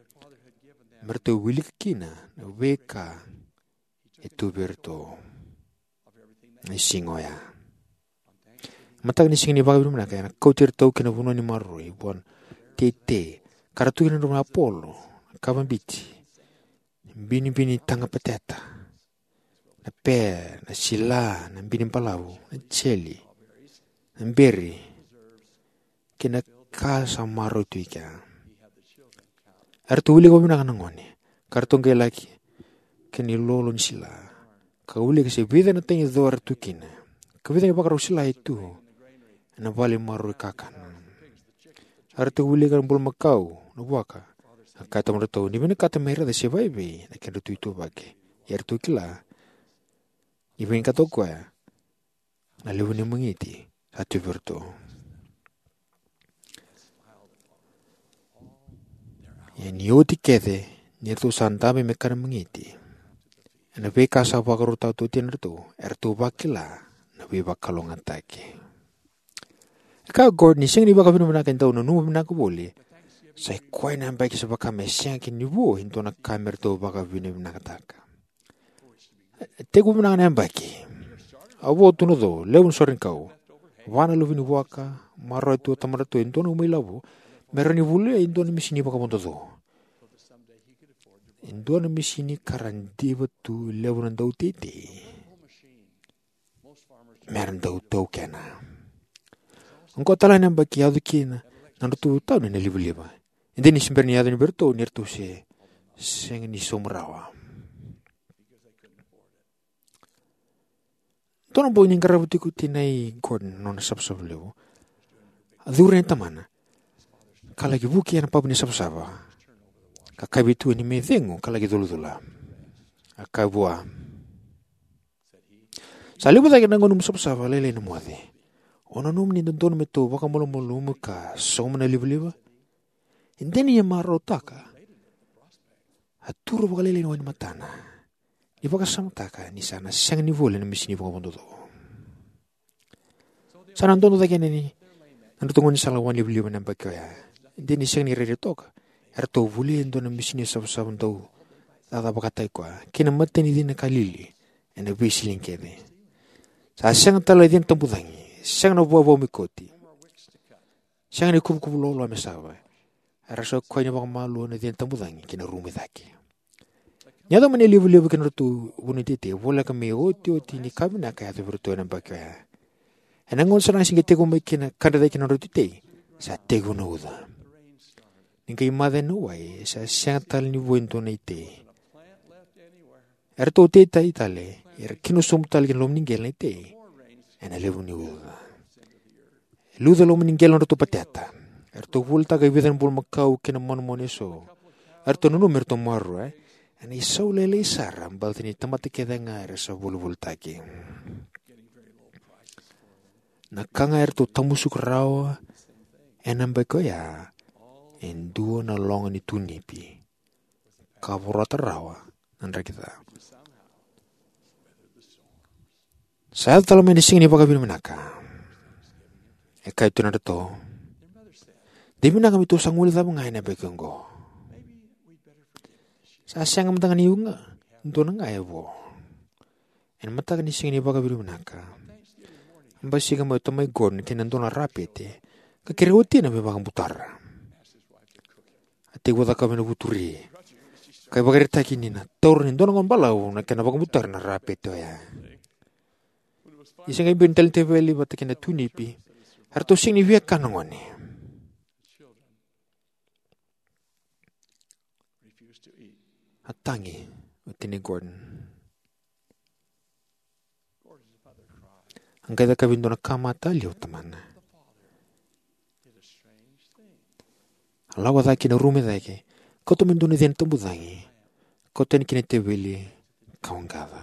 me ratou wilika kina na veika e tu vei iratou na siga oya. Mataka ni siga ni vakavinavinaka ena kauti iratou ki na vanua ni maroroi vua na teitei, ka ra tu kina na drau na apolo, na kava bibi, binibini taga pateta, na pe, na sila, na bini balavu, na jeli, na beri, kei na ka sa maroroi tu i kea. Eratou wilika vakavinaka na gone, ka ratou qai laki kina ilolo ni sila, ka wilika se vica na tagi co era tu kina, ka vica na ivakarau sila e tu ena vale maroroi kakana. Eratou wilika na bulumakau, na vuaka. A kaya o tamadratou ni vinakata me raica se vaivei na kedratou ituvaki. Ia eratou kila ni vinakata o koya na levu ni magiti sa tu vei iratou. Ia ni oti kece ni ratou sa dabe me kana magiti ena veika sa vakarautaka tu o tinadratou, eratou vakila na veivakalougatataki. E kaya o Gordon ni siga ni vakavinavinaka e dau nanuma vinaka voli, sa i koya na yabaki sa vaka me sega kina ni vo e dua na ka me ratou vakavinavinakataka. E tekivu vinaka na yabaki. A vo tu na co, levu na sorenikau, va na luve ni vuaka, maroroya tu o tamadratou e dua na uma ilavo me rawa ni volia e dua na misini vakavodoco, e dua na misini ka ra diva tu e levu na dauteitei me ra dau taukena. Oqo tale ga na yabaki yaco kina na nodratou tau ni na livaliva. E dina ni se bera ni yaco ni vei iratou ni ratou se sega ni sauma rawa. Dua na bogi ni qarava tiko o tinai Gordon na nona savasava levu, a curu yani tamana ka laki vuki ena papa ni savasava, ka kaya vei tuani me cegu ka laki culacula. A kaya vua, sa levu cake na gauna mo savasava lailai na moce. O nanuma ni dodonu me tou vakamalumalumutaka ka sauma na livaliva? E dina ni a marautaka, a turu vakalailai na wai ni matana ni vakasamataka ni sa na sega ni volia na misini vakavodoco. Sa na dodo cake yani na nodratou gaunisala wainilivaliva na yabaki oya. E dina ni sega ni rairai toka, eratou volia e dua na misini savasava dau cakacaka vakataki koya kei na matanicivi na Kalili ena veisiga kece. Sa sega tale na cina tabucagi, sega na vuavuai koti, sega ni kuvukuvu loaloa me sava. Era sa koya ni vakamalua na cina tabucagi ki na rumu i cake. Ni yaco mai na livaliva ki na nodratou vanua ni teitei, voleka me iotioti ni ka vinaka e yaco vei iratou ena yabaki oya. Ena gauna sara ga se qai tekivu mai kina ka dredre ki na nodratou teitei, sa tekivu na uca. Ni qai maca na wai, sa sega tale ni vo e dua na itei. Eratou teitei tale, era kina sobu tale ki na loma ni qele na itei ena levu ni uca. E luca e loma ni qele na nodratou pateta. Eratou volitaka e vica na bulumakau kei na manumanu eso. Eratou nanuma me ratou maroroya, ena isau lailai sara baleta ni tamata kece ga era sa volivolitaki. Na ka ga eratou tamusuka rawa ena yabaki oya e dua na loga ni tunipi ka vorata rawa na draki ca. Sa yaco tale mai na siga ni vakavinavinaka. E kaya tu na nodratou, de vinaka me tou sa guilecava ga ena yabaki oqo. Sa sega mada ga ni dua na ga e vo. Ena mataka ni siga ni vakavinavinaka, a basika mai o tamai Gordon ki na dua na rapete ka kerei watina me vakabutara. A tekivu cakava ena vuturi ka ivakaraitaki ni na taura ni dua na gauna balavu na kena vakabutara na rapete oya. Ni se qai biu na tale ni teveli vata kei na tunipi, eratou sega ni via kana na gone. A tagi o tinai Gordon. A qai cakavi dua na ka matalia o tamana. A lako cake ki na rumu i cake, kauta mai dua na cina tabucagi, kauta yani ki na teveli ka waqaca.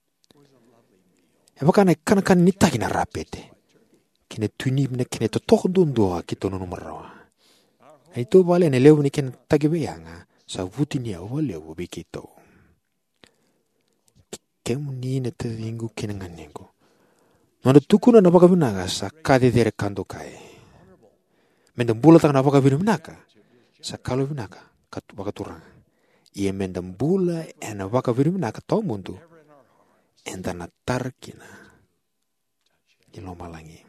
E vaka na ikanakana ni taki na rapete, kei na tui ni vinaka kei na totoka duadua keitou nanuma rawa. Na neitou vale ena levu ni kena taki veiyaga sa vutuniyau vakalevu vei keitou. Kemuni na taciqu kei na ganequ, noda tukuna na vakavinaka sa ka cecere ka dokai. Meda bulataka na vakavinavinaka sa ka yalovinaka ka tu- vakaturaga. Ia meda bula ena vakavinavinaka tawamudu, eda na tara kina i lomalagi.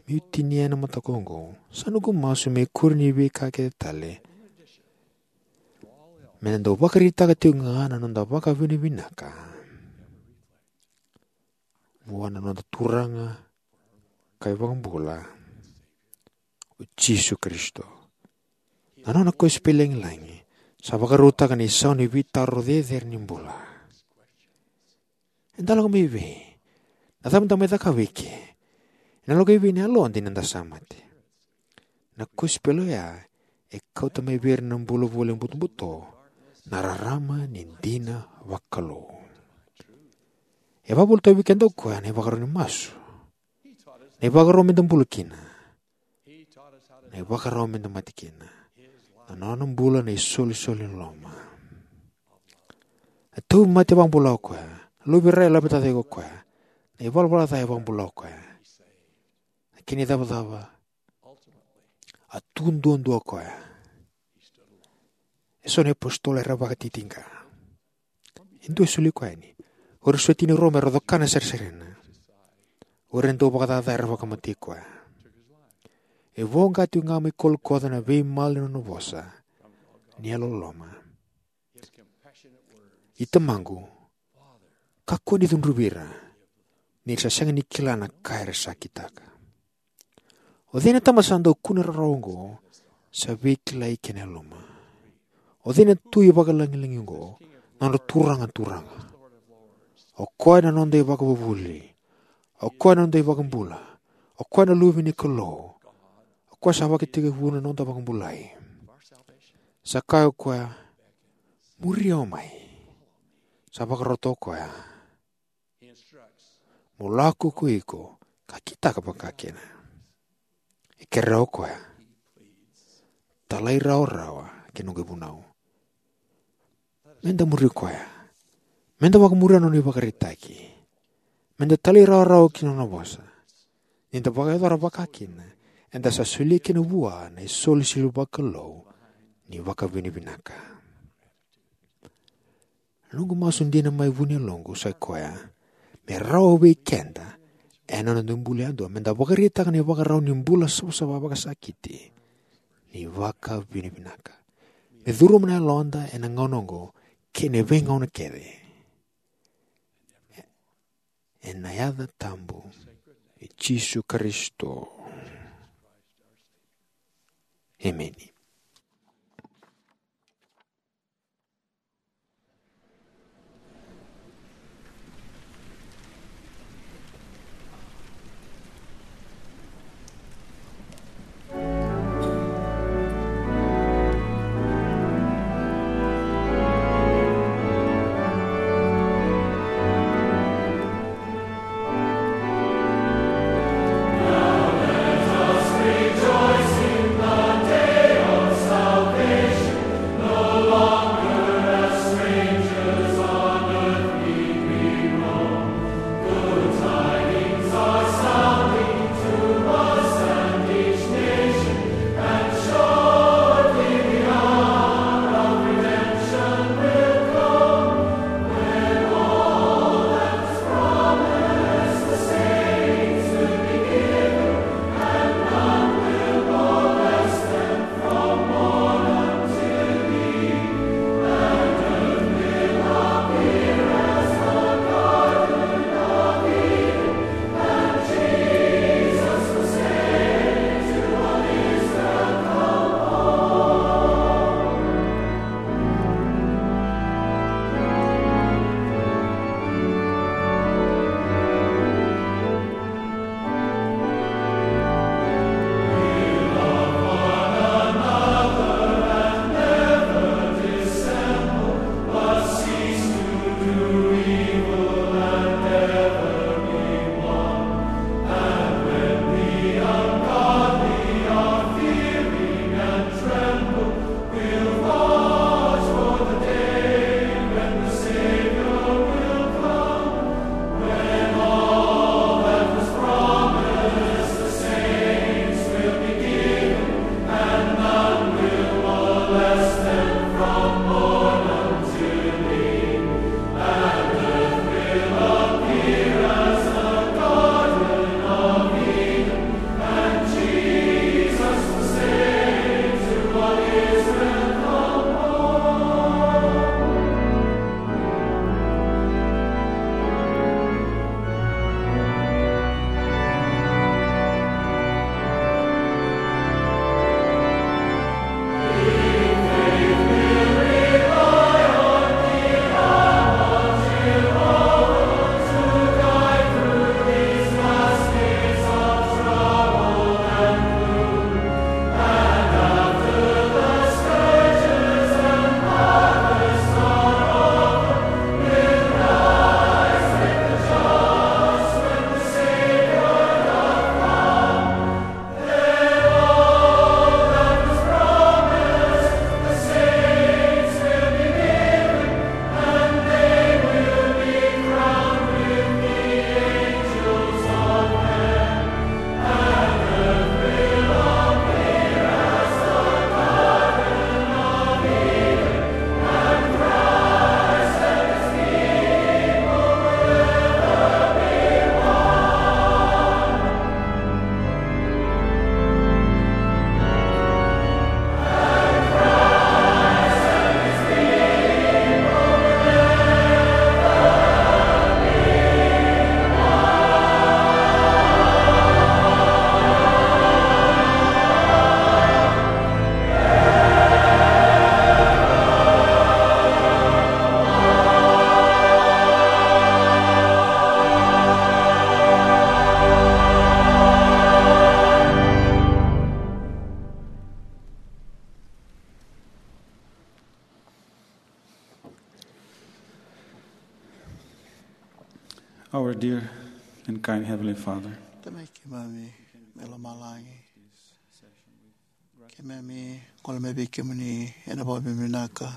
Meu tinia ena mataka oqo, sa noqu masu me kuri ni veika kece tale, meda dau vakaraitaka tiko ga na noda vakavinavinaka vua na noda Turaga ka iVakabula, o Jisu Karisito. Na nona kosipeli lagilagi sa vakarautaka na isau ni veitaro cecere ni bula. Eda lako mai vei? Na cava da mai cakava eke? Ena lako i vei na yaloda ni da sa mate? Na kosipeli oya e kauta mai vei ira na bula voli butobuto na rarama ni dina vakalou. E vakavolivolita vei keda o koya na ivakarau ni masu, na ivakarau meda bula kina, na ivakarau meda mate kina. Na nona bula na isolisoli ni loloma. Na tauvimate e vakabula o koya. Na luve i Rai e laveta cake o koya. Na ivalavala ca e vakabula o koya. Na kena icavacava, a tu duadua o koya. E so na iapositolo era vakatitiqa. E dua e soli koya yani. O ira e soli tiko i Roma era coka na sarisarina. O ira e dau vakacaca era vakamatei koya. E voqa tiko ga mai Kolikoca na veimala ni nona vosa ni yalololoma. I Tamaqu, kakua ni cudruvi ira, ni ra sa sega ni kila na ka era sa kitaka. O cei na tamata sa dau kune rawarawa oqo sa veikilai kei na yaluma? O cei na tui vakalagilagi oqo, na nodra Turaga na turaga? O koya na noda iVakavuvuli. O koya na noda iVakabula. O koya na Luve ni Kalou. O koya sa vakatekivu na noda vakabulai. Sa kaya o koya, muri au mai. Sa vakarota o koya, mo lako ko iko ka kitaka vakakina. E kerea o koya, talairawarawa ki na noqu ivunau. Meda muri koya. Meda vakamuria na nona ivakaraitaki. Meda talairawarawa ki na nona vosa. Ni da vakayacora vakakina, eda sa solia kina vua na isolisoli vakalou ni vakavinavinaka. Na noqu masu dina mai vu ni yaloqu sa i koya, me rawa vei keda ena noda bula yadua meda vakaraitaka na ivakarau ni bula savasava vakasakiti ni vakavinavinaka. Me curuma na yaloda ena gauna oqo kei na veigauna kece. Ena yaca tabu i Jisu Karisito. Emeni. Our dear and kind Heavenly Father, Tamai keimami mai lomalagi, keimami gole mai vei kemuni ena vakavinavinaka.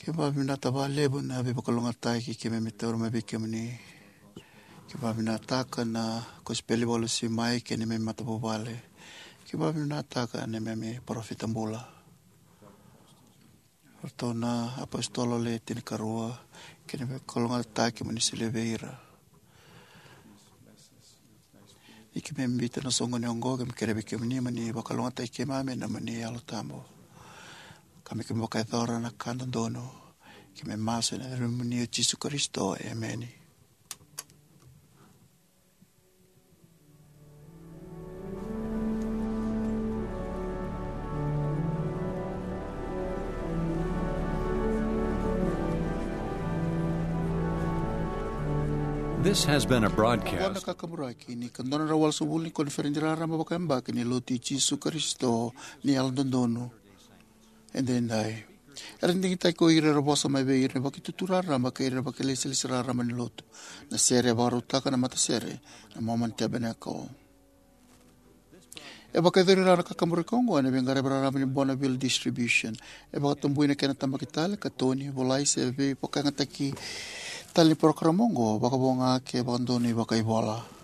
Keimami vinakata vakalevu na veivakalougatataki keimami taura mai vei kemuni. Keimami vinakataka na kosipeli vakalesui mai kei na neimami matavuvale. Keimami vinakataka na neimami parofita bula, o ratou na apositolo le tinikarua, kei na veivakalougatataki mo ni solia vei ira. Ni keimami biuta na soqoni oqo, keimami kerea vei kemuni mo ni vakalougatataki keimami ena nomuni Yalo Tabu, ka me keimami vakayacora na ka dodonu. Keimami masu ena yacamuni o Jisu Karisito, emeni. This has been a broadcast. Oqo na kakaburaki ni ka dua na drau walusagavulu ni koniferedi raraba vakayabaki ni Lotu i Jisu Karisito ni Yalododonu Edaidai. Era digitaki ko ira era vosa mai vei ira na vakitutu raraba kei ira na vakailesilesi raraba ni Lotu. Na sere e vakarautaka na matasere na Mormon Tabernacle. E vakayacori rawa na kakaburaki oqo ena veiqaravi raraba ni Bonneville Distribution. E vakatabui na kena tabaki tale, katoni, volai se veivakayagataki tale ni parokaramu oqo, vakavo ga ke vakadonui vakaivola.